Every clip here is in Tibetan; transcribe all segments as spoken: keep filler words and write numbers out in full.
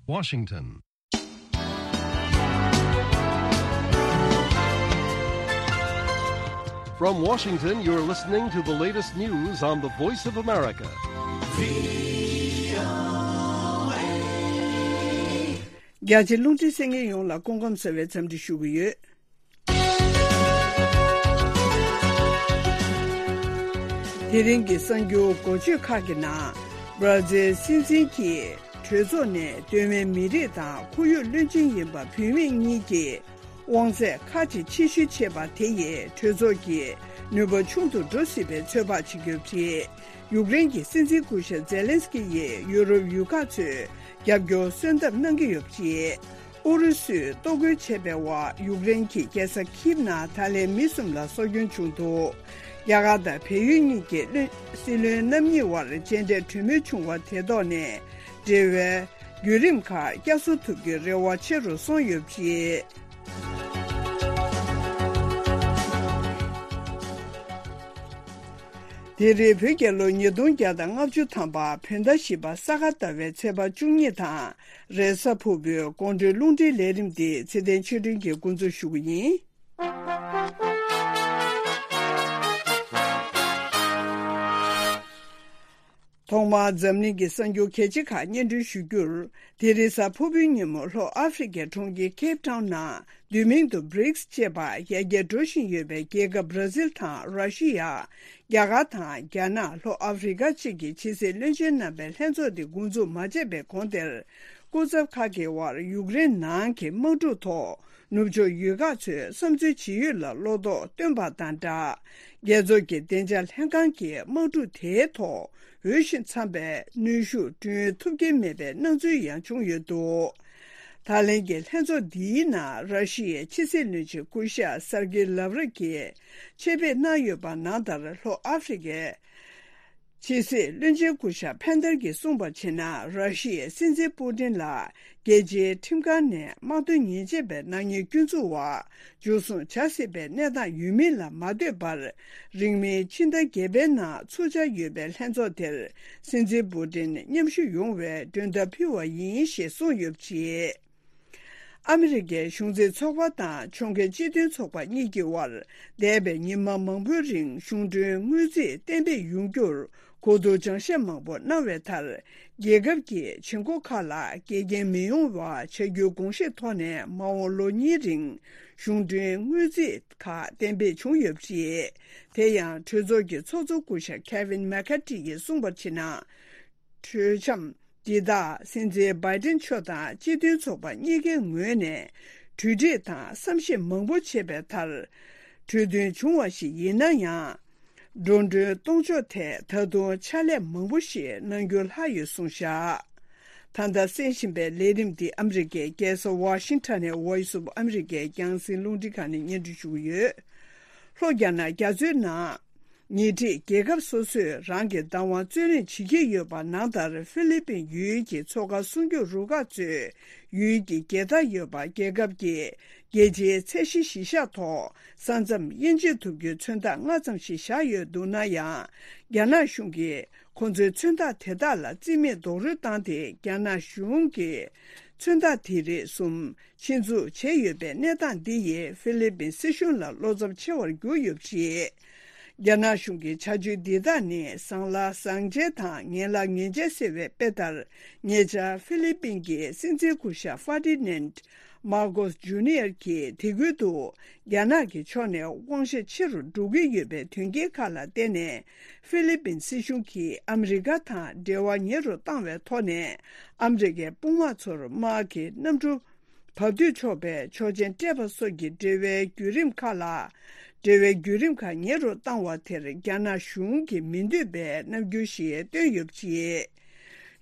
Washington. From Washington, you're listening to the latest news on the Voice of America. རྒྱ་ཆེ་རླུང་འཕྲིན་གསན་མཁན་ཡོངས་ལ་སྐུ་ཁམས་བཟང་བའི་འཚམས་འདྲི་ཞུ་གི་ཡོད། དེ་རིང་གི་གསར་འགྱུར་འགོ་བརྗོད་ཁག་གི་ནང་། སྦྲ་ཛིལ་སྲིད་འཛིན་གྱིས་གྲོས་ཚོགས་ནས་གདོད་མའི་མི་རིགས་དང་ཁོར་ཡུག་བློན་ཆེན་ཡིན་པ་བུད་མེད་གཉིས་ཀྱི་དབང་ཚད་ཁག་ཅིག་ཕྱིར་བཤེར་བྱས་པ་དེ་ཡིས་གྲོས་ཚོགས་ཀྱི་ནུས་པ་ཆུང་དུ་འགྲོ་སྲིད་པའི་ཚོད་དཔག་བྱེད་ཀྱི་ཡོད་པ་རེད། ཡུཀ་རེན་གྱི་སྲིད་འཛིན་སྐུ་ཞབས་ཛེ་ལན་སི་ཀི་ཡིས་ཡུ་རོབ་ཡུལ་ཁག་ཚོས་རྒྱབ་སྐྱོར་གསོལ་འདེབས་གནང་གི་ཡོད་པ་རེད། ཨུ་རུ་སུས་གཏོར་རྒོལ་བྱས་པའི་འོག་ཡུཀ་རེན་གྱི་རྒྱལ་ས་ཁིབ་ནང་ད་ལན་མི་གསུམ་ལ་སྲོག་སྐྱོན་བྱུང་འདུག་རྒྱ་གར་དང་བལ་ཡུལ་གཉིས་ཀྱི་བློན་སྲིད་བློན་རྣམ་གཉིས་དབར་མཇལ་འཕྲད་གྲོས་མོལ་བྱུང་བ་དེ་ཐོག་ནས་འབྲེལ་བའི་བརྒྱུད་རིམ་ཁག་བསྐྱར་གསོ་ཐུབ་རྒྱུའི་རེ་བ་ཆེ་རུ་སོང་ཡོད་པ་རེད། དེ་རིང་བོད་རྒྱལ་ལོ་ཉིས་སྟོང་བརྒྱ་དང་ལྔ་བཅུ་ཐམ་པ་བོད་ཟླ་བཞི་པ་ས་ག་ཟླ་བའི་ཚེས་པ་བཅུ་གཉིས་དང་རེས་གཟའ་ཕུར་བུའི་དགོང་དྲོའི་རླུང་འཕྲིན་ལས་རིམ་འདི་ཚེ་བརྟན་ཆོས་སྒྲོན་གྱིས་འགོ་འཛུགས་ཞུ་གི་ཡིན། ཐོག་མར་འཛམ་གླིང་གི་གསར་འགྱུར་གལ་ཆེ་ཁག་སྙན་སྒྲོན་ཞུ་རྒྱུར། དེ་རིང་གཟའ་ཕུར་བུའི་ཉིན་མོ་ལྷོ་ཨ་ཧྥེ་རི་ཁའི་གྲོང་ཁྱེར་ཁེབ་ཊའུན་ནང་བསྡུས་མིང་དུ་བྷི་རིགས་ཅེས་པ་ཡར་རྒྱས་འགྲོ་བཞིན་ཡོད་པའི་རྒྱལ་ཁབ་བྷ་ར་ཟིལ་དང་ར་ཤི་ཡ། རྒྱ་གར་དང་རྒྱ་ནག་ལྷོ་ཨ་ཧྥེ་རི་ཁ་བཅས་ཀྱི་ཕྱི་སྲིད་བློན་ཆེན་རྣམ་པའི་ལྷན་ཚོགས་དེ་འགོ་འཛུགས་མ་བྱས་པའི་གོང་དེར། སྐུ་ཚབ་ཁག་གི་དབར་ཡུཀ་རེན་ནང་གི་དམག་འཁྲུག་ཐོག་ནུབ་ཕྱོགས་ཡུལ་ཁག་ཚོས་བསམ་ཚུལ་ཇི་ཡོད་ལ་བློ་དོགས་བཏོན་པ་དང་སྦྲགས། རྒྱལ་ཚོགས་ཀྱི་བདེ་འཇགས་ལྷན་ཁང་གིས་དམག་འཁྲུག་དེའི་ཐོག་འོས་ཤིང་འཚམ་པའི་གནོན་ཤུགས་བསྐྲུན་ཐུབ་ཀྱི་མེད་པའི་སྣང་ཚུལ་ཡང་བྱུང་ཡོད་འདུག་ད་ལན་གྱི་ལྷན་ཚོགས་འདིའི་ནང་ར་ཤི་ཡའི་ཕྱི་སྲིད་བློན་ཆེན་སྐུ་ཞབས་སར་གི་ལབ་རོབ་ཀྱིས་ཆེད་ཕེབས་གནང་ཡོད་པ་ནང་ལྟར་ལྷོ་ཨ་ཧྥེ་རི་ཁའི་ཕྱི་སྲིད་བློན་ཆེན་སྐུ་ཞབས་ཕན་ཐར་གྱིས་གསུངས་པར་བྱས་ན། ར་ཤི་ཡའི་སྲིད་འཛིན་པུ་ཏིན་ལ་རྒྱལ་སྤྱིའི་ཁྲིམས་ཁང་ནས་དམག་དོན་ཉེས་ཆད་པའི་ནག་ཉེས་སྐྱོན་འཛུགས་འོག་འཇུ་བཟུང་བྱ་སྲིད་པའི་གནས་སྟངས་ཡོད་མིན་ལ་མ་ལྟོས་པར། རིང་མིན་ཕྱི་ཟླ་བརྒྱད་པའི་ནང་ཚུགས་འཆར་ཡོད་པའི་ལྷན་ཚོགས་དེར་སྲིད་འཛིན་པུ་ཏིན་མཉམ་ཞུགས་ཡོང་བའི་མགྲོན་བརྡ་ཕུལ་བ་ཡིན་ཞེས་གསུངས་ཡོད་པ་རེད། ཨ་མི་རི་ཀའི་གཞུང་འཛིན་ཚོགས་པ་དང་ཕྱོགས་འགལ་སྤྱི་མཐུན་ཚོགས་པ་གཉིས་ཀྱི་དབར་འདས་པའི་ཉི་མ་མང་པོའི་རིང་གཞུང་གྲོན་དངུལ་རྩིས་གཏན་འབེབས་ཡོང་རྒྱུར་གོ་བསྡུར་སྦྱང་བཤད་མང་པོ་གནང་བའི་མཐར། རྒྱལ་ཁབ་ཀྱི་བྱེད་སྒོ་ཁག་ལ་འགལ་རྐྱེན་མི་ཡོང་བ་བྱ་རྒྱུའི་དགོངས་བཞེས་ཐོག་ནས་མ་འོངས་ལོ་གཉིས་རིང་གཞུང་གྲོན་དངུལ་རྩིས་ཁག་གཏན་འབེབས་བྱུང་ཡོད་པ་རེད། དེ་ཡང་གྲོས་ཚོགས་ཀྱི་ཚོགས་གཙོ་སྐུ་ཞབས་Kevin McCarthy ཡིས་གསུངས་པར་བྱས་ན། གྲོས་འཆམ་འདི་དག་སྲིད་འཛིན་བྷའི་ཏིན་མཆོག་དང་སྤྱི་མཐུན་ཚོགས་པ་གཉིས་ཀའི་ངོས་ནས་གྲོས་འགྲིག་དང་བསམ་ཞིབ་མང་པོ་བྱས་པའི་མཐར། གྲོས་མཐུན་བྱུང་བ་ཞིག་ཡིན་ན་ཡང་། འགྲོ་གྲོན་གཏོང་ཕྱོགས་ཐད་ད་དུང་ཕྱག་ལས་མང་པོ་ཞིག་གནང་རྒྱུ་ལྷག་ཡོད་གསུངས་བཞག་ད་ལྟ་གསན་བཞིན་པའི་ལས་རིམ་འདི་ཨ་མི་རི་ཀའི་རྒྱལ་ས་ཝ་ཤིང་ཊོན་ནས་Voice of America རྒྱང་སྲིང་རླུང་འཕྲིན་ཁང་ནས་སྙན་སྒྲོན་ཞུ་གི་ཡོད། ལྷོ་རྒྱ་ནག་རྒྱ་མཚོའི་ནང་། ཉེ་འཁྲིས་རྒྱལ་ཁབ་སོ་སོས་རང་གི་བདག་དབང་རྩོད་ལེན་བྱེད་ཀྱི་ཡོད་པ་ནང་ལྟར་ཧྥི་ལི་པིན་ཡུལ་གྱི་མཚོ་ཁ་སྲུང་སྐྱོབ་རུ་ཁག་ཚོས་ཡུལ་གྱི་རྒྱལ་དར་ཡོད་པ་རྒྱལ་ཁབ་ཀྱི་རྒྱལ་སྤྱིའི་ཚད་གཞི་གཞི་བཞག་ཐོག་ས་མཚམས་དབྱེ་འབྱེད་ཐུབ་རྒྱུའི་མཚོན་རྟགས་ལྔ་ཙམ་ཞིག་བཞག་ཡོད་འདུག་ན་ཡང་། རྒྱ་ནག་གཞུང་གིས་ཁོ་ཚོའི་མཚོན་རྟགས་དེ་དག་ལ་རྩིས་མེད་རྡོག་རོལ་བཏང་སྟེ་རྒྱ་ནག་གཞུང་གིས་མཚོན་རྟགས་དེ་རིགས་གསུམ། ཆེད་འཛུགས་བྱས་ཡོད་པའི་གནས་སྟངས་འདི་ཡིས་ཧྥི་ལི་པིན་སྲིད་གཞུང་ལ་བློ་འཚབ་ཆེ་བར་གྱུར་ཡོད་པ་རེད། རྒྱ་ནག་གཞུང་གི་བྱ་སྤྱོད་འདི་དག་ནི་བཟང་ལ་བཟང་བྱེད་དང་ངན་ལ་ངན་བྱེད་ཟེར་བའི་དཔེ་ལྟར། ཉེ་ཆར་ཧྥི་ལི་པིན་གྱི་སྲིད་འཛིན་སྐུ་ཞབས་ཧྥ་ཏི་ནན་མར་ཀོས་ཇུ་ནི་ཡར་གྱིས་དེ་ཁུལ་དུ་རྒྱ་ནག་གི་ཕྱོགས་ནས་དབང་ཤེད་ཆེ་རུ་འགྲོ་གི་ཡོད་པའི་དོན་རྐྱེན་ཁག་ལ་བརྟེན་ནས། ཧྥི་ལི་པིན་སྲིད་གཞུང་གིས་ཨ་མི་རི་ཀ་དང་འབྲེལ་བ་ཉེ་རུ་བཏང་བའི་ཐོག་ནས། ཨ་མི་རི་ཀའི་དཔུང་དམག་ཚོར་དམག་གི་གནམ་གྲུ་བབས་སྡོད་ཆོག་པའི་ཆོག་མཆན་སྤྲད་པ་སོགས་ཀྱི་འབྲེལ་བའི་བརྒྱུད་རིམ་ཁག་ལ། འབྲེལ་བའི་བརྒྱུད་རིམ་ཁག་ཉེ་རུ་བཏང་བ་དེར་རྒྱ་ནག་གཞུང་གིས་མི་འདོད་པའི་རྣམ་འགྱུར་ཞིག་བཏོན་ཡོད་པ་རེད།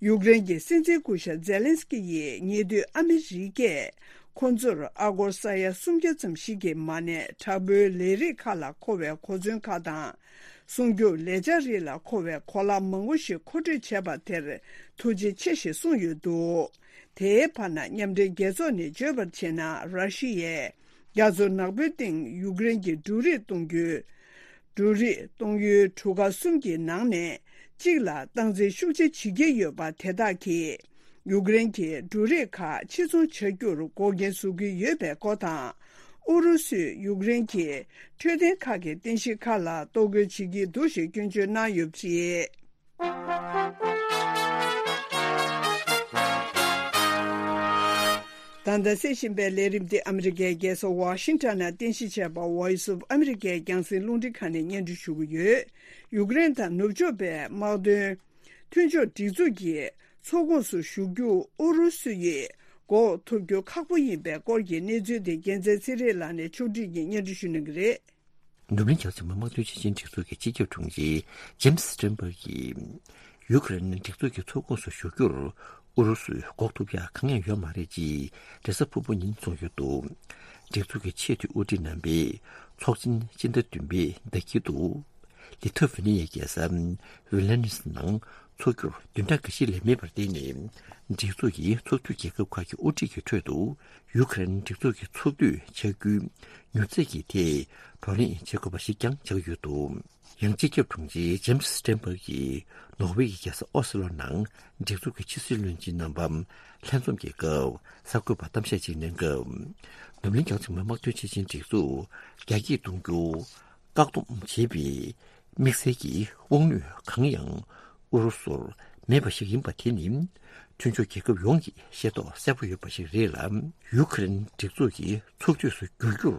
ཡུཀ་རེན་གྱི་སྲིད་འཛིན་སྐུ་ཞབས་ཛེ་ལན་སི་ཀི་ཡིས་ཉེ་དུས་ཨ་མི་རི་ཀས་ཁོ་ཚོར་ཨ་སྒོར་ས་ཡ་སུམ་བརྒྱ་ཙམ་ཞིག་གི་མ་གནས་དྲག་པོའི་ལས་རིགས་ཁག་ལ་མཁོ་བའི་གོ་མཚོན་ཁག་དང་། སྲུང་སྐྱོབ་ལས་འཆར་རིགས་ལ་མཁོ་བའི་གོ་ལག་མང་པོ་ཞིག་མཁོ་སྤྲོད་བྱས་པ་དེར་ཐུགས་རྗེ་ཆེ་ཞེས་གསུངས་ཡོད་འདུག་དེའི་བར་ན་མཉམ་འབྲེལ་རྒྱལ་ཚོགས་ནས་བརྗོད་པར་བྱས་ན། ར་ཤི་ཡས་རྒྱ་མཚོ་ནག་པོའི་སྟེང་ཡུཀ་རེན་གྱི་འབྲུ་རིགས་གཏོང་རྒྱུའི། འབྲུ་རིགས་གཏོང་ཡུལ་གྲུ་ཁ་གསུམ་གྱི་ནང་ནས་གཅིག་ལ་སྟངས་འཛིན་ཤུགས་ཆེ་བྱེད་ཀྱི་ཡོད་པ་དེ་དག་གིས། ཡུཀ་རེན་གྱི་འབྲུ་རིགས་ཁག་ཕྱིར་ཚོང་བྱ་རྒྱུར་འགོག་རྐྱེན་བཟོ་གི་ཡོད་པའི་སྐོར་དང་། ཨུ་རུ་སུས་ཡུཀ་རེན་གྱི་འཕྲོད་བསྟེན་ཁག་གི་རྟེན་གཞི་ཁག་ལ་གཏོར་རྒོལ་བྱེད་ཀྱི་འདུག་ཞེས་སྐྱོན་བརྗོད་གནང་ཡོད་པ་རེད། ད་ལྟ་གསན་བཞིན་པའི་ལས་རིམ་འདི་ཨ་མི་རི་ཀའི་རྒྱལ་ས་ཝ་ཤིང་ཊོན་ནས་རྟེན་གཞི་བྱས་པ་Voice of America་རྒྱང་སྲིང་རླུང་འཕྲིན་ཁང་ནས་སྙན་སྒྲོན་ཞུ་གི་ཡོད། ཡུཀ་རེན་དང་ནུབ་ཕྱོགས་པའི་དམག་དོན་མཐུན་ཕྱོགས་སྒྲིག་འཛུགས་ཀྱི་ཚོགས་ཁོངས་སུ་ཞུགས་རྒྱུ་ཨུ་རུ་སུ་ཡིས་འགོག་ཐུབ་རྒྱུ་ཁག་པོ་ཡིན་པའི་སྐོར་གྱི་གནས་ཚུལ་དེ་རྒྱལ་མཚན་ཚེ་རིང་ལགས་ནས་ཕྱོགས་བསྒྲིགས་ཀྱིས་སྙན་སྒྲོན་ཞུ་གནང་གི་རེད། ནུབ་གླིང་རྒྱལ་ཚོགས་མི་དམངས་དོན་ཆེད་ཆེན་སྒྲིག་འཛུགས་ཀྱི་སྤྱི་ཁྱབ་དྲུང་ཆེ་ཇེམ་སི་སི་ཊེན་བྷག་གིས། ཡུཀ་རེན་སྒྲིག་འཛུགས་ཀྱི་ཚོགས་ཁོངས་སུ་ཞུགས་རྒྱུར་ཨུ་རུ་སུས་འགོག་ཐུབ་ཡག་གང་ཡང་ཡོད་མ་རེད་ཅེས་རེས་གཟའ་ཕུར་བུ་ཉིན་གསུངས་ཡོད་འདུག་སྒྲིག་འཛུགས་ཀྱི་ཆེས་མཐོའི་དབུ་ཁྲིད་རྣམ་པས་ཚོགས་ཆེན་སྤྱི་ཟླ་བདུན་པའི་ཟླ་དཀྱིལ་དུ་ལི་ཐོ་ཝེ་ནི་ཡའི་རྒྱལ་ས་ཝི་ལ་ནུས་ནང་འཚོགས་རྒྱུར་བདུན་ཕྲག་འགའ་ཞིག་ལས་མེད་པར་བརྟེན་ནས། སྒྲིག་འཛུགས་ཀྱི་ཚོགས་འཐུས་རྒྱལ་ཁབ་ཁག་གི་དབུ་ཁྲིད་ཀྱི་ཁྲོད་དུ་ཡུཀ་རེན་སྒྲིག་འཛུགས་ཀྱི་ཚོགས་འཐུས་ཆགས་རྒྱུའི་མྱུར་ཚད་ཀྱི་ཐད་བགྲོ་གླེང་བྱེད་དགོས་པ་ཞིག་ཀྱང་ཆགས་ཡོད་འདུག་ཡང་སྤྱི་ཁྱབ་དྲུང་ཆེ་ཇེམ་སི་སི་ཊེན་བྷག་གིས་ནོར་ཝེ་ཡི་རྒྱལ་ས་ཨོ་སི་ལོ་ནང་སྒྲིག་འཛུགས་ཀྱི་ཕྱི་སྲིད་བློན་ཆེན་རྣམ་པ་ལྷན་འཛོམས་ཀྱི་སྐབས་གསར་འགོད་པར་གཏམ་བཤད་ཅིག་གནང་སྐབས། ནུབ་གླིང་རྒྱལ་ཚོགས་མི་དམངས་དོན་ཆེད་ཆེན་སྒྲིག་འཛུགས་རྒྱ་སྐྱེད་གཏོང་རྒྱུ་བཀག་སྡོམ་བྱེད་པའི་དམིགས་བསལ་གྱི་དབང་ནུས་གང་ཡང་ཨུ་རུ་སུར་མེད་པ་ཞིག་ཡིན་པ་དེ་ནི། མཐུན་ཕྱོགས་རྒྱལ་ཁབ་ཡོངས་ཀྱིས་ཤེས་རྟོགས་གསལ་པོ་ཡོད་པ་ཞིག་རེད་ལ། ཡུ་ཁུ་རེན་སྒྲིག་འཛུགས་ཀྱི་ཚོགས་འཐུས་སུ་འགྱུར་རྒྱུར་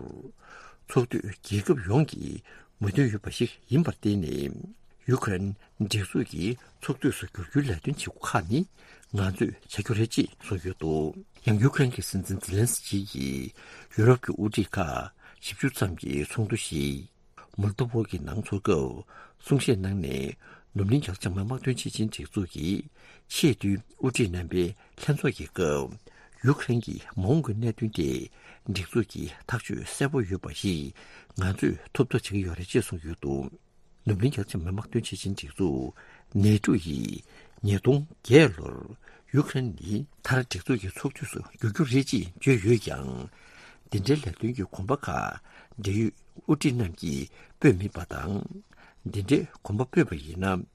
ཚོགས་འཐུས་རྒྱལ་ཁབ་ཡོངས་ཀྱི་མོས་མཐུན་ཡོད་པ་ཞིག་ཡིན་པར་བརྟེན་ནས། ཡུ་ཁུ་རེན་སྒྲིག་འཛུགས་ཀྱི་ཚོགས་འཐུས་སུ་འགྱུར་རྒྱུའི་ལས་དོན་བྱེད་སྒོ་ཁག་ནི་ང་ཚོས་བྱ་རྒྱུ་རེད་ཅེས་གསུངས་ཡོད་འདུག་ཡང་ཡུ་ཁུ་རེན་གྱི་སྲིད་འཛིན་ཛི་ལན་སི་ཀི་ཡིས་ཡུ་རོབ་ཀྱི་དབུ་ཁྲིད་ཁག་བཞི་བཅུ་ཙམ་གྱི་ཚོགས་འདུ་ཞིག་མོལ་ཏོ་བོ་གི་ནང་ཚོགས་སྐབས་གསུང་བཤད་གནང་ནས། ནུབ་གླིང་རྒྱ་ཆེ་མི་དམངས་དོན་ཆེད་ཆེན་སྒྲིག་འཛུགས་ཀྱི་ཆེས་མཐོའི་དབུ་ཁྲིད་རྣམ་པའི་ལྷན་ཚོགས་ཀྱི་སྐབས། ཡུ་ཁུ་རེན་གྱི་མ་འོངས་ཀྱི་གནད་དོན་དེ་སྒྲིག་འཛུགས་ཀྱི་ཐག་གཅོད་གསལ་པོ་ཡོད་པ་ཞིག་ང་ཚོས་ཐོབ་ཐབས་བྱེད་ཀྱི་ཡོད་རེད་ཅེས་གསུངས་ཡོད་འདུག་ནུབ་གླིང་རྒྱལ་ཚོགས་མི་དམངས་དོན་ཆེད་ཆེན་སྒྲིག་འཛུགས་ནེ་ཏྲོ་ཡིས་ཉིས་སྟོང་བརྒྱད་ལོར་ཡུ་ཁུ་རེན་ནི་མཐར་སྒྲིག་འཛུགས་ཀྱི་ཚོགས་འཐུས་སུ་འགྱུར་རྒྱུ་རེད་ཅེས་བརྗོད་ཡོད་ཀྱང་། འདི་འདྲའི་ལས་དོན་གྱི་གོམ་པ་ཁག་འབྲེལ་ཡོད་དབུ་ཁྲིད་རྣམས་ཀྱིས་སྤོས་མེད་པ་དང་། འདི་འདྲའི་གོམ་པ་སྤོས་པ་ཡིན་ན།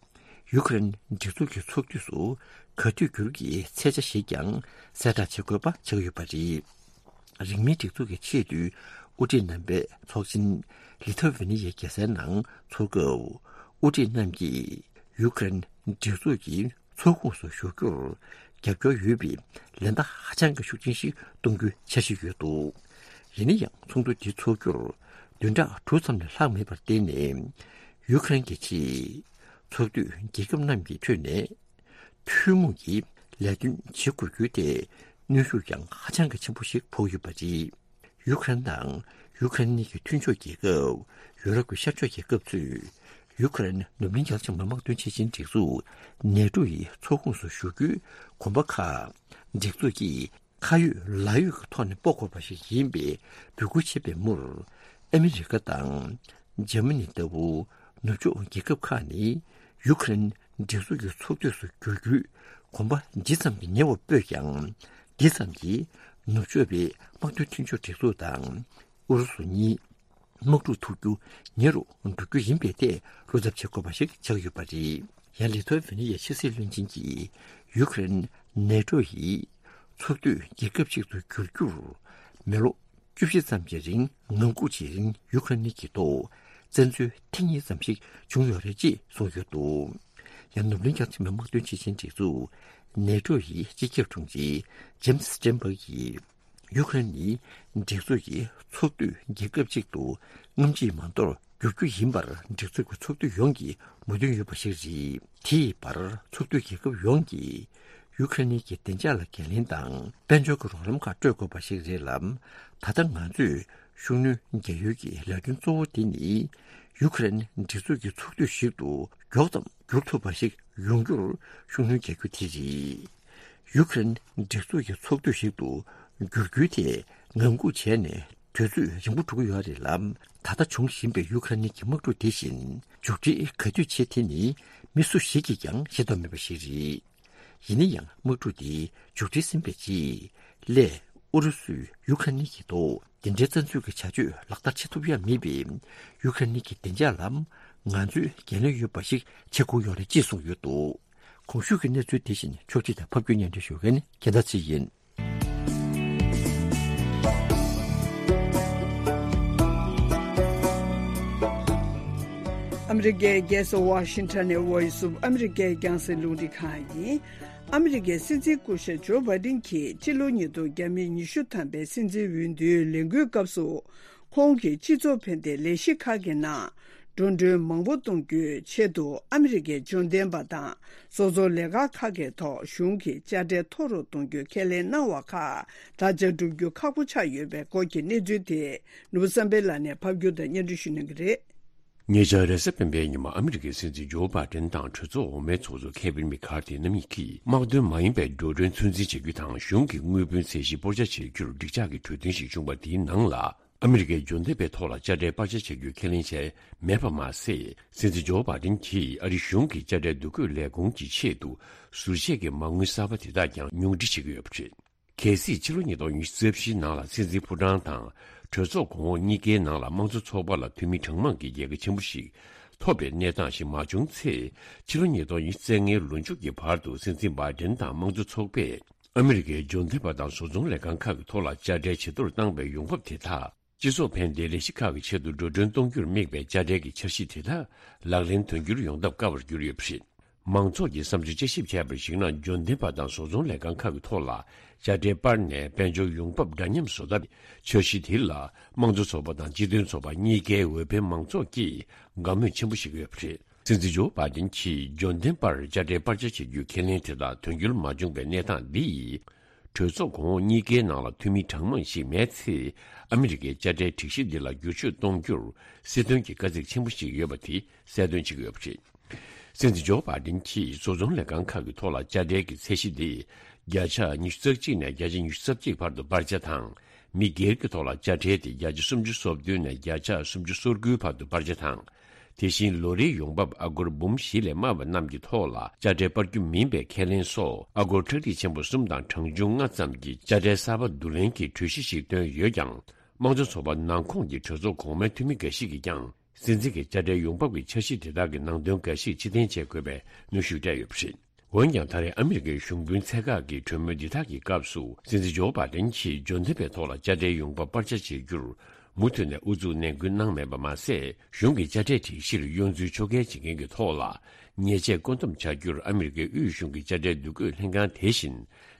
ཡུ་ཁུ་རེན་སྒྲིག་འཛུགས་ཀྱི་ཚོགས་འཐུས་སུ་ག་དུས་འགྱུར་གྱི་ཚད་ཆ་ཞིག་ཀྱང་གསལ་བསྒྲགས་བྱེད་དགོས་པ་ཆགས་ཡོད་པ་རེད། རིང་མིན་སྒྲིག་འཛུགས་ཀྱི་ཆེས་མཐོའི་དབུ་ཁྲིད་རྣམ་པའི་ཚོགས་ཆེན་ལི་ཐ་ཝེ་ནི་ཡའི་རྒྱལ་སའི་ནང་འཚོགས་སྐབས། དབུ་ཁྲིད་རྣམས་ཀྱིས་ཡུ་ཁུ་རེན་སྒྲིག་འཛུགས་ཀྱི་ཚོགས་ཁོངས་སུ་ཞུགས་རྒྱུར་རྒྱབ་སྐྱོར་ཡོད་པའི་ལན་བརྡ་ཧ་ཅང་གི་ཤུགས་ཆེན་ཞིག་གཏོང་རྒྱུའི་འཆར་གཞི་ཡོད་འདུག་ཡིན་ན་ཡང་ཚོགས་འདུ་འདི་འཚོགས་རྒྱུར་བདུན་ཕྲག་དྲུག་ཙམ་ལས་ལྷག་མེད་པར་བརྟེན་ནས། ཡུ་ཁུ་རེན་གྱི་ཆེད་ཚོགས་འཐུས་རྒྱལ་ཁབ་རྣམས་ཀྱི་ཁྲོད་ནས། ཐུན་མོང་གི་ལས་དོན་བྱེད་དགོས་རྒྱུའི་ཐད་གནོན་ཤུགས་ཀྱང་ཧ་ཅང་གི་ཆེན་པོ་ཞིག་ཕོག་ཡོད་པ་རེད། ཡུ་ཁུ་རེན་དང་ཡུ་ཁུ་རེན་གྱི་མཐུན་ཕྱོགས་རྒྱལ་ཁབ། ཡུ་རོབ་ཀྱི་ཤར་ཕྱོགས་རྒྱལ་ཁབ་ཚོས་ཡུ་ཁུ་རེན་ནུབ་གླིང་རྒྱ་ཆེ་མི་དམངས་དོན་ཆེད་ཆེན་སྒྲིག་འཛུགས་ནེ་ཏྲོ་ཡི་ཚོགས་ཁོངས་སུ་ཞུགས་རྒྱུའི་གོམ་པ་ཁག་སྒྲིག་འཛུགས་ཀྱིས་ཁ་ཡོད་ལག་ཡོད་ཀྱི་ཐོག་ནས་སྤོ་དགོས་པ་ཞིག་ཡིན་པའི་འབོད་སྐུལ་བྱས་པའི་མུར། ཨ་མི་རི་ཀ་དང་འཇར་མ་ནི་ལྟ་བུ་ནུབ་ཕྱོགས་རྒྱལ་ཁབ་ཁག་ནི་ཡུ་ཁུ་རེན་སྒྲིག་འཛུགས་ཀྱི་ཚོགས་འཐུས་སུ་འགྱུར་རྒྱུའི་གོམ་པ་ཇི་ཙམ་གྱིས་ཉེ་བར་སྤོས་ཀྱང་། དེ་ཙམ་གྱིས་ནུབ་ཕྱོགས་པའི་དམག་དོན་མཐུན་ཕྱོགས་སྒྲིག་འཛུགས་དང་ཨུ་རུ་སུ་གཉིས་དམག་འཁྲུག་ཐུག་རྒྱུ་ཉེ་རུ་འགྲོ་རྒྱུ་ཡིན་པའི་ཐད་བློ་འཚབ་བྱེད་དགོས་པ་ཞིག་ཆགས་ཡོད་པ་རེད། ཡང་ལི་ཐོ་ཝེ་ནི་ཡའི་ཕྱི་སྲིད་བློན་ཆེན་གྱིས་ཡུ་ཁུ་རེན་ནེ་ཏྲོ་ཡི་ཚོགས་འཐུས་རྒྱལ་ཁབ་ཅིག་ཏུ་འགྱུར་རྒྱུར་མི་ལོ་བཅུ་བཞི་ཙམ་གྱི་རིང་ངང་སྒུག་བྱེད་རིང་ཡུ་ཁུ་རེན་གྱི་ཐོག་བཙན་འཛུལ་ཐེངས་གཉིས་ཙམ་ཞིག་བྱུང་ཡོད་རེད་ཅེས་གསུངས་ཡོད་འདུག་ཡང་ནུབ་གླིང་རྒྱ་ཆེ་མི་དམངས་དོན་ཆེད་ཆེན་སྒྲིག་འཛུགས་ནེ་ཏྲོ་ཡི་སྤྱི་ཁྱབ་དྲུང་ཆེ་ཇེམ་སི་སི་ཊེན་བྷག་གིས། ཡུ་ཁུ་རེན་ནི་སྒྲིག་འཛུགས་ཀྱི་ཚོགས་འཐུས་རྒྱལ་ཁབ་ཅིག་ཏུ་སྔ་ཕྱི་མ་གཏོགས་འགྱུར་རྒྱུ་ཡིན་པར་སྒྲིག་འཛུགས་ཀྱི་ཚོགས་འཐུས་ཡོངས་ཀྱི་མོས་མཐུན་ཡོད་པ་ཞིག་རེད། དེ་ཡི་བར་ཚོགས་འཐུས་རྒྱལ་ཁབ་ཡོངས་ཀྱིས་ཡུ་ཁུ་རེན་གྱི་བདེ་འཇགས་ལ་འགན་ལེན་དང་དཔལ་འབྱོར་གྱི་རོགས་རམ་ཁག་སྤྲོད་དགོས་པ་ཞིག་རེད་ལ། ད་ལྟ་ང་ཚོས་ཤུགས་སྣོན་རྒྱག་ཡུལ་གྱི་ལས་དོན་གཙོ་བོ་དེ་ནི་ཡུ་ཁུ་རེན་སྒྲིག་འཛུགས་ཀྱི་ཚོགས་འཐུས་ཤིག་ཏུ་མགྱོགས་ཙམ་འགྱུར་ཐུབ་པ་ཞིག་ཡོང་རྒྱུར་ཤུགས་སྣོན་རྒྱག་རྒྱུ་དེ་རེད། ཡུ་ཁུ་རེན་སྒྲིག་འཛུགས་ཀྱི་ཚོགས་འཐུས་ཤིག་ཏུ་འགྱུར་རྒྱུའི་ཐད་ངང་སྒུག་བྱས་ནས་དུས་ཚོད་རིང་པོ་འགྲོ་གི་ཡོད་རེད་ལ། ད་ལྟ་འབྱུང་བཞིན་པའི་ཡུ་ཁུ་རེན་གྱི་དམག་འཁྲུག་དེ་བཞིན་མཇུག་སྒྲིལ་ག་དུས་བྱེད་དེ་ནི་མི་སུ་ཞིག་གིས་ཀྱང་ཤེས་རྟོགས་མེད་པ་ཞིག་རེད། ཡིན་ན་ཡང་དམག་འཁྲུག་དེ་མཇུག་སྒྲིལ་ཟིན་པའི་རྗེས་སླད་ཨུ་རུ་སུས་ཡུ་ཁུ་རེན་གྱི་ཐོག་དེ་འདྲའི་བཙན་འཛུལ་གྱི་བྱ་སྤྱོད་ལག་བསྟར་བྱེད་ཐུབ་ཡ་མེད་པས་ཡུ་ཁུ་རེན་གྱི་བདེ་འཇགས་ལ་ང་ཚོས་འགན་ལེན་ཡོད་པ་ཞིག་བྱེད་དགོས་ཡོད་རེད་ཅེས་གསུངས་ཡོད་འདུག་གོང་ཞུས་ཀྱི་གནས་ཚུལ་དེ་བཞིན་ཕྱོགས་སྒྲིག་དང་ཕབ་སྒྱུར་སྙན་སྒྲོན་ཞུ་མཁན་ནི་རྒྱལ་ཐར་ཚེ་ཡིན། ཨ་མི་རི་ཀའི་རྒྱལ་ས་ཝ་ཤིང་ཊོན་ནས་Voice of America་རྒྱང་སྲིང་རླུང་འཕྲིན་ཁང་ཡིན། ཨ་མི་རི་ཀའི་སྲིད་འཛིན་སྐུ་ཞབས་ཇོ་བྷའི་ཌེན་གྱིས་ཕྱི་ལོ་ཉིས་སྟོང་ཉི་ཤུ་ཐམ་པའི་སྲིད་འཛིན་འོས་བསྡུའི་ལས་འགུལ་སྐབས་སུ། ཁོང་གིས་སྤྱི་ཚོགས་ཕན་བདེ་ལས་གཞི་ཁག་གི་ནང་འགྲོ་གྲོན་མང་པོ་གཏོང་རྒྱུའི་ཆེད་དུ་ཨ་མི་རི་ཀའི་འབྱོར་ལྡན་པ་དང་བཟོ་ཚོང་ལས་ཁང་ཁག་གི་ཐོག་གཞུང་གི་དཔྱ་ཁྲལ་མཐོ་རུ་གཏོང་རྒྱུའི་ཁས་ལེན་གནང་བ་ཁག་ད་ཆ་བསྒྲུབ་རྒྱུ་ཁག་པོ་ཆགས་ཡོད་པའི་སྐོར་གྱི་གནས་ཚུལ་དེ་ནོར་བུ་བསམ་འཕེལ་ལགས་ནས་ཕབ་སྒྱུར་དང་སྙན་སྒྲོན་ཞུ་གནང་གི་རེད། ཉེ་ཆར་རེས་གཟའ་སྤེན་པའི་ཉིན་མ་ཨ་མི་རི་ཀའི་སྲིད་འཛིན་ཇོ་བྷའི་ཌེན་དང་གྲོས་ཚོགས་འོག་མའི་ཚོགས་གཙོ་ཁེ་ཝིན་མེ་ཁར་ཐི་རྣམ་གཉིས་ཀྱིས་དམག་དོན་མ་ཡིན་པའི་འགྲོ་གྲོན་ཚོད་འཛིན་བྱེད་རྒྱུ་དང་གཞུང་གི་དངུལ་བུན་ཚད་གཞི་སྤོར་ཆ་བྱེད་རྒྱུར་འགྲིག་འཇགས་ཀྱི་གྲོས་མཐུན་ཞིག་བྱུང་བ་དེའི་ནང་ལ། ཨ་མི་རི་ཀའི་འབྱོར་ལྡན་པའི་ཐོག་ལ་དཔྱ་ཁྲལ་སྤར་ཆ་བྱ་རྒྱུའི་ཁས་ལེན་བྱས་མེད་པ་མ་ཟད། སྲིད་འཛིན་ཇོ་བྷའི་ཌེན་གྱིས་ཨ་རིའི་གཞུང་གི་དཔྱ་ཁྲལ་བསྡུ་སྐྱོད་ལས་ཁུངས་ཀྱི་ཆེད་དུ་ཟུར་བཅད་ཀྱི་མ་དངུལ་གསར་པ་དེ་དག་ཀྱང་ཉུང་འཕྲི་བྱེད་ཀྱི་ཡོད་པ་རེད། གལ་སྲིད་ཕྱི་ལོ་ཉིས་སྟོང་ཉི་ཤུ་རྩ་བཞིའི་ནང་ལ་སྲིད་འཛིན་ཕོ་བྲང་དང་གྲོས་ཚོགས་གོང་འོག་གཉིས་ཀའི་ནང་ལ་དམངས་གཙོ་ཚོགས་པ་ལ་འཐུས་མི་གྲངས་མང་གི་རྒྱལ་ཁ་ཆེན་པོ་ཞིག་ཐོབ་པའི་གནས་སྟངས་ཤིག་མ་བྱུང་ཚེ། ཕྱི་ལོ་ཉིས་སྟོང་ཉི་ཤུ་རྩ་ལྔའི་ལོ་མཇུག་གི་བར་དུ་སྲིད་འཛིན་བྷའི་ཌེན་དང་དམངས་གཙོ་ཚོགས་པས། ཨ་མི་རི་ཀའི་འབྱོར་ལྡན་པ་དང་བཟོ་ཚོང་ལས་ཁང་ཁག་གི་ཐོག་ལ་དཔྱ་ཁྲལ་ཇེ་མཐོར་བཏང་བའི་ཡོང་འབབ་དེ་དག་སྤྱི་ཚོགས་ཕན་བདེའི་ལས་གཞི་ཁག་གི་ཆེད་དུ་འགྲོ་གྲོན་གཏོང་རྒྱུར་དམིགས་པའི་དཔྱ་ཁྲལ་གྱི་འཆར་གཞི་དེ་དག་ལག་ལེན་དོན་འཁྱོལ་ཡོང་ཐབས་དཀའ་བར་གྱུར་ཡོད་པ་རེད། མང་ཚོགས་ཀྱིས་བསམ་ཚུལ་དཔྱད་ཞིབ་བྱས་པར་གཞིགས་ན། འབྱོར་ལྡན་པ་དང་བཟོ་ཚོང་ལས་ཁང་ཁག་གི་ཐོག་ལ་དཔྱ་ཁྲལ་སྤར་ནས་དཔལ་འབྱོར་ཡོང་འབབ་འདྲ་མཉམ་བཟོ་ཐབས་འཆར་གཞི་དེ་ལ། དམངས་གཙོ་ཚོགས་པ་དང་སྤྱི་མཐུན་ཚོགས་པ་གཉིས་ཀའི་འོས་འཕེན་མང་ཚོགས་ཀྱིས་དགའ་མོས་ཆེན་པོ་བྱེད་ཀྱི་ཡོད་པ་རེད། སྲིད་འཛིན་ཇོ་བྷའི་ཌེན་གྱིས་འབྱོར་ལྡན་པར་དཔྱ་ཁྲལ་སྤར་ཆ་བྱེད་རྒྱུའི་ཁས་ལེན་དེ་དག་དོན་འཁྱོལ་མ་བྱུང་བའི་གནས་སྟངས་འདིས། གྲོས་ཚོགས་གོང་འོག་གཉིས་ཀའི་ནང་ལ་འཐུས་མི་གྲངས་མང་ཞིག་མེད་ཚེ། ཨ་མི་རི་ཀའི་དཔྱ་ཁྲལ་སྒྲིག་གཞི་འདི་ལ་བསྒྱུར་བཅོས་གཏོང་རྒྱུར་སྲིད་དོན་གྱི་དཀའ་ཚེགས་ཆེན་པོ་ཞིག་ཡོད་པ་དེ་གསལ་སྟོན་བྱེད་ཀྱི་ཡོད་པ་རེད། སྲིད་འཛིན་ཇོ་བྷའི་ཌེན་གྱིས་བཟོ་ཚོང་ལས་ཁང་ཁག་གི་ཐོག་ལ་དཔྱ་ཁྲལ་གྱི་ཚད་གཞི་དེ་བརྒྱ་ཆ་ཉི་ཤུ་རྩ་གཅིག་ནས་བརྒྱ་ཆ་ཉི་ཤུ་རྩ་གཅིག་བར་དུ་སྤར་ཆ་དང་། མི་སྒེར་གྱི་ཐོག་ལ་དཔྱ་ཁྲལ་དེ་བརྒྱ་ཆ་སུམ་ཅུ་སོ་བདུན་ནས་བརྒྱ་ཆ་སུམ་ཅུ་སོ་དགུའི་བར་དུ་སྤར་ཆ་དང་། དེ་བཞིན་ལོ་རེའི་ཡོང་འབབ་ཨ་སྒོར་འབུམ་བཞི་ལས་དམའ་བ་རྣམས་ཀྱི་ཐོག་ལ་དཔྱ་ཁྲལ་སྤར་རྒྱུ་མིན་པའི་ཁས་ལེན་སོགས་ཨ་སྒོར་ཁྲག་ཁྲིག་ཆེན་པོ་གསུམ་དང་གྲངས་ཆུང་ལྔ་ཙམ་གྱི་དཔྱ་ཁྲལ་གསར་པ་བསྡུ་ལེན་གྱི་གྲོས་གཞི་ཞིག་བཏོན་ཡོད་ཀྱང་། དམངས་གཙོ་ཚོགས་པ་ནང་ཁོངས་ཀྱི་གྲོས་ཚོགས་གོང་མའི་འཐུས་མི་འགའ་ཞིག་གིས་ཀྱང་། སྲིད་འཛིན་གྱི་དཔྱ་ཁྲལ་ཡོང་འབབ་ཀྱི་འཆར་གཞི་དེ་དག་གི་ནང་དོན་འགའ་ཞིག་ཕྱིར་འཐེན་བྱེད་དགོས་པའི་གནོན་ཤུགས་སྤྲད་ཡོད་པ་རེད། འོན་ཀྱང་། ད་རེས་ཨ་མི་རི་ཀའི་གཞུང་དཔོན་ཚད་བཀག་གི་གྲོས་མོལ་འདི་དག་གི་སྐབས་སུ། སྲིད་འཛིན་ཇོ་བྷའི་ཌེན་གྱིས་འབྱོར་ལྡན་པའི་ཐོག་ལ་དཔྱ་ཁྲལ་ཡོང་འབབ་སྤར་ཆ་བྱེད་རྒྱུར་མུ་མཐུད་ནས་ཨུ་ཚུགས་ནན་སྐུལ་གནང་མེད་པ་མ་ཟད། གཞུང་གི་དཔྱ་ཁྲལ་སྒྲིག་གཞིར་གཡོ་འཛུལ་ཕྱོགས་འགལ་བྱེད་མཁན་གྱི་ཐོག་ལ་ཉེས་ཆད་བཀོད་འདོམས་བྱ་རྒྱུར་ཨ་མི་རི་ཀའི་དབུས་གཞུང་གི་དཔྱ་ཁྲལ་བསྡུ་སྐྱོད་ལྷན་ཁང་དེ་བཞིན་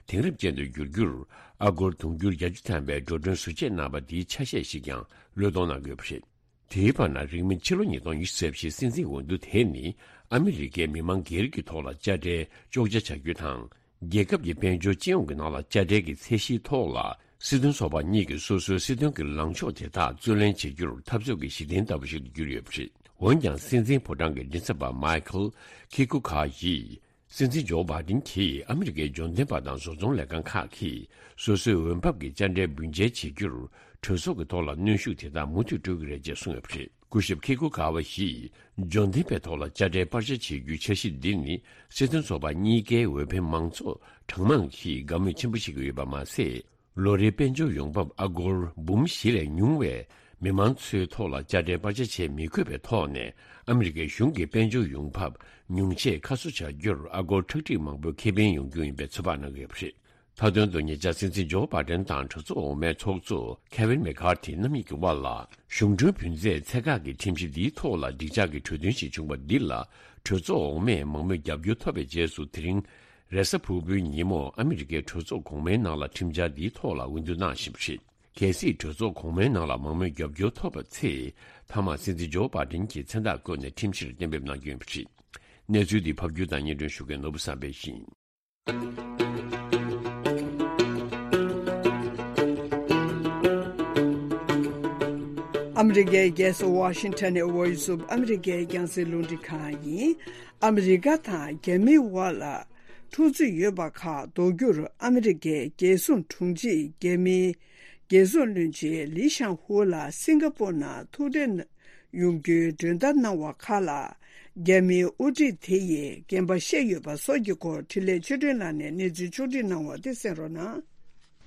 དེང་རབས་ཅན་དུ་བསྒྱུར་རྒྱུར་ཨ་སྒོར་དུང་ཕྱུར་བརྒྱད་ཅུ་ཐམ་པའི་འགྲོ་གྲོན་ཟུར་བཅད་གནང་བ་འདིའི་ཆ་ཤས་ཤིག་ཀྱང་བློས་གཏོང་གནང་དགོས་པ་རེད། དེའི་བར་ན། རིང་མིན་ཕྱི་ལོ་ཉིས་སྟོང་ཉི་ཤུ་རྩ་བཞིའི་སྲིད་འཛིན་འོས་བསྡུ་དེ་ནི་ཨ་མི་རི་ཀའི་མི་མང་སྒེར་གྱི་ཐོག་ལ་དཔྱ་ཁྲལ་གཅོག་ཆ་བྱ་རྒྱུ་དང་། རྒྱལ་ཁབ་ཀྱི་དཔལ་འབྱོར་སྤྱི་ཡོངས་ཀྱི་ནང་ལ་དཔྱ་ཁྲལ་གྱི་ཚད་གཞིའི་ཐོག་ལ་སྲིད་དོན་ཚོགས་པ་གཉིས་ཀྱིས་སོ་སོའི་སྲིད་དོན་གྱི་ལངས་ཕྱོགས་དེ་དག་རྩོད་ལེན་བྱེད་རྒྱུར་འཐབ་རྩོད་ཀྱི་གཞི་རྟེན་ལྟ་བུ་ཞིག་ཏུ་གྱུར་ཡོད་པ་རེད། འོན་ཀྱང་། སྲིད་འཛིན་ཕོ་བྲང་གི་མགྲིན་ཚབ་པ་མའི་ཁལ་ཁི་ཀུ་ཁ་ཡིས། སྲིད་འཛིན་ཇོ་བྷའི་ཌེན་གྱིས་ཨ་མི་རི་ཀའི་འབྱོར་ལྡན་པ་དང་བཟོ་ཚོང་ལས་ཁང་ཁག་གིས་སོ་སོའི་འོས་འབབ་ཀྱི་དཔྱ་ཁྲལ་བུན་འཇལ་བྱེད་རྒྱུར་གྲོས་ཚོགས་ཀྱི་ཐོག་ལ་གནོན་ཤུགས་དེ་དག་མུ་མཐུད་སྤྲོད་ཀྱི་རེད་ཅེས་གསུངས་ཡོད་པ་རེད། སྐུ་ཞབས་ཁི་ཀུ་ཀ་ཝ་ཡིས་འབྱོར་ལྡན་པའི་ཐོག་ལ་དཔྱ་ཁྲལ་སྤར་ཆ་བྱེད་རྒྱུའི་འཆར་གཞི་འདི་ནི་སྲིད་དོན་ཚོགས་པ་གཉིས་ཀའི་འོས་འཕེན་མང་ཚོགས་གྲངས་མང་གིས་དགའ་མོས་ཆེན་པོ་བྱེད་ཀྱི་ཡོད་པ་མ་ཟད། ལོ་རེའི་དཔལ་འབྱོར་ཡོང་འབབ་ཨ་སྒོར་འབུམ་བཞི་ལས་ཉུང་བའི་མི་མང་ཚོའི་ཐོག་ལ་དཔྱ་ཁྲལ་སྤར་ཆ་བྱེད་མི་དགོས་པའི་ཐོག་ནས་ཨ་མི་རི་ཀའི་གཞུང་གི་དཔལ་འབྱོར་ཡོང་འབབ་ཉུང་ཆད་ཁ་གསོ་བྱ་རྒྱུར་ཨ་སྒོར་ཁྲག་ཁྲིག་མང་པོའི་ཁེ་ཕན་ཡོང་རྒྱུ་ཡིན་པའི་ཚོད་དཔག་གནང་གི་ཡོད་པ་རེད། མཐའ་དོན་དུ། ཉེ་ཆར་སྲིད་འཛིན་ཇོ་བྷའི་ཌེན་དང་གྲོས་ཚོགས་འོག་མའི་ཚོགས་གཙོ་ཁེ་ཝིན་མེ་ཁར་ཐི་རྣམ་གཉིས་ཀྱི་དབར་ལ་གཞུང་གྲོན་བུན་ཚད་ཚད་བཀག་གི་ཁྲིམས་གཞི་འདིའི་ཐོག་ལ་འགྲིག་འཇགས་ཀྱི་གྲོས་མཐུན་ཞིག་བྱུང་བ་འདི་ལ་གྲོས་ཚོགས་འོག་མས་མང་མོས་རྒྱབ་སྐྱོར་ཐོབ་པའི་རྗེས་སུ། དེ་རིང་རེས་གཟའ་ཕུར་བུའི་ཉིན་མོ་ཨ་མི་རི་ཀའི་གྲོས་ཚོགས་གོང་མའི་ནང་ལ་ཁྲིམས་འཆར་འདིའི་ཐོག་ལ་འོས་བསྡུ་གནང་བཞིན་པ་རེད། གལ་སྲིད་གྲོས་ཚོགས་གོང་མའི་ནང་ལ་མང་མོས་རྒྱབ་སྐྱོར་ཐོབ་པ་ཚེ། མཐའ་མ་སྲིད་འཛིན་ཇོ་བྷའི་ཌེན་གྱིས་མཚན་རྟགས་བཀོད་ནས་ཁྲིམས་གཞིར་གཏན་འབེབས་གནང་རྒྱུ་ཡིན་པ་རེད། གནས་ཚུལ་འདི་ཕབ་སྒྱུར་དང་སྙན་སྒྲོན་ཞུ་མཁན་ནོར་བུ་བསམ་འཕེལ་ཡིན། ཨ་མི་རི་ཀའི་རྒྱལ་ས་ཝ་ཤིང་ཊོན་ནས་Voice of America་རྒྱང་སྲིང་རླུང་འཕྲིན་ཁང་ཡིན། ཨ་མི་རི་ཀ་དང་རྒྱ་མིའི་དབར་ལ་འཁྲུག་རྩོད་ཡོད་པ་ཁག་ཟློག་རྒྱུར་ཨ་མི་རི་ཀའི་རྒྱལ་སྲུང་དྲུང་ཆེས་རྒྱ་མིའི་རྒྱལ་སྲུང་བློན་ཆེན་ལི་ཤང་ཧུ་ལ་སིང་ག་པོར་ནང་ཐུག་འཕྲད་ཡོང་རྒྱུའི་མགྲོན་བརྡ་གནང་བ་ཁག་ལ། རྒྱ་མིའི་དབུ་ཁྲིད་དེ་ཡིས་རྐྱེན་པ་བཤད་ཡོད་པ་སོགས་ཀྱི་སྐོར་འཕྲིན་ལས་ཆོས་སྒྲོན་ལགས་ནས་གནས་ཚུལ་ཕྱོགས་སྒྲིག་གནང་བ་དེ་གསན་རོགས་གནང་།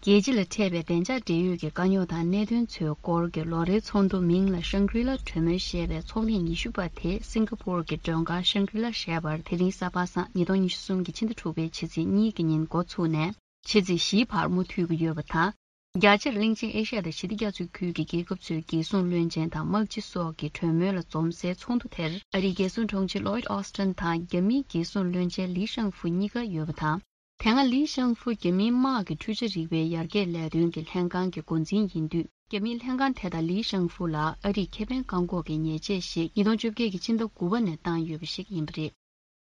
རྒྱལ་སྤྱི་ལ་འཕྲད་པའི་བདེ་འཇགས་འབྲེལ་ཡོད་ཀྱི་དཀའ་རྙོག་དང་གནད་དོན་ཚོའི་སྐོར་གྱི་ལོ་རེའི་ཚོགས་འདུ་མིང་ལ་ཤང་གྲི་ལ་གྲོས་མོལ་ཞེས་པའི་ཚོགས་ཐེངས་ཉི་ཤུ་པ་དེ་སིང་ག་པོར་གྱི་མགྲོན་ཁང་ཤང་གྲི་ལ་ཞེས་པར་དེ་རིང་གཟའ་པ་སངས་ཉིས་སྟོང་ཉི་ཤུ་གསུམ་གྱི་ཕྱི་ཟླ་དྲུག་པའི་ཕྱི་ཚེས་གཉིས་ཀྱི་ཉིན་འགོ་ཚུགས་ནས་ཕྱི་ཚེས་བཞིའི་བར་མུ་མཐུད་ཀྱི་ཡོད་པ་དང་། རྒྱ་ཆེར་གླིང་ཆེན་ཨེ་ཤ་ཡ་དང་ཞི་བདེ་རྒྱ་མཚོའི་ཁུལ་གྱི་རྒྱལ་ཁབ་ཚོའི་རྒྱལ་སྲུང་བློན་ཆེན་དང་དམག་སྤྱི་སོགས་ཀྱི་གྲོས་མོལ་ལ་འཛོམས་སའི་ཚོགས་འདུ་དེར་ཨ་རིའི་རྒྱལ་སྲུང་དྲུང་ཆེ་ལོའིད་ཨོ་སི་ཊིན་དང་རྒྱ་མིའི་རྒྱལ་སྲུང་བློན་ཆེན་ལི་ཤང་ཧྥུ་གཉིས་ཀ་ཡོད་པ་དང་། དེ་སྔ་ལི་ཤང་ཧྥུ་རྒྱ་མིའི་དམག་གི་འཕྲུལ་ཆས་རིག་པའི་ཡར་རྒྱས་ལས་དོན་གྱི་ལྷན་ཁང་གི་འགོ་འཛིན་ཡིན་དུས། རྒྱ་མིའི་ལྷན་ཁང་དེ་དང་ལི་ཤང་ཧྥུ་ལ་ཨ་རིས་ཁེ་ཕན་བཀག་འགོག་གི་ཉེས་ཆད་ཞིག་ཉིས་སྟོང་བཅོ་བརྒྱད་ཀྱི་ཕྱི་ཟླ་དགུ་པ་ནས་བཏང་ཡོད་པ་ཞིག་ཡིན་པ་རེད།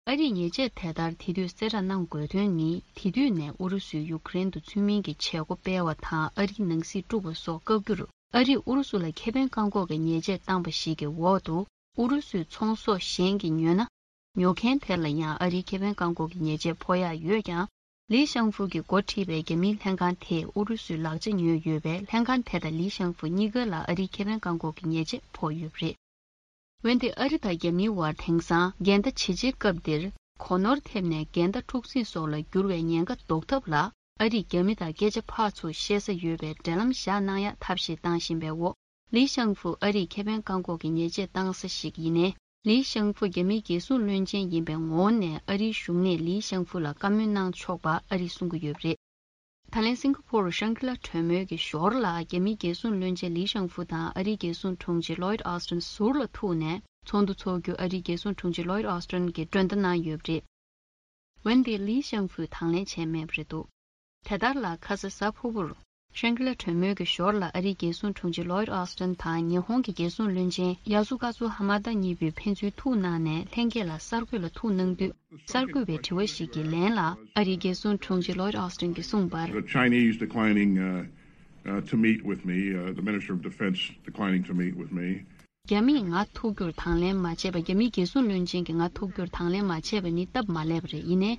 ཨ་རིས་ཉེས་ཆད་དེ་ལྟར་དེ་དུས་གསལ་བསྒྲགས་གནང་དགོས་དོན་ནི། དེ་དུས་ནས་ཨུ་རུ་སུས་ཡུཀ་རེན་དུ་ཚུལ་མིན་གྱི་བྱེད་སྒོ་སྤེལ་བ་དང་ཨ་རིའི་ནང་སྲིད་དཀྲུགས་པ་སོགས་བཀག་རྒྱུར་ཨ་རིས་ཨུ་རུ་སུ་ལ་ཁེ་ཕན་བཀག་འགོག་གི་ཉེས་ཆད་བཏང་པ་ཞིག་གི་འོག་ཏུ། ཨུ་རུ་སུའི་ཚོང་ཟོག་གཞན་གྱིས་ཉོས་ན། ཉོ་མཁན་དེ་ལ་ཡང་ཨ་རིའི་ཁེ་ཕན་བཀག་འགོག་གི་ཉེས་ཆད་ཕོག་ཡག་ཡོད་ཀྱང་། ལི་ཤང་ཧྥུ་གིས་འགོ་ཁྲིད་པའི་རྒྱ་མིའི་ལྷན་ཁང་དེས་ཨུ་རུ་སུའི་ལག་ཆ་ཉོས་ཡོད་པས། ལྷན་ཁང་དེ་དང་ལི་ཤང་ཧྥུ་གཉིས་ཀ་ལ་ཨ་རིའི་ཁེ་ཕན་བཀག་འགོག་གི་ཉེས་ཆད་ཕོག་ཡོད་པ་རེད། འོན་ཏེ་ཨ་རི་དང་རྒྱ་མིའི་བར་དེང་སང་འགལ་ཟླ་ཇེ་ཆེའི་སྐབས་འདིར། གོ་ནོར་ཐེབས་ནས་འགལ་ཟླ་འཁྲུག་འཛིང་སོགས་ལ་འགྱུར་བའི་ཉེན་ཁ་ཟློག་ཐབས་ལ། ཨ་རིས་རྒྱ་མི་དང་སྐད་ཆ་ཕར་ཚུར་བཤད་ས་ཡོད་པའི་འབྲེལ་ལམ་བཞག་གནང་ཡག་ཐབས་ཤེས་བཏང་བཞིན་པའི་འོག་ལི་ཤང་ཧྥུ་ཨ་རིས་ཁེ་ཕན་བཀག་འགོག་གི་ཉེས་ཆད་བཏང་ས་ཞིག་ཡིན་ནའི། ལི་ཤང་ཧྥུ་རྒྱ་མིའི་རྒྱལ་སྲུང་བློན་ཆེན་ཡིན་པའི་ངོ་བོ་ནས་ཨ་རིའི་གཞུང་ནས་ལི་ཤང་ཧྥུ་ལ་བཀའ་མོལ་གནང་ཆོག་པ་ཨ་རིས་གསུང་གི་ཡོད་པ་རེད། ད་ལན་སིང་ག་པོར་ཤང་གི་ལ་གྲོས་མོལ་གྱི་ཞོར་ལ་རྒྱ་མིའི་རྒྱལ་སྲུང་བློན་ཆེན་ལི་ཤང་ཧྥུ་དང་ཨ་རིའི་རྒྱལ་སྲུང་དྲུང་ཆེ་ལོའིད་ཨོ་སི་ཊིན་ཟུར་ལ་ཐུག་ནས་ཚོགས་འདུ་འཚོགས་རྒྱུ་ཨ་རིའི་རྒྱལ་སྲུང་དྲུང་ཆེ་ལོའིད་ཨོ་སི་ཊིན་གྱིས་མགྲོན་བརྡ་གནང་ཡོད་པ་རེད། འོན་ཏེ་ལི་ཤང་ཧྥུས་དང་ལེན་བྱས་མེད་པ་རེད་འདུག་དེ་ལྟར་ལ་ཁ་ས་གཟའ་ཕུར་བུར། ཤང་གི་ལ་གྲོས་མོལ་གྱི་ཞོར་ལ་ཨ་རིའི་རྒྱལ་སྲུང་དྲུང་ཆེ་ལོའིད་ཨོ་སི་ཊིན་དང་ཉི་ཧོང་གི་རྒྱལ་སྲུང་བློན་ཆེན་ཡ་སུ་ཀ་ཛུ་ཧ་མ་ད་གཉིས་པོས་ཕན་ཚུན་ཐུག་གནང་ནས་ལྷན་རྒྱས་ལ་གསར་འགོད་ལ་ཐུག་གནང་དུས། གསར་འགོད་པའི་དྲི་བ་ཞིག་གི་ལན་ལ་ཨ་རིའི་རྒྱལ་སྲུང་དྲུང་ཆེ་ལོའིད་ཨོ་སི་ཊིན་གྱིས་གསུངས་པར། The Chinese declining uh, uh, to meet with me, uh, the Minister of Defense declining to meet with me. རྒྱ་མིས་ང་ཐུག་རྒྱུར་དང་ལེན་མ་བྱས་པ། རྒྱ་མིའི་རྒྱལ་སྲུང་བློན་ཆེན་གྱིས་ང་ཐུག་རྒྱུར་དང་ལེན་མ་བྱས་པ་ནི་སྟབས་མ་ལེགས་པ་རེད། ཡིན་ནའི།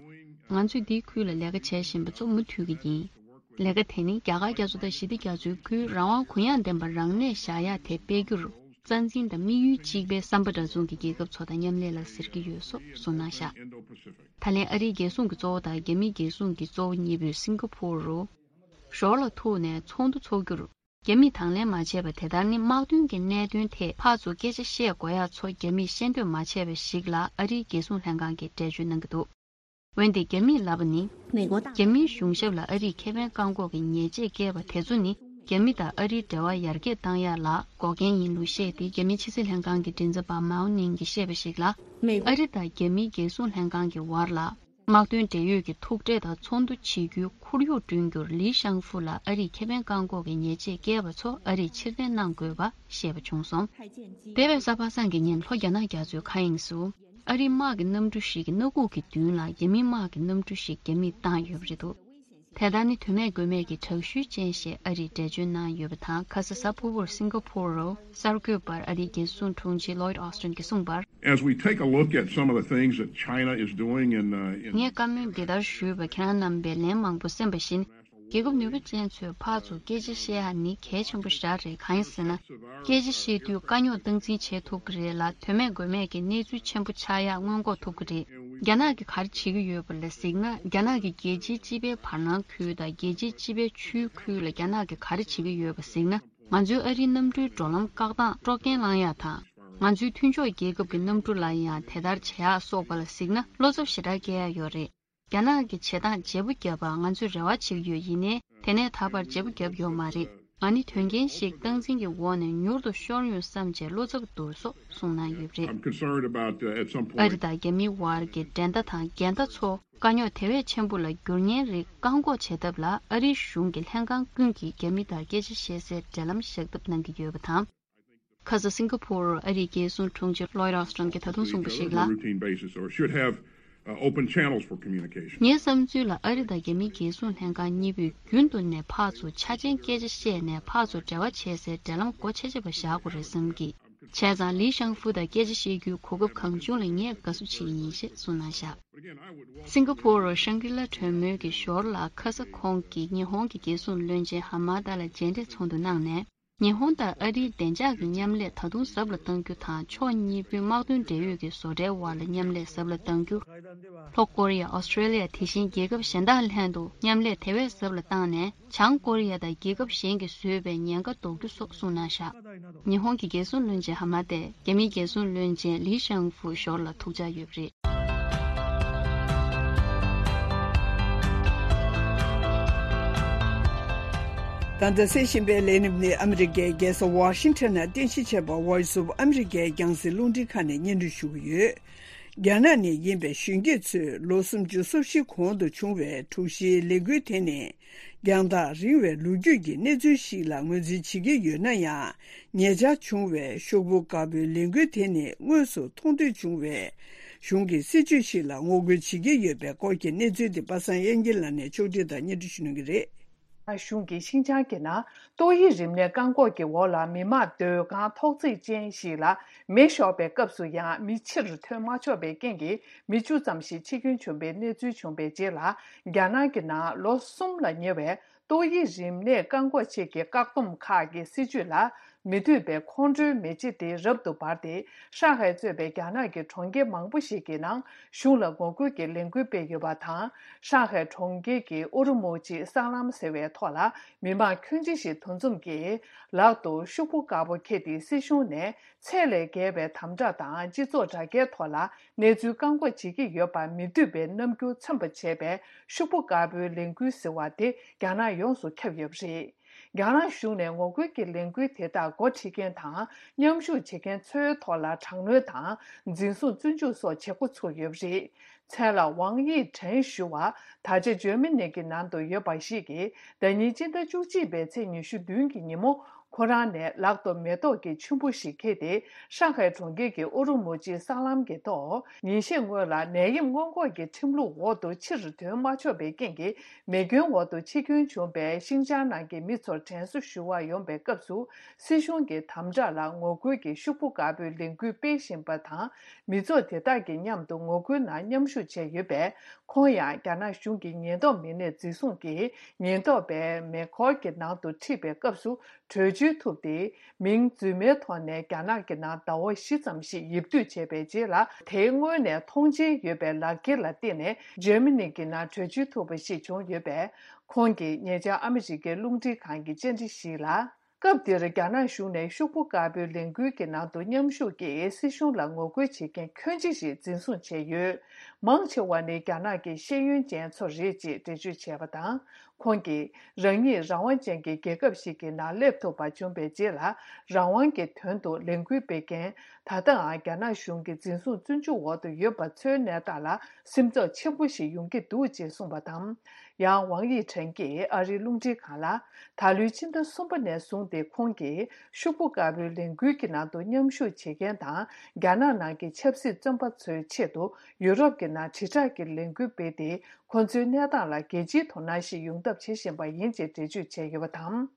ང་ཚོས་འདིའི་ཁུལ་ལ་ལས་ཀ་བྱེད་བཞིན་པ་ཚོ་མུ་མཐུད་ཀྱི་ཡིན། ལས་ཀ་དེ་ནི་རྒྱ་གར་རྒྱ་མཚོ་དང་ཞི་བདེ་རྒྱ་མཚོའི་ཁུལ་རང་དབང་གུ་ཡངས་ལྡན་པ་རང་གནས་བཞག་ཡག་དེ་སྤེལ་རྒྱུར་རྩ་འཛིན་དང་དམིགས་ཡུལ་གཅིག་པའི་བསམ་པ་འདྲ་མཚུངས་ཀྱི་རྒྱལ་ཁབ་ཚོ་དང་མཉམ་ལས་ལ་ཟེར་གྱི་ཡོད་སོགས་གསུངས་གནང་བཞག་ད་ལན་ཨ་རིའི་རྒྱལ་སྲུང་གི་གཙོ་བོ་དང་རྒྱ་མིའི་རྒྱལ་སྲུང་གི་གཙོ་བོ་གཉིས་པོས་སིང་ག་ཕོར་རུ་ཞོར་ལ་ཐུག་ནས་ཚོགས་འདུ་འཚོགས་རྒྱུར། རྒྱ་མིས་དང་ལེན་མ་བྱས་པ་དེ་ལྟར་ནི་དམག་དོན་གྱི་གནད་དོན་ཐད་ཕར་ཚུར་སྐད་ཆ་བཤད་དགོས་ཡག་ཚོ་རྒྱ་མིས་བཤད་འདོད་མ་བྱས་པ་ཞིག་ལ་ཨ་རིའི་རྒྱལ་སྲུང་ལྷན་ཁང་གིས་འགྲེལ་བརྗོད་གནང་གི་འདུག་འོན་ཏེ་རྒྱ་མིས་ལབ་པ་ནི། རྒྱ་མིའི་གཞུང་ཞབས་ལ་ཨ་རིས་ཁེ་ཕན་བཀག་འགོག་གི་ཉེས་ཆད་བཀལ་བ་དེ་ཚོ་ནི་རྒྱ་མི་དང་ཨ་རིའི་འབྲེལ་བ་ཡར་རྒྱས་བཏང་ཡག་ལ་འགོག་རྐྱེན་ཡིན་ལུགས་བཤད་དེ། རྒྱ་མིའི་ཕྱི་སྲིད་ལྷན་ཁང་གི་མགྲིན་ཚབ་པ་མའོ་ནིང་གིས་བཤད་པ་ཞིག་ལ། ཨ་རི་དང་རྒྱ་མིའི་རྒྱལ་སྲུང་ལྷན་ཁང་གི་བར་ལ། དམག་དོན་འབྲེལ་ཡོད་ཀྱི་ཐུག་འཕྲད་དང་ཚོགས་འདུ་བྱེད་རྒྱུའི་ཁོར་ཡུག་བསྐྲུན་རྒྱུར་ལི་ཤང་ཧྥུ་ལ་ཨ་རིས་ཁེ་ཕན་བཀག་འགོག་གི་ཉེས་ཆད་བཀལ་བ་ཚོ་ཨ་རིས་ཕྱིར་འཐེན་གནང་དགོས་པ་བཤད་པ་བྱུང་སོང་། འདས་པའི་གཟའ་པ་སངས་ཀྱི་ཉིན་ལྷོ་རྒྱ་ནག་རྒྱ་མཚོའི་མཁའ་དབྱིངས་སུ་ཨ་རིའི་དམག་གི་གནམ་གྲུ་ཞིག་གིས་སྣ་ཁུག་གི་མདུན་ལ་རྒྱ་མིའི་དམག་གི་གནམ་གྲུ་ཞིག་རྒྱ་མིས་བཏང་ཡོད་པ་རེད་འདུག་དེ་ལྟར་ནི་དོན་མེད་དགོས་མེད་ཀྱི་དྲག་ཤུལ་ཅན་ཞེས་ཨ་རིས་འགྲེལ་བརྗོད་གནང་ཡོད་པ་དང་། ཁ་ས་གཟའ་ཕུར་བུར་སིང་ག་ཕོར་རུ་གསར་འགོད་པར་ཨ་རིའི་རྒྱལ་སྲུང་དྲུང་ཆེ་ལོའིད་ཨོ་སི་ཊིན་གྱིས་གསུངས་པར། As we take a look at some of the things that China is doing in, uh, in ངས་བཀའ་མོལ་འདི་ལྟར་ཞུས་པ་ཁྱེད་རང་རྣམ་པས་ལན་མང་པོ་གསན་པ་བཞིན། རྒྱལ་ཁབ་ནུས་པ་ཅན་ཚོས་ཕར་ཚུར་སྐད་ཆ་བཤད་ཡ་ནི་གལ་ཆེན་པོ་ཞེ་དྲག་རེད། གང་ཡིན་ཟེར་ན། སྐད་ཆ་བཤད་དུས་དཀའ་རྙོག་སྟངས་འཛིན་བྱེད་ཐུབ་ཀྱི་རེད་ལ། དོན་མེད་དགོས་མེད་ཀྱི་གནས་ཚུལ་ཆེན་པོ་ཆགས་ཡ་སྔོན་འགོག་ཐུབ་ཀྱི་རེད། རྒྱ་ནག་གིས་ག་རེ་བྱེད་ཀྱི་ཡོད་པ་ལ་གཟིགས་ན། རྒྱ་ནག་གིས་རྒྱལ་སྤྱིའི་སྤྱི་པའི་བར་སྣང་ཁུལ་དང་རྒྱལ་སྤྱིའི་སྤྱི་པའི་ཆུའི་ཁུལ་ལ་རྒྱ་ནག་གིས་ག་རེ་བྱེད་ཀྱི་ཡོད་པ་གཟིགས་ན། ང་ཚོའི་ཨ་རིའི་གནམ་གྲུའི་འགྲོ་ལམ་བཀག་སྟངས་དཀྲོག་རྐྱེན་བསླང་ཡ་དང་། ང་ཚོའི་མཐུན་ཕྱོགས་རྒྱལ་ཁབ་ཀྱི་གནམ་གྲུ་ལ་ཡང་དེ་ལྟར་བྱེད་ཡ་སོགས་པ་ལ་གཟིགས་ན་བློ་འཚབ་ཞེ་དྲག་སྐྱེ་ཡ་ཡོད་རེད། རྒྱ་ནག་གི་བྱེད་སྟངས་བརྗེ་པོ་བརྒྱབ་པར་ང་ཚོས་རེ་བ་བྱེད་ཀྱི་ཡོད། ཡིན་ནའི་དེ་ནས་ད་བར་བརྗེ་པོ་བརྒྱབ་ཡོད་མ་རེད། ང་ནི་དོན་རྐྱེན་ཞིག་སྟངས་འཛིན་གྱི་འོག་ནས་མྱུར་དུ་ཤོར་ཡོང་བསམ་བྱས་བློ་འཚབ་འདུག་སོགས་གསུངས་གནང་ཡོད་པ་རེད། I'm concerned about, uh, at some point. ཨ་རི་དང་རྒྱ་མིའི་བར་གྱི་འགྲན་ཟླ་དང་འགལ་ཟླ་ཚོ་དཀའ་རྙོག་དེ་བས་ཆེན་པོ་ལ་འགྱུར་ཉེན་རིགས་བཀག་འགོག་བྱེད་ཐབས་ལ་ཨ་རིའི་གཞུང་གི་ལྷན་ཁང་ཀུན་གྱིས་རྒྱ་མི་དང་སྐད་ཆ་བཤད་སའི་འབྲེལ་ལམ་བཞག་ཐབས་གནང་གི་ཡོད་པ་དང་། ཁ་ས་སིང་ག་ཕོར་ཨ་རིའི་རྒྱལ་སྲུང་དྲུང་ཆེ་ལོའིད་ཨོ་སི་ཊིན་གྱིས་ད་དུང་གསུངས་པ་ཞིག་ལ། Routine basis or should have, uh, open channels for communication. ངའི་བསམ་ཚུལ་ལ་ཨ་རི་དང་རྒྱ་མིའི་རྒྱལ་སྲུང་ལྷན་ཁང་གཉིས་པོས་རྒྱུན་དུ་ནས་ཕར་ཚུར་ཆ་ཆེན་སྐད་ཆ་བཤད་ནས་ཕར་ཚུར་འབྲེལ་བ་བྱེད་སའི་འབྲེལ་ལམ་སྒོ་ཆེ་ཆེ་བ་བཞག་དགོས་རེད་བསམ་གི། བྱས་ཙང་ལི་ཤང་ཧྥུ་དང་སྐད་ཆ་བཤད་རྒྱུའི་གོ་སྐབས་གང་བྱུང་ལ་ངས་དགའ་བསུ་བྱེད་ཀྱི་ཡིན་ཞེས་གསུངས་གནང་བཞག་སིང་ག་ཕོར་ཤང་གི་ལ་གྲོས་མོལ་གྱི་ཞོར་ལ་ཁ་ས་ཁོང་གིས་ཉི་ཧོང་གི་རྒྱལ་སྲུང་བློན་ཆེན་ཧ་མ་ད་ལ་མཇལ་འཕྲད་ཚོགས་འདུ་གནང་ནས། ཉི་ཧོང་དང་ཨ་རིའི་བདེ་འཇགས་ཀྱི་མཉམ་ལས་ད་དུང་ཟབ་ལ་གཏང་རྒྱུ་དང་། ཕྱོགས་གཉིས་པོའི་དམག་དོན་འབྲེལ་ཡོད་ཀྱི་བཟོ་གྲྭའི་དབར་ལ་མཉམ་ལས་ཟབ་ལ་གཏང་རྒྱུ། ལྷོ་ཀོ་རི་ཡ། ཨོ་སི་ཀྲེ་ལི་ཡ། དེ་བཞིན་རྒྱལ་ཁབ་གཞན་དག་ལྷན་དུ་མཉམ་ལས་དེ་བས་ཟབ་ལ་བཏང་ནས། བྱང་ཀོ་རི་ཡ་དང་རྒྱལ་ཁབ་གཞན་གྱིས་བཟོས་པའི་ཉེན་ཁ་ཟློག་རྒྱུ་སོགས་གསུངས་གནང་བཞག་ཉི་ཧོང་གི་རྒྱལ་སྲུང་བློན་ཆེན་ཧ་མ་ཏེ། རྒྱ་མིའི་རྒྱལ་སྲུང་བློན་ཆེན་ལི་ཤང་ཧྥུ་ཞོར་ལ་ཐུག་འཆར་ཡོད་པ་རེད། ད་ལྟ་གསན་བཞིན་པའི་ལས་རིམ་ནི་ཨ་མི་རི་ཀའི་རྒྱལ་ས་ཝ་ཤིང་ཊོན་ནང་རྟེན་གཞི་བྱས་པ་Voice of America་རྒྱང་སྲིང་རླུང་འཕྲིན་ཁང་ནས་སྙན་སྒྲོན་ཞུ་གི་ཡོད། རྒྱ་ནག་ནས་ཡིན་པའི་གཞོན་སྐྱེས་ཚོས་ལོ་སུམ་ཅུ་སོ་བཞི་གོང་དུ་བྱུང་བའི་དྲུག་བཞིའི་ལས་འགུལ་དེ་ནི། རྒྱང་ཐག་རིང་བའི་ལོ་རྒྱུས་ཀྱི་གནས་ཚུལ་ཞིག་ལ་ངོས་འཛིན་བྱེད་ཀྱི་ཡོད་ན་ཡང་། ཉེ་ཆར་བྱུང་བའི་ཤོག་བུ་དཀར་པོའི་ལས་འགུལ་དེ་ནི་དངོས་སུ་མཐོང་ཐོས་བྱུང་བའི་གཞུང་གི་སྲིད་བྱུས་ཤིག་ལ་ངོ་རྒོལ་བྱེད་ཀྱི་ཡོད་པའི་སྐོར་གྱི་གནས་ཚུལ་དེ་པ་སངས་དབྱངས་སྐྱིད་ལགས་ནས་ཕྱོགས་སྒྲིག་དང་སྙན་སྒྲོན་ཞུ་གནང་གི་རེད། གཞུང་གིས་ཤིན་ཅང་གི་ནང་ཏོག་དབྱིབས་རིམས་ནད་བཀག་འགོག་གི་འོག་ལ་མི་མང་སྡོད་ཁང་ཐོག་བརྩེགས་ཅན་ཞིག་ལ་མེ་ཤོར་བའི་སྐབས་སུ་ཡང་མི་ཕྱིར་ཐོན་མ་ཆོག་པའི་རྐྱེན་གྱིས་མི་བཅུ་ཙམ་ཞིག་འཆི་སྐྱོན་བྱུང་བའི་གནས་ཚུལ་བྱུང་བའི་རྗེས་ལ། རྒྱ་ནག་གི་ནང་ལོ་གསུམ་ལ་ཉེ་བའི་ཏོག་དབྱིབས་རིམས་ནད་བཀག་འགོག་ཆེད་ཀྱི་བཀག་སྡོམ་ཁག་གི་སྲིད་བྱུས་ལ་མི་འདོད་པའི་ཁོང་ཁྲོའི་མེ་ལྕེ་དེ་རབ་ཏུ་འབར་ཏེ། ཧྲང་ཧའེ་གཙོས་པའི་རྒྱ་ནག་གི་གྲོང་ཁྱེར་མང་པོ་ཞིག་གི་ནང་གཞུང་ལ་ངོ་རྒོལ་གྱི་ལས་འགུལ་སྤེལ་ཡོད་པ་དང་། ཧྲང་ཧའེ་གྲོང་ཁྱེར་གྱི་ཨུ་རུ་མུག་ཅི་སྲང་ལམ་ཟེར་བའི་ཐོག་ལ་མི་མང་ཁྱོན་ཆེ་ཞིག་འདུ་འཛོམས་ཀྱིས་ལག་ཏུ་ཤོག་བུ་དཀར་པོ་འཁྱེར་ཏེ་སྲིད་གཞུང་ནས་ཚད་ལས་བརྒལ་བའི་དམ་དྲག་དང་སྤྱི་ཚོགས་དྲ་རྒྱའི་ཐོག་ལ་གནས་ཚུལ་བཀག་འགོག་བྱེད་ཀྱི་ཡོད་པ་མི་འདོད་པའི་རྣམ་འགྱུར་མཚོན་པ་བྱས་པའི་ཤོག་བུ་དཀར་པོའི་ལས་འགུལ་ཟེར་བ་དེ་རྒྱ་ནག་ཡོངས་སུ་ཁྱབ་ཡོད་པ་རེད། རྒྱ་ནག་གཞུང་ནས་ངོ་རྒོལ་གྱི་ལས་འགུལ་དེ་དག་འགོ་ཁྲིད་མཁན་དང་མཉམ་ཞུགས་བྱེད་མཁན་ཚོའི་ཐོག་ལ་དྲག་གནོན་དང་འཛིན་བཟུང་བཙོན་འཇུག་སོགས་བྱེད་འགོ་ཚུགས་ཡོད་པ་རེད། མཚན་ལ་ཝང་དབྱི་ཁྲེན་ཞུ་བ་ད་ཆ་འཇར་མ་ནི་གི་ནང་དུ་ཡོད་པ་ཞིག་གིས། ཟླ་ཉིན་སྤྱི་ཟླ་བཅུ་གཅིག་པའི་ཚེས་ཉི་ཤུ་བདུན་གྱི་ཉིན་མོ། ཁོ་རང་ནས་ལག་ཏུ་མེ་ཏོག་གི་ཆུན་པོ་ཞིག་འཁྱེར་ཏེ། ཧྲང་ཧའེ་གྲོང་ཁྱེར་གྱི་ཨུ་རུ་མུ་ཅི་སྲང་ལམ་གྱི་ཐོག་ཉིན་ཤས་སྔོན་ལ་ནད་ཡམས་སྔོན་འགོག་གི་ཁྲིམས་ལུགས་འོག་ཏུ་ཕྱིར་ཐོན་མ་ཆོག་པའི་རྐྱེན་གྱིས། མེ་སྐྱོན་འོག་ཏུ་འཆི་སྐྱོན་བྱུང་བའི་ཤིང་ཅང་ནང་གི་མི་ཚོར་དྲན་གསོ་ཞུ་བར་ཡོང་པའི་སྐབས་སུ། སྲིད་གཞུང་གི་དམ་དྲག་ལ་ངོ་རྒོལ་གྱི་ཤོག་བུ་དཀར་པོའི་ལས་འགུལ་སྤེལ་བཞིན་པ་དང་། མི་ཚོགས་དེ་དག་གི་མཉམ་དུ་ངོ་རྒོལ་ནང་མཉམ་ཞུགས་བྱས་ཡོད་པས། ཁོང་ཡང་རྒྱ་ནག་གཞུང་གི་ཉེན་རྟོག་མི་སྣས་འཛིན་བཟུང་གིས། ཉེན་རྟོག་པའི་མེ་འཁོར་གྱི་ནང་དུ་ཁྲིད་པའི་སྐབས་སུ་བྲོས་བྱོལ་ཐུབ་སྟེ། མིང་རྫུན་མའི་ཐོག་ནས་རྒྱ་ནག་གི་ནང་ཟླ་བ་བཞི་ཙམ་ཞིག་ཡིབ་སྡོད་བྱས་པའི་རྗེས་ལ། དེའི་སྔོན་ནས་མཐོང་མཆན་ཡོད་པའི་ལག་འཁྱེར་ལ་བརྟེན་ནས་འཇར་མ་ནི་གི་ནང་བྲོས་བྱོལ་ཐུབ་པ་ཞིག་བྱུང་ཡོད་པས། ཁོང་གིས་ཉེ་ཆར་ཨ་མི་རི་ཀའི་རླུང་འཕྲིན་ཁང་གི་བཅར་འདྲི་ཞིག་ལ། སྐབས་དེར་རྒྱ་ནག་གཞུང་ནས་ཤོག་བུ་དཀར་པོའི་ལས་འགུལ་གྱི་ནང་དུ་མཉམ་ཞུགས་ཀྱིས་སྲིད་གཞུང་ལ་ངོ་རྒོལ་བྱེད་མཁན་ཁྱོན་ཆེ་ཞིག་འཛིན་བཟུང་བྱས་ཡོད། མང་ཆེ་བ་ནི་རྒྱ་ནག་གི་ཤེས་ཡོན་ཅན་ཚོ་རེད་ཅེས་འགྲེལ་བརྗོད་བྱས་པ་དང་། ཁོང་གིས་རང་ཉིད་རང་དབང་ཅན་གྱི་རྒྱལ་ཁབ་ཞིག་གི་ནང་སླེབས་ཐུབ་པ་བྱུང་བའི་རྗེས་ལ། རང་དབང་གི་དོན་དུ་ལས་འགུལ་སྤེལ་མཁན། ད་ལྟའང་རྒྱ་ནག་གཞུང་གི་འཛིན་བཟུང་བཙོན་འཇུག་འོག་ཏུ་ཡོད་པ་ཚོའི་གནས་སྟངས་ལ་སེམས་འཚབ་ཆེན་པོ་ཞིག་ཡོང་གི་འདུག་ཅེས་གསུངས་པ་དང་། ཡང་ཝང་དབྱི་ཁྲེན་གྱིས་ཨ་རིའི་རླུང་འཕྲིན་ཁང་ལ། ད་ལོའི་ཕྱི་ཟླ་གསུམ་པ་ནས་བཟུང་སྟེ། ཁོང་གིས་ཤོག་བུ་དཀར་པོའི་ལས་འགུལ་གྱི་ནང་དུ་མཉམ་ཞུགས་བྱེད་མཁན་དང་། རྒྱ་ནག་ནང་གི་ཆབ་སྲིད་བཙོན་པ་ཚོའི་ཆེད་དུ་ཡུ་རོབ་ཀྱི་ནང་དྲིལ་བསྒྲགས་ཀྱི་ལས་འགུལ་སྤེལ་ཏེ། ཁོ་ཚོའི་གནས་སྟངས་ལ་རྒྱལ་སྤྱིའི་དོ་སྣང་ཞིག་ཡོང་ཐབས་བྱེད་བཞིན་པ་ཡིན་ཅེས་འགྲེལ་བརྗོད་བྱས་ཡོད་པ་དང་།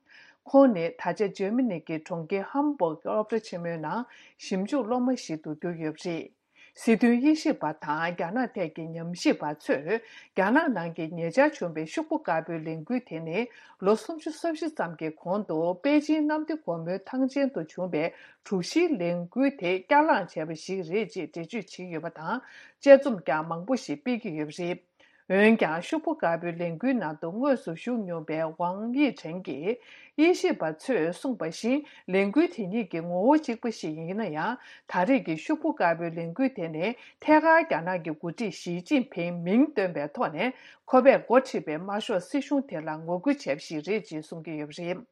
ཁོང་ནི་ད་ཆ་འཇར་མ་ནི་གི་གྲོང་ཁྱེར་ཧམ་སྦུག་སློབ་གྲྭ་ཆེན་མོའི་ནང་ཞིབ་འཇུག་སློབ་མ་ཞིག་ཏུ་གྱུར་ཡོད་པ་རེད། སྲིད་དོན་དབྱེ་ཞིབ་པ་དང་རྒྱ་ནག་ཐད་ཀྱི་ཉམས་ཞིབ་པ་ཚོས། རྒྱ་ནག་ནང་གི་ཉེ་ཆར་བྱུང་བའི་ཤོག་བུ་དཀར་པོའི་ལས་འགུལ་དེ་ནི། ལོ་སུམ་ཅུ་སོ་བཞི་ཙམ་གྱི་གོང་དུ་པེ་ཅིན་གནམ་བདེ་སྒོ་མོའི་ཐང་ཆེན་དུ་བྱུང་བའི་དྲུག་བཞིའི་ལས་འགུལ་དེ་བསྐྱར་ལངས་བྱས་པ་ཞིག་རེད་ཅེས་འགྲེལ་བརྗོད་བྱས་ཡོད་པ་དང་། དཔྱད་རྩོམ་ཀྱང་མང་པོ་ཞིག་སྤེལ་གྱི་ཡོད་པ་རེད། འོན་ཀྱང་། ཤོག་བུ་དཀར་པོའི་ལས་འགུལ་ནང་དུ་དངོས་སུ་ཞུགས་མྱོང་བའི་ཝང་དབྱི་ཁྲེན་གྱིས། དབྱེ་ཞིབ་པ་ཚོས་གསུངས་པ་བཞིན། ལས་འགུལ་དེ་ཉིད་ཀྱི་ངོ་བོ་གཅིག་པ་ཞིག་ཡིན་ན་ཡང་། ད་རེས་ཀྱི་ཤོག་བུ་དཀར་པོའི་ལས་འགུལ་དེ་ནི། ཐད་ཀར་རྒྱ་ནག་གི་འགོ་ཁྲིད་ཞི་ཅིན་ཕིང་མིང་བཏོན་པའི་ཐོག་ནས། ཁོ་པས་འགོ་ཁྲིད་པའི་དམར་ཤོག་སྲིད་གཞུང་དེ་ལ་ངོ་རྒོལ་བྱས་པ་ཞིག་རེད་ཅེས་གསུང་གི་ཡོད་པ་རེད།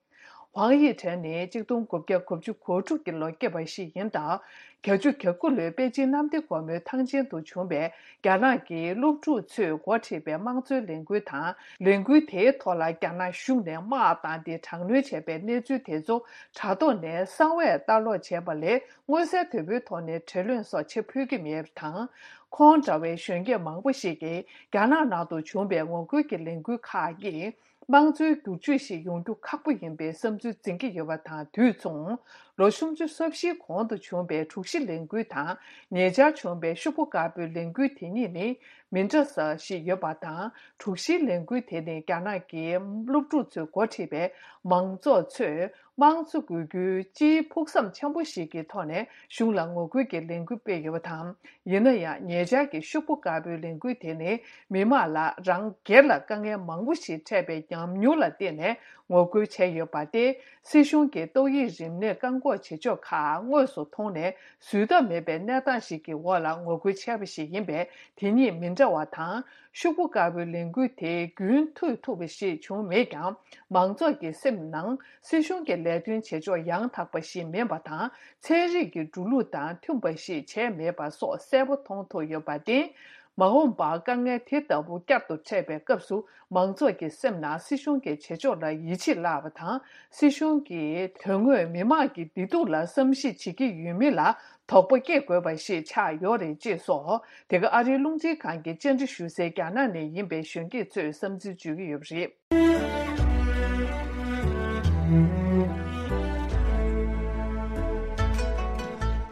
ཝང་དབྱི་ཁྲེན་ནི་གཅིག་སྟོང་དགུ་བརྒྱ་དགུ་བཅུ་གོ་དྲུག་གི་ལོ་སྐྱེས་པ་ཞིག་ཡིན་སྟབས། བརྒྱད་ཅུ་གྱ་དགུ་ལོའི་པེ་ཅིན་གནམ་བདེ་སྒོ་མོའི་ཐང་ཆེན་དུ་བྱུང་བའི་རྒྱ་ནག་གི་སློབ་ཕྲུག་ཚོས་འགོ་ཁྲིད་པའི་དམངས་གཙོའི་ལས་འགུལ་དང་། ལས་འགུལ་དེའི་ཐོག་ལ་རྒྱ་ནག་གཞུང་ནས་དམག་བཏང་སྟེ་དྲག་གནོན་བྱས་པའི་གནས་ཚུལ་དེ་ཚོ་དྲ་ཐོག་ནས་གསང་བའི་ལྟ་ཀློག་བྱས་པ་ལས། མངོན་གསལ་དོད་པོའི་ཐོག་ནས་བྲེལ་བློན་སོགས་བྱེད་ཕོད་ཀྱི་མེད་པ་དང་། ཁོང་འདྲ་བའི་གཞོན་སྐྱེས་མང་པོ་ཞིག་གིས་རྒྱ་ནག་ནང་དུ་བྱུང་བའི་ངོ་རྒོལ་གྱི་ལས་འགུལ་ཁག་གིས། དམངས་གཙོའི་བསྒྱུར་བཅོས་ཤིག་ཡོང་རྒྱུ་ཁག་པོ་ཡིན་པའི་བསམ་ཚུལ་འཛིན་གྱི་ཡོད་པ་དང་དུས་མཚུངས། ལོ་སུམ་ཅུ་སོ་བཞིའི་གོང་དུ་བྱུང་བའི་དྲུག་བཞི་ལས་འགུལ་དང་ཉེ་ཆར་བྱུང་བའི་ཤོག་བུ་དཀར་པོའི་ལས་འགུལ་དེ་གཉིས་ནི་མི་འདྲ་ས་ཞིག་ཡོད་པ་དང་། དྲུག་བཞིའི་ལས་འགུལ་དེ་ནི་རྒྱ་ནག་གི་སློབ་ཕྲུག་ཚོས་འགོ་ཁྲིད་པའི་མང་ཚོགས་ཚོས་དམངས་གཙོ་དགོས་རྒྱུའི་སྤྱིའི་ཕུགས་བསམ་ཆེན་པོ་ཞིག་གི་ཐོག་ནས་གཞུང་ལ་ངོ་རྒོལ་གྱི་ལས་འགུལ་སྤེལ་ཡོད་པ་དང་། ཡིན་ན་ཡང་ཉེ་ཆར་གྱི་ཤོག་བུ་དཀར་པོའི་ལས་འགུལ་དེ་ནི་མི་དམངས་ལ་རང་སྒེར་ལ་དཀའ་ངལ་མང་པོ་ཞིག་འཕྲད་པའི་ཉམས་མྱོང་ལ་བརྟེན་ནས་ངོ་རྒོལ་བྱས་ཡོད་པ་སྟེ། སྲིད་གཞུང་གིས་ཏོག་དབྱིབས་རིམས་ནད་བཀག་འགོག་བྱེད་ཕྱོགས་ཁག་དངོས་སུ་མཐོང་ནས་བཟོད་ཐབས་མེད་པའི་གནས་སྟངས་ཤིག་གི་འོག་ལ་ངོ་རྒོལ་བྱས་པ་ཞིག་ཡིན་པས། དེ་གཉིས་མི་འདྲ་བ་དང་། ཤོག་བུ་དཀར་པོའི་ལས་འགུལ་དེ་རྒྱུན་མཐུད་ཐུབ་པ་ཞིག་བྱུང་མེད་ཀྱང་། མང་ཚོགས་ཀྱི་སེམས་ནང་སྲིད་གཞུང་གི་ལས་དོན་བྱེད་ཕྱོགས་ཡང་དག་པ་ཞིག་མིན་པ་དང་། ཚན་རིག་གི་འགྲོ་ལུགས་དང་མཐུན་པ་ཞིག་བྱས་མེད་པ་སོགས་གསལ་པོ་མཐོང་ཐུབ་ཡོད་པར་བརྟེན། མ་འོངས་པར་དཀའ་ངལ་དེ་ལྟ་བུ་བསྐྱར་དུ་འཕྲད་པའི་སྐབས་སུ། མང་ཚོགས་ཀྱི་སེམས་ནང་སྲིད་གཞུང་གི་བྱེད་ཕྱོགས་ལ་ཡིད་ཆེས་བརླག་པ་དང་། སྲིད་གཞུང་གི་དོན་དངོས་མི་དམངས་ཀྱི་བདེ་སྡུག་ལ་བསམ་གཞིག་བྱེད་ཀྱི་ཡོད་མིན་ལ་དོགས་པ་སྐྱེ་དགོས་པ་ཞིག་ཆགས་ཡོད་རེད་ཅེས་སོགས། དེ་ག་ཨ་རིའི་རླུང་འཕྲིན་ཁང་གི་བཅར་འདྲི་ཞུ་སའི་རྒྱ་ནག་ནས་ཡིན་པའི་གཞོན་སྐྱེས་ཚོས་བསམ་ཚུལ་བརྗོད་ཀྱི་ཡོད་པ་རེད།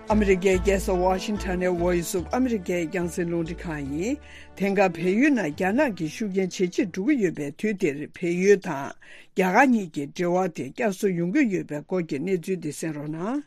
ཨ་མི་རི་ཀའི་རྒྱལ་ས་ཝ་ཤིང་ཊོན་ནས་Voice of America རྒྱང་སྲིང་རླུང་འཕྲིན་ཁང་ཡིན། དེང་སྐབས་བལ་ཡུལ་ནང་རྒྱ་ནག་གི་ཤུགས་རྐྱེན་ཇེ་ཆེར་འགྲོ་གི་ཡོད་པའི་དུས་འདིར། བལ་ཡུལ་དང་རྒྱ་གར་གཉིས་ཀྱི་འབྲེལ་བ་དེ་བསྐྱར་གསོ་ཡོང་གི་ཡོད་པའི་སྐོར་གྱི་གནས་ཚུལ་འདི་གསན་རོགས་གནང་།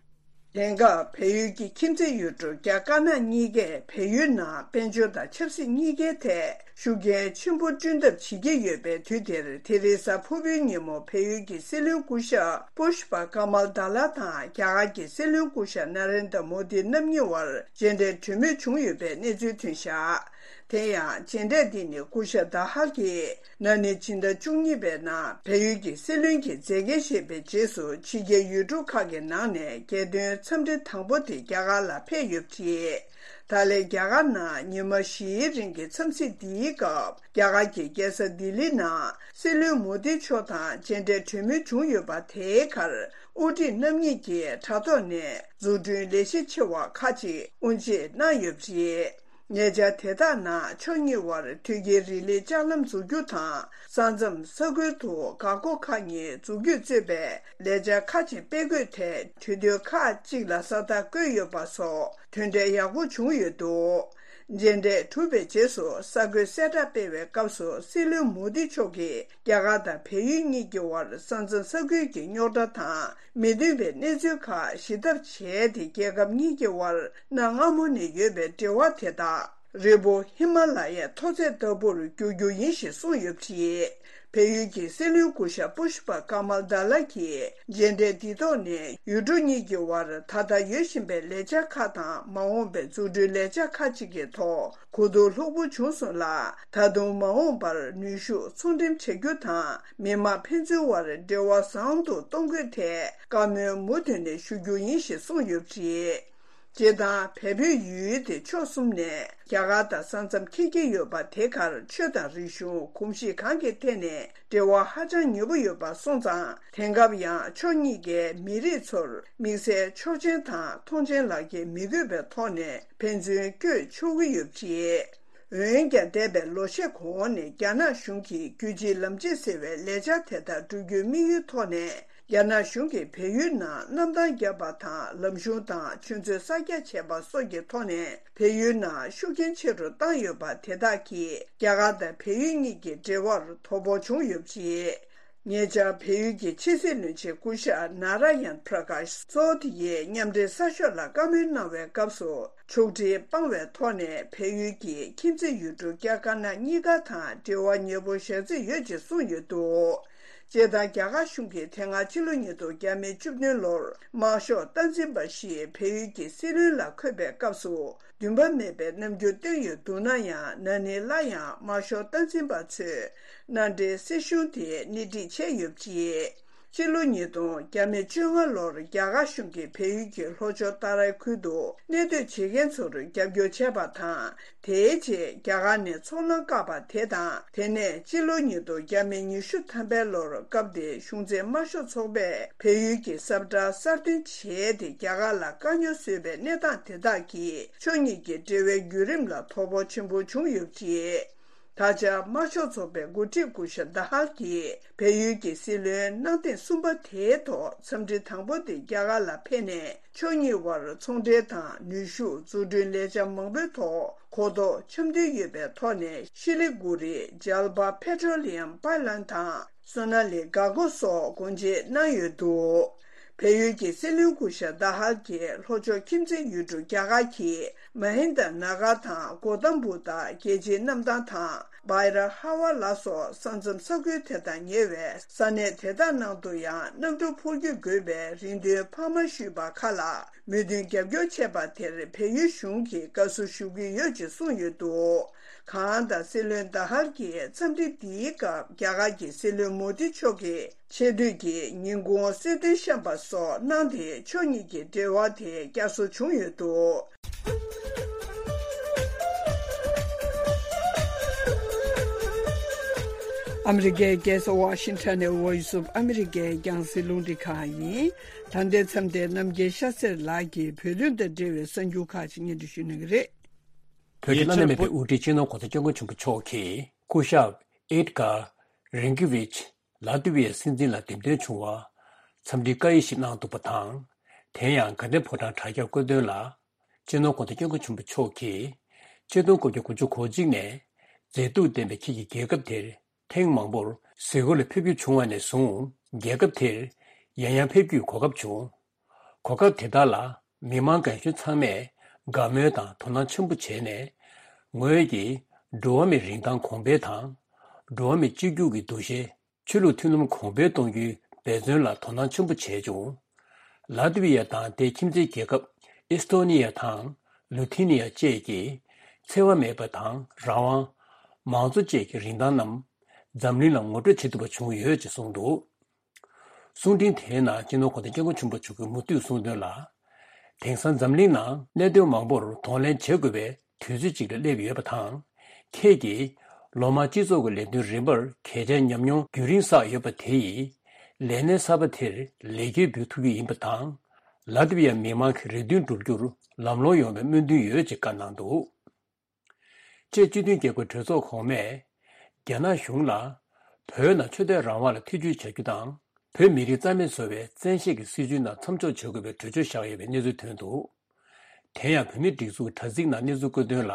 དེང་སྐབས་བལ་ཡུལ་གྱི་ཁྱིམ་མཚེས་ཡུལ་གྲུ་རྒྱ་དཀར་ནག་གཉིས་ཀས་བལ་ཡུལ་ནང་དཔལ་འབྱོར་དང་ཆབ་སྲིད་གཉིས་ཀའི་ཐད་ཤུགས་རྐྱེན་ཆེན་པོ་བསྐྲུན་ཐབས་བྱེད་ཀྱི་ཡོད་པའི་དུས་འདིར། དེ་རིང་གཟའ་ཕུར་བུའི་ཉིན་མོ་བལ་ཡུལ་གྱི་སྲིད་བློན་སྐུ་ཞབས་པུཤ་པ་ཀ་མལ་ད་ལ་དང་རྒྱ་གར་གྱི་སྲིད་བློན་སྐུ་ཞབས་ན་རེན་དྲ་མོ་དི་རྣམ་གཉིས་བར་མཇལ་འཕྲད་གྲོས་མོལ་བྱུང་ཡོད་པའི་གནས་ཚུལ་ཐོན་བཞག་དེ་ཡང་མཇལ་འཕྲད་འདི་ནི་སྐུ་ཞབས་ད་ཧ་གིས་ན་ནིང་ཕྱི་ཟླ་བཅུ་གཉིས་པའི་ནང་བལ་ཡུལ་གྱི་སྲིད་བློན་གྱི་མཛད་འགན་བཞེས་པའི་རྗེས་སུ། ཕྱི་རྒྱལ་ཡུལ་གྲུ་ཁག་གི་ནང་ནས་རྒྱལ་དོན་འཚམས་འདྲི་དང་པོ་དེ་རྒྱ་གར་ལ་ཕེབས་ཡོད་པ་རེད། ད་ལན་རྒྱ་གར་ནང་ཉི་མ་བཞིའི་རིང་གི་འཚམས་གཟིགས་འདིའི་སྐབས། རྒྱ་གར་གྱི་རྒྱལ་ས་ལྡི་ལི་ནང་སྲིད་བློན་མོ་དི་མཆོག་དང་མཇལ་འཕྲད་གྲོས་མོལ་བྱུང་ཡོད་པ་དེའི་ཁར། དབུ་ཁྲིད་རྣམ་གཉིས་ཀྱིས་དྲ་ཐོག་ནས་འཛུགས་སྐྲུན་ལས་གཞི་ཆེ་བ་ཁག་ཅིག་དབུ་འབྱེད་གནང་ཡོད་པ་རེད། ཉེ་ཆར་དེ་དག་ནང་ཕྱོགས་གཉིས་བར་ཐོད་བརྒལ་རི་ལི་ལྕགས་ལམ་འཛུགས་རྒྱུ་དང་། ས་མཚམས་ས་ཁུལ་དུ་འགག་སྒོ་ཁག་གཉིས་འཛུགས་རྒྱུས་གཙོས་པའི་ལས་འཆར་ཁག་ཅིག་སྤེལ་དགོས་ཐད་གྲོས་མཐུན་ཁག་ཅིག་ལ་ས་རྟགས་བཀོད་ཡོད་པ་སོགས་དོན་འབྲས་ཡག་པོ་བྱུང་ཡོད་འདུག་མཇལ་འཕྲད་གྲུབ་པའི་རྗེས་སུ་གསར་འགོད་གསལ་བསྒྲགས་སྤེལ་བའི་སྐབས་སུ། སྲིད་བློན་མོ་དི་མཆོག་གིས་རྒྱ་གར་དང་བལ་ཡུལ་གཉིས་ཀྱི་བར་ས་མཚམས་ས་ཁུལ་གྱི་རྙོག་དྲ་དང་མི་མཐུན་པའི་གནས་ཚུལ་ཁག་ཞི་ཐབས་བྱས་ཏེ། རྒྱལ་ཁབ་གཉིས་ཀྱི་བར་གནའ་སྔ་མོ་ནས་ཡོད་པའི་འབྲེལ་བ་དེ་དག་རི་བོ་ཧི་མ་ལ་ཡའི་མཐོ་ཚད་ལྟ་བུར་འགྱུར་རྒྱུ་ཡིན་ཞེས་གསུངས་ཡོད་པ་རེད། བལ་ཡུལ་གྱི་སྲིད་བློན་སྐུ་ཞབས་པུཤ་པ་ཀ་མལ་ད་ལ་གྱིས་མཇལ་འཕྲད་འདི་ཐོག་ནས་ཡུལ་གྲུ་གཉིས་ཀྱི་བར་ད་ལྟ་ཡོད་བཞིན་པའི་ལས་འཆར་ཁག་དང་། མ་འོངས་པའི་འཛུགས་སྐྲུན་ལས་འཆར་ཁག་ཅིག་གི་ཐོག་གོ་བསྡུར་ལྷུག་པོ་བྱུང་སོང་ལ། ད་དུང་མ་འོངས་པར་ནུས་ཤུགས་ཚོང་འགྲེམས་བྱ་རྒྱུ་དང་། མི་དམངས་ཕན་ཚུན་བར་འབྲེལ་བ་བཟང་དུ་གཏོང་དགོས་ཐད་བཀའ་མོལ་མུ་མཐུད་ནས་ཞུ་རྒྱུ་ཡིན་ཞེས་གསུངས་ཡོད་པ་རེད། སྤྱིར་བཏང་བལ་བོད་ཡུལ་དེ་ཕྱོགས་གསུམ་ནས་རྒྱ་གར་དང་ས་མཚམས་འཁེལ་གྱི་ཡོད་པ། དེ་གར་ཆོས་དང་རིག་གཞུང་། གོམས་གཤིས་གང་གི་ཐད་ནས་འབྲེལ་བ་ཧ་ཅང་ཉེ་པོ་ཡོད་པ་སོང་ཙང་། དེང་སྐབས་ཡང་ཕྱོགས་གཉིས་ཀའི་མི་རིགས་ཚོར་དམིགས་བསལ་ཆོག་མཆན་དང་ཐོངས་མཆན་ལག་འཁྱེར་མི་དགོས་པའི་ཐོག་ནས་ཕན་ཚུན་བསྐྱོད་ཆོག་གི་ཡོད་པ་རེད། འོན་ཀྱང་། འདས་པའི་ལོ་ཤས་གོང་ནས་རྒྱ་ནག་གཞུང་གིས་རྒྱུད་གཅིག་ལམ་གཅིག་ཟེར་བའི་ལས་འཆར་དེ་དག་བསྒྲུབ་རྒྱུའི་དམིགས་ཡུལ་ཐོག་ནས། རྒྱ་ནག་གཞུང་གིས་བལ་ཡུལ་ནང་གནམ་ཐང་བརྒྱབ་པ་དང་། ལམ་གཞུང་དང་ཆུ་མཛོད་གསར་རྒྱག་བྱས་པ་སོགས་ཀྱི་ཐོག་ནས། བལ་ཡུལ་ནང་ཤུགས་རྐྱེན་ཆེ་རུ་བཏང་ཡོད་པ་དེ་དག་གིས། རྒྱ་གར་དང་བལ་ཡུལ་གཉིས་ཀྱི་འབྲེལ་བར་དོ་ཕོག་བྱུང་ཡོད་པ་རེད། ཉེ་ཆར་བལ་ཡུལ་གྱི་ཕྱི་སྲིད་བློན་ཆེན་སྐུ་ཞབས་ནཱ་ར་ཡན་པྲ་ཀཱཤ་སོལ་ཏི་ཡིས་མཉམ་འབྲེལ་གསར་ཤོག་ལ་བཀའ་མོལ་གནང་བའི་སྐབས་སུ། ཕྱོགས་སྒྲིག་སྤང་བའི་ཐོག་ནས་བལ་ཡུལ་གྱི་ཁྱིམ་མཚེས་ཡུལ་གྲུ་རྒྱ་དཀར་ནག་གཉིས་ཀ་དང་འབྲེལ་བ་ཉེ་པོ་བཞག་རྩིས་ཡོད་ཅེས་གསུངས་ཡོད་འདུག་སྤྱིར་བཏང་། རྒྱ་གར་གཞུང་གིས་དེ་སྔ་ཕྱི་ལོ་ཉིས་སྟོང་ཉེར་བདུན་ལོར་དམར་ཤོག་སྟངས་འཛིན་པ་ཞིག་བལ་ཡུལ་གྱི་སྲིད་བློན་ལ་འཁོད་པའི་སྐབས་སུ། འདུན་པ་མེད་པའི་རྣམ་འགྱུར་བཏོན་ཡོད་འདུག་ན་ཡང་། ན་ནིང་སླར་ཡང་དམར་ཤོག་སྟངས་འཛིན་པ་ཚོས་མནའ་འབྲེལ་སྲིད་གཞུང་དེ་སྣེ་ཁྲིད་བྱས་ཡོད་པ་རེད། ཕྱི་ལོ་ཉིས་སྟོང་བཅོ་ལྔ་ལོར་རྒྱ་གར་གཞུང་གིས་བལ་ཡུལ་གྱི་ལྷོ་ཕྱོགས་ཏཱ་རའི་ཁུལ་དུ་གནས་སྡོད་བྱེད་མཁན་ཚོར་རྒྱབ་སྐྱོར་བྱས་པ་དང་། དེའི་རྗེས་རྒྱ་གར་ནས་ཚོང་ལམ་བཀག་པ་དེ་དང་། དེ་ནས་ཕྱི་ལོ་ཉིས་སྟོང་ཉི་ཤུ་ཐམ་པའི་ལོར་སྐབས་དེའི་གཞུང་འཛིན་དམར་ཤོག་ཚོགས་པས་བལ་ཡུལ་གྱི་ས་བཀྲ་གསར་བཏོན་བྱས་ཏེ། རྒྱ་གར་ལ་དཀའ་རྙོག་བཟོས་པའི་གནས་སྟངས་དེ་དག་གིས་ཕྱོགས་གཉིས་ཀྱི་འབྲེལ་བའི་བརྒྱུད་རིམ་ལ་དོ་ཕོག་ཆེན་པོ་བྱུང་ཡོད་པ་རེད། ད་ཆ་དམར་ཤོག་ཚོགས་པའི་འགོ་ཁྲིད་སྐུ་ཞབས་ད་ཧལ་གྱིས་བལ་ཡུལ་གྱི་སྲིད་བློན་གནང་ཐེངས་གསུམ་པ་དེའི་ཐོག་འཚམས་འདྲི་དང་པོ་དེ་རྒྱ་གར་ལ་ཕེབས་ནས། ཕྱོགས་གཉིས་དབར་ཚོང་འབྲེལ་དང་ནུས་ཤུགས་འཛུགས་སྐྲུན་ལས་འཆར་མང་པོའི་ཐོག་གོ་རྟོགས་འཆམ་མཐུན་ཡོད་པའི་ཐོག་ནས། ཤི་ལི་གུ་རི་ཇལ་པ་པེ་ཊྲོ་ལི་ཡམ་པའི་ལན་དང་། སོ་ན་ལི་འགག་སྒོ་སོགས་སྒོ་འབྱེད་གནང་ཡོད་འདུག་བལ་ཡུལ་གྱི་སྲིད་བློན་སྐུ་ཞབས་ད་ཧལ་གྱིས་ལྷོ་ཕྱོགས་ཁྱིམ་མཚེས་ཡུལ་གྲུ་རྒྱ་གར་གྱི་མ་ཧིན་ད་ན་གར་དང་གོ་ཏམ་བུ་ཏ་རྒྱལ་སྤྱིའི་གནམ་ཐང་དང་། སྦའི་ར་ཧ་ཝ་ལ་སོགས་ས་མཚམས་ས་ཁུལ་དེ་དང་ཉེ་བའི་ས་གནས་དེ་དག་ནང་དུ་ཡང་གནམ་གྲུ་འཕུར་སྐྱོད་དགོས་པའི་རེ་འདུན་འཕར་མ་ཞུས་པ་ཁག་ལ་མོས་མཐུན་རྒྱབ་སྐྱོར་བྱས་པ་དེར་བལ་ཡུལ་གཞུང་གིས་དགའ་བསུ་ཞུ་གི་ཡོད་ཅེས་གསུངས་ཡོད་འདུག་གང་ལྟར་སྲིད་བློན་ད་ཧར་གྱིས་འཚམས་འདྲི་འདིའི་སྐབས་རྒྱ་གར་གྱི་སྲིད་བློན་མོ་དི་མཆོག་གི་ཆེ་བསྟོད་ཀྱི་ཉིན་གུང་གསོལ་སྟོན་བཤམས་པ་སོགས་གནང་སྟེ། ཕྱོགས་གཉིས་ཀྱི་འབྲེལ་བ་དེ་བསྐྱར་གསོ་བྱུང་ཡོད་འདུག་ཨ་མི་རི་ཀའི་རྒྱལ་ས་ཝ་ཤིང་ཊོན་ནས་Voice of America་རྒྱང་སྲིང་རླུང་འཕྲིན་ཁང་ཡིན། ད་ལྟའི་མཚམས་དེར་རྣམ་རྒྱལ་ཤ་སེར་ལགས་ཀྱིས་བོད་དོན་དང་འབྲེལ་བའི་གསར་འགྱུར་ཁག་ཅིག་སྙན་སྒྲོན་ཞུ་གནང་གི་རེད། བོད་ཀྱི་བླ་ན་མེད་པའི་དབུ་ཁྲིད་སྤྱི་ནོར་གོང་ས་སྐྱབས་མགོན་ཆེན་པོ་མཆོག་གིས་སྐུ་ཞབས་ཨེད་གྷར་རིན་ཀི་ཝིཆ་ལ་ཏི་བི་ཡའི་སྲིད་འཛིན་ལ་འདེམས་ཐོན་བྱུང་བར་འཚམས་འདྲིའི་བཀའ་ཡིག་ཞིག་གནང་འདུག་པ་དང་། དེ་ཡང་དགའ་ལྡན་ཕོ་བྲང་དྲ་རྒྱར་བཀོད་དོན་ལ། སྤྱི་ནོར་གོང་ས་སྐྱབས་མགོན་ཆེན་པོ་མཆོག་གིས་ཆིག་སྟོང་དགུ་བརྒྱ་དགུ་བཅུ་གོ་གཅིག་ནས་མཛེས་སྡུག་ལྡན་པའི་ཁྱེད་ཀྱི་རྒྱལ་ཁབ་དེར་ཐེངས་མང་པོར་གཟིགས་སྐོར་ལ་ཕེབས་རྒྱུ་བྱུང་བ་ནས་བཟུང་། རྒྱལ་ཁབ་དེར་ཡང་ཡང་ཕེབས་རྒྱུའི་གོ་སྐབས་བྱུང་། གོ་སྐབས་དེ་དག་ལ་མི་མང་རྒན་གཞོན་ཚང་མས་དགའ་མོས་དང་དོ་སྣང་ཆེན་པོ་བྱས་ནས། ངོས་ཀྱིས་འགྲོ་བ་མིའི་རིན་ཐང་གོང་འཕེལ་དང་། འགྲོ་བ་མི་གཅིག་གྱུར་གྱི་འདུ་ཤེས། ཆོས་ལུགས་མཐུན་ལམ་གོང་འཕེལ་གཏོང་རྒྱུའི་འབད་བརྩོན་ལ་དོ་སྣང་ཆེན་པོ་བྱས་བྱུང་། ལ་ཏི་བི་ཡ་དང་དེའི་ཁྱིམ་མཚེས་རྒྱལ་ཁབ་ཨི་སི་ཐོ་ནི་ཡ་དང་ལུ་ཐི་ནི་ཡ་བཅས་ཀྱིས་འཚེ་བ་མེད་པ་དང་རང་དབང་། མང་གཙོ་བཅས་ཀྱི་རིན་ཐང་རྣམས་འཛམ་གླིང་ལ་ངོ་སྤྲོད་བྱེད་ཐུབ་པ་བྱུང་ཡོད་ཅེས་གསུངས་འདུག་གསུང་འཕྲིན་དེའི་ནང་སྤྱི་ནོར་གོང་ས་སྐྱབས་མགོན་ཆེན་པོ་མཆོག་གིས་མུ་མཐུད་གསུངས་དོན་ལ། དེང་སང་འཛམ་གླིང་ནང་གནད་དོན་མང་པོར་གདོང་ལེན་བྱེད་དགོས་པའི་དུས་ཚོད་ཅིག་ལ་སླེབས་ཡོད་པ་དང་། ཁྱེད་ཀྱིས་ལོ་མང་སྤྱི་ཚོགས་ཀྱི་ལས་དོན་རིམ་པར་གལ་ཆེའི་ཉམས་མྱོང་རྒྱུན་རིང་བསགས་ཡོད་པ་དེ་ཡིས། ལས་གནས་གསར་པ་དེར་ལེགས་སྐྱེས་འབུལ་ཐུབ་རྒྱུ་ཡིན་པ་དང་། ལ་ཏི་བི་ཡ་མི་མང་གི་རེ་འདུན་འགྲུབ་རྒྱུར་ལམ་ལྷོང་ཡོང་བའི་སྨོན་འདུན་ཡོད་ཅེས་བཀའ་གནང་འདུག་ཅེཀ་སྤྱི་མཐུན་རྒྱལ་ཁབ་གྲོས་ཚོགས་གོང་མས། རྒྱ་ནག་གཞུང་ལ། བོད་ནང་ཆོས་དད་རང་དབང་ལ་ཐེ་བྱུས་བྱ་རྒྱུ་དང་། བོད་མི་རིགས་རྩ་མེད་བཟོ་བའི་བཙན་ཤེད་ཀྱི་སྲིད་བྱུས་ནང་མཚམས་འཇོག་བྱ་དགོས་པའི་གྲོས་ཆོད་བཞག་ཡོད་པའི་གནས་ཚུལ་ཐོན་འདུག་དེ་ཡང་བོད་མིའི་སྒྲིག་འཛུགས་དྲ་ཚིགས་ནང་གནས་ཚུལ་བཀོད་དོན་ལ།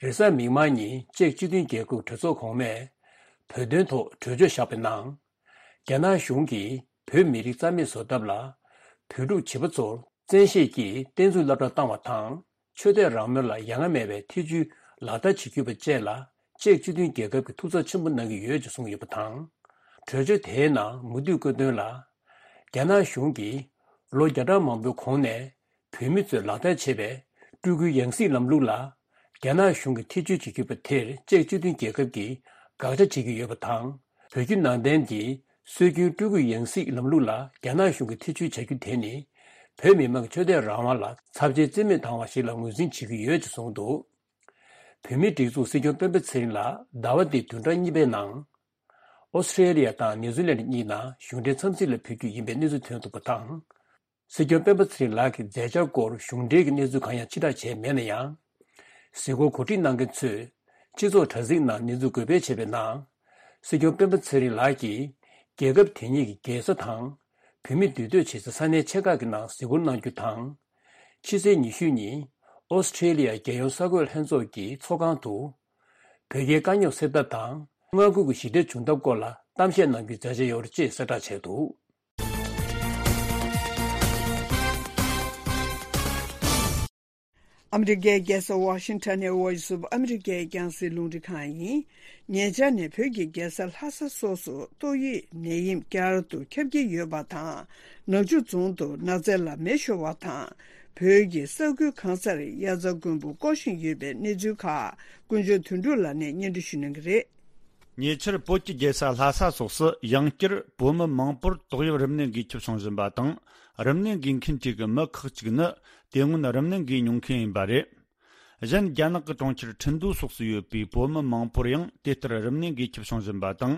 རེས་གཟའ་མིག་དམར་ཉིན་ཅེཀ་སྤྱི་མཐུན་རྒྱལ་ཁབ་གྲོས་ཚོགས་གོང་མས། བོད་དོན་ཐོག་གྲོས་ཆོད་བཞག་པའི་ནང་། རྒྱ་ནག་གཞུང་གིས་བོད་མི་རིགས་རྩ་མེད་བཟོ་ཐབས་ལ། བོད་ཕྲུག་བྱིས་པ་ཚོར་བཙན་ཤེད་ཀྱིས་བསྟན་རྩིས་སློབ་གྲྭ་བཏང་བ་དང་། ཆོས་དད་རང་མོས་ལ་ཡ་ང་མེད་པའི་ཐེ་བྱུས་ལག་བསྟར་བྱེད་རྒྱུ་བཅས་ལ། ཅེཀ་སྤྱི་མཐུན་རྒྱལ་ཁབ་ཀྱིས་ཐུགས་འཚབ་ཆེན་པོ་གནང་གི་ཡོད་ཅེས་གསུངས་ཡོད་པ་དང་། གྲོས་ཆོད་དེའི་ནང་མུ་མཐུད་བཀོད་དོན་ལ། རྒྱ་ནག་གཞུང་གིས་ལོ་བརྒྱ་ཕྲག་མང་པོའི་གོང་ནས་བོད་མི་ཚོས་ལག་བསྟར་བྱེད་པའི་སྤྲུལ་སྐུའི་ཡང་སྲིད་ལམ་ལུགས་ལ། རྒྱ་ནག་གཞུང་གིས་ཐེ་བྱུས་བྱེད་རྒྱུ་བ་དེར་ཅེཀ་སྤྱི་མཐུན་རྒྱལ་ཁབ་ཀྱིས་དགག་བྱ་བྱེད་ཀྱི་ཡོད་པ་དང་། བོད་བརྒྱུད་ནང་བསྟན་གྱི་སྲོལ་རྒྱུན་སྤྲུལ་སྐུའི་ཡང་སྲིད་ལམ་ལུགས་ལ་རྒྱ་ནག་གཞུང་གིས་ཐེ་བྱུས་བྱ་རྒྱུ་དེ་ནི། བོད་མི་མང་གི་ཆོས་དད་རང་དབང་ལ་ཚབས་ཆེའི་རྩིས་མེད་བཏང་བ་ཞིག་ལ་ངོས་འཛིན་བྱེད་ཀྱི་ཡོད་ཅེས་གསུངས་འདུག་བོད་མིའི་སྒྲིག་འཛུགས་སྲིད་སྐྱོང་སྤེན་པ་ཚེ་རིང་ལགས་ཟླ་བ་འདིའི་བདུན་ཕྲག་གཉིས་པའི་ནང་། ཨོ་སི་ཁྲེ་ལི་ཡ་དང་ནིའུ་ཛི་ལན་གཉིས་ནང་གཞུང་འབྲེལ་འཚམས་གཟིགས་ལ་ཕེབས་རྒྱུ་ཡིན་པའི་གནས་ཚུལ་ཐོན་འདུག་པ་དང་། སྲིད་སྐྱོང་སྤེན་པ་ཚེ་རིང་ལགས་ཀྱི་མཛད་འཆར་སྐོར་གཞུང་འབྲེལ་གྱི་གནས་ཚུལ་གང་ཡང་ཕྱིར་བསྒྲགས་བྱས་མེད་ན་ཡང་། གཟིགས་སྐོར་གོ་སྒྲིག་གནང་མཁན་ཚོས་སྤྱི་ཚོགས་དྲ་ཚིགས་ནང་གནས་ཚུལ་འགོད་སྤེལ་བྱས་པའི་ནང་། སྲིད་སྐྱོང་སྤེན་པ་ཚེ་རིང་ལགས་ཀྱིས་རྒྱལ་ཁབ་དེ་ཉིད་ཀྱི་རྒྱལ་ས་དང་། བོད་མིས་འདུས་སྡོད་བྱེད་སའི་ས་གནས་ཆེ་ཁག་གི་ནང་གཟིགས་སྐོར་གནང་རྒྱུ་དང་། ཕྱི་ཚེས་ཉི་ཤུ་ཉིན་ཨོ་སི་ཁྲེ་ལི་ཡ་རྒྱལ་ཡོངས་གསར་འགོད་ལྷན་ཚོགས་ཀྱི་ཚོགས་ཁང་དུ། བོད་རྒྱའི་དཀའ་རྙོག་སེལ་ཐབས་དང་། མངའ་ཁུལ་གྱི་ཞི་བདེ་བྱུང་ཐབས་སྐོར་ལ་གཏམ་བཤད་གནང་རྒྱུའི་མཛད་འཆར་ཡོད་རེད་ཅེས་གསལ་བསྒྲགས་བྱས་འདུག་ཨ་མི་རི་ཀའི་རྒྱལ་ས་ཝ་ཤིང་ཊོན་ནས་Voice of America་རྒྱང་སྲིང་རླུང་འཕྲིན་ཁང་ཡིན། ཉེ་ཆར་ནས་བོད་ཀྱི་རྒྱལ་ས་ལྷ་ས་སོགས་སུ་ཏོག་དབྱིབས་ནད་ཡམས་བསྐྱར་དུ་ཁྱབ་ཀྱི་ཡོད་པ་དང་། ནག་ཆུ་རྫོང་དུ་ནགས་ཚལ་ལ་མེ་ཤོར་བ་དང་། བོད་ཀྱི་ས་ཁུལ་གང་སར་དབྱར་རྩྭ་དགུན་འབུ་བརྐོ་བཞིན་ཡོད་པའི་གནས་ཚུལ་ཁག་ཀུན་སྤྱོད་དོན་གྲུབ་ལགས་ནས་སྙན་སྒྲོན་ཞུ་གནང་གི་རེད། ཉེ་ཆར་བོད་ཀྱི་རྒྱལ་ས་ལྷ་ས་སོགས་སུ་ཡང་བསྐྱར་བོད་མི་མང་པོར་ཏོག་དབྱིབས་རིམས་ནད་འགོས་ཁྱབ་བྱུང་བཞིན་པ་དང་། རིམས་ནད་འགོས་མཁན་གྲས་ཀྱི་མི་ཁག་ཅིག་ནི་དེ་སྔོན་རིམས་ནད་འགོས་མྱོང་མཁན་ཡིན་པ་རེད། གཞན་རྒྱ་ནག་གི་གྲོང་ཁྱེར་ཁྲིན་ཏུའུ་སོགས་སུ་ཡོད་པའི་བོད་མི་མང་པོར་ཡང་དེ་ལྟར་རིམས་ནད་འགོས་ཁྱབ་བྱུང་བཞིན་པ་དང་།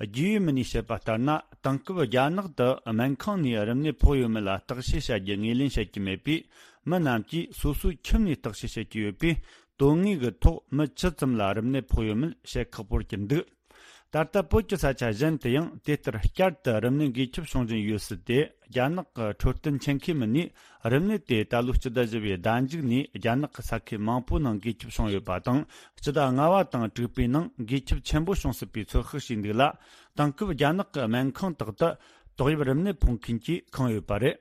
རྒྱུས་ཡོད་མི་སྣས་བཤད་པ་ལྟར་ན། དེང་སྐབས་རྒྱ་ནག་ཏུ་སྨན་ཁང་ནས་རིམས་ནད་ཕོག་ཡོད་མེད་ལ་བརྟག་དཔྱད་བྱ་རྒྱུ་ངོས་ལེན་བྱེད་ཀྱི་མེད་པས། མི་རྣམས་ཀྱིས་སོ་སོའི་ཁྱིམ་ནས་བརྟག་དཔྱད་བྱེད་ཀྱི་ཡོད་པས། དོན་དངོས་ཀྱི་ཐོག་མི་ཇི་ཙམ་ལ་རིམས་ནད་ཕོག་ཡོད་མེད་བཤད་ཁག་པོར་གྱུར་འདུག་ད་ལྟ་བོད་ཀྱི་ས་ཆ་གཞན་དུ་ཡང་དེ་ལྟར་བསྐྱར་དུ་རིམས་ནད་འགོས་ཁྱབ་བྱུང་བཞིན་ཡོད་སྲིད་དེ། རྒྱ་ནག་གི་འཕྲོད་བསྟེན་ཆེད་མཁས་མི་སྣས་རིམས་ནད་དེ་ད་ལོའི་སྤྱི་ཟླ་བཞི་པའི་ཟླ་མཇུག་ནས་རྒྱ་ནག་གི་ས་ཁུལ་མང་པོའི་ནང་འགོས་ཁྱབ་བྱུང་ཡོད་པ་དང་། སྤྱི་ཟླ་ལྔ་པ་དང་དྲུག་པའི་ནང་འགོས་ཁྱབ་ཆེན་པོ་བྱུང་སྲིད་པའི་ཚོད་དཔག་བྱས་འདུག་ལ། དེང་སྐབས་རྒྱ་ནག་གི་སྨན་ཁང་དག་ཏུ་ཏོག་དབྱིབས་རིམས་ནད་ཕོག་མཁན་གྱིས་ཁེངས་ཡོད་པ་རེད།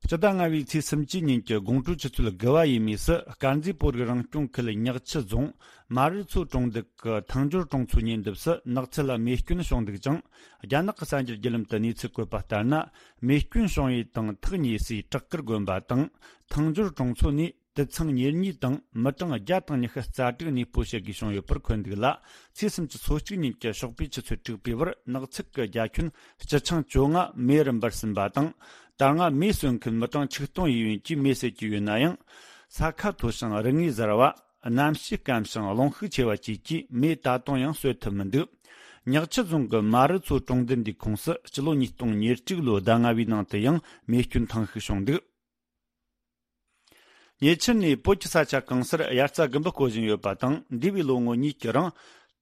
སྤྱི་ཟླ་ལྔ་པའི་ཚེས་སུམ་ཅུ་ཉིན་གྱི་དགོང་དྲོའི་ཆུ་ཚོད་དགུ་པ་ཡས་མས་སུ། དཀར་མཛེས་བོད་རིགས་རང་སྐྱོང་ཁུལ་ཉག་ཆུ་རྫོང་མ་རི་མཚོ་གྲོང་རྡལ་གྱི་ཐང་སྦྱོར་གྲོང་ཚོའི་ཉེ་འདབས་སུ་ནགས་ཚལ་ལ་མེ་སྐྱོན་བྱུང་འདུག་ཅིང་། རྒྱ་ནག་གི་གསར་འགྱུར་བརྒྱུད་ལམ་དུ་གནས་ཚུལ་བཀོད་པ་ལྟར་ན། མེ་སྐྱོན་བྱུང་བའི་དང་ཐག་ཉེ་སའི་བྲག་དཀར་དགོན་པ་དང་། ཐང་སྦྱོར་གྲོང་ཚོ་ནས་དུད་ཚང་ཉེར་གཉིས་དང་མི་གྲངས་བརྒྱ་དང་ཉི་ཤུ་རྩ་དྲུག་གནས་སྤོ་བྱེད་དགོས་བྱུང་ཡོད་པར་འཁོད་འདུག་ལ། ཚེས་སུམ་ཅུ་ཚེས་གཅིག་ཉིན་གྱི་ཞོགས་པའི་ཆུ་ཚོད་དྲུག་པའི་བར་ནགས་ཚལ་གྱི་རྒྱ་ཁྱོན་སྤྱི་ཆིངས་བཅོ་ལྔ་མེ་རུ་འབར་ཟིན་པ་དང་། ད་སྔ་མེ་གསོད་མཁན་མི་གྲངས་ཆིག་སྟོང་ཡས་གཡོན་གྱིས་མེ་བསད་ཀྱི་ཡོད་ན་ཡང་། ས་ཁ་མཐོ་ཞིང་རི་ངོས་གཟར་བ། གནམ་གཤིས་སྐམ་ཞིང་རླུང་ཤུགས་ཆེ་བ་བཅས་ཀྱིས་མེ་ད་དུང་ཡང་གསོད་ཐུབ་མི་འདུག་ཉག་ཆུ་རྫོང་གི་མ་རི་མཚོ་གྲོང་རྡལ་འདིའི་ཁོངས་སུ་སྤྱི་ལོ་ཉིས་སྟོང་ཉེར་དྲུག་ལོའི་ཟླ་ལྔ་པའི་ནང་དུ་ཡང་མེ་སྐྱོན་ཐེངས་ཤིག་བྱུང་འདུག་ཉེ་ཆར་ནས་བོད་ཀྱི་ས་ཆ་གང་སར་དབྱར་རྩྭ་དགུན་འབུ་བརྐོ་བཞིན་ཡོད་པ་དང་། འདས་པའི་ལོ་ངོ་གཉིས་ཀྱི་རིང་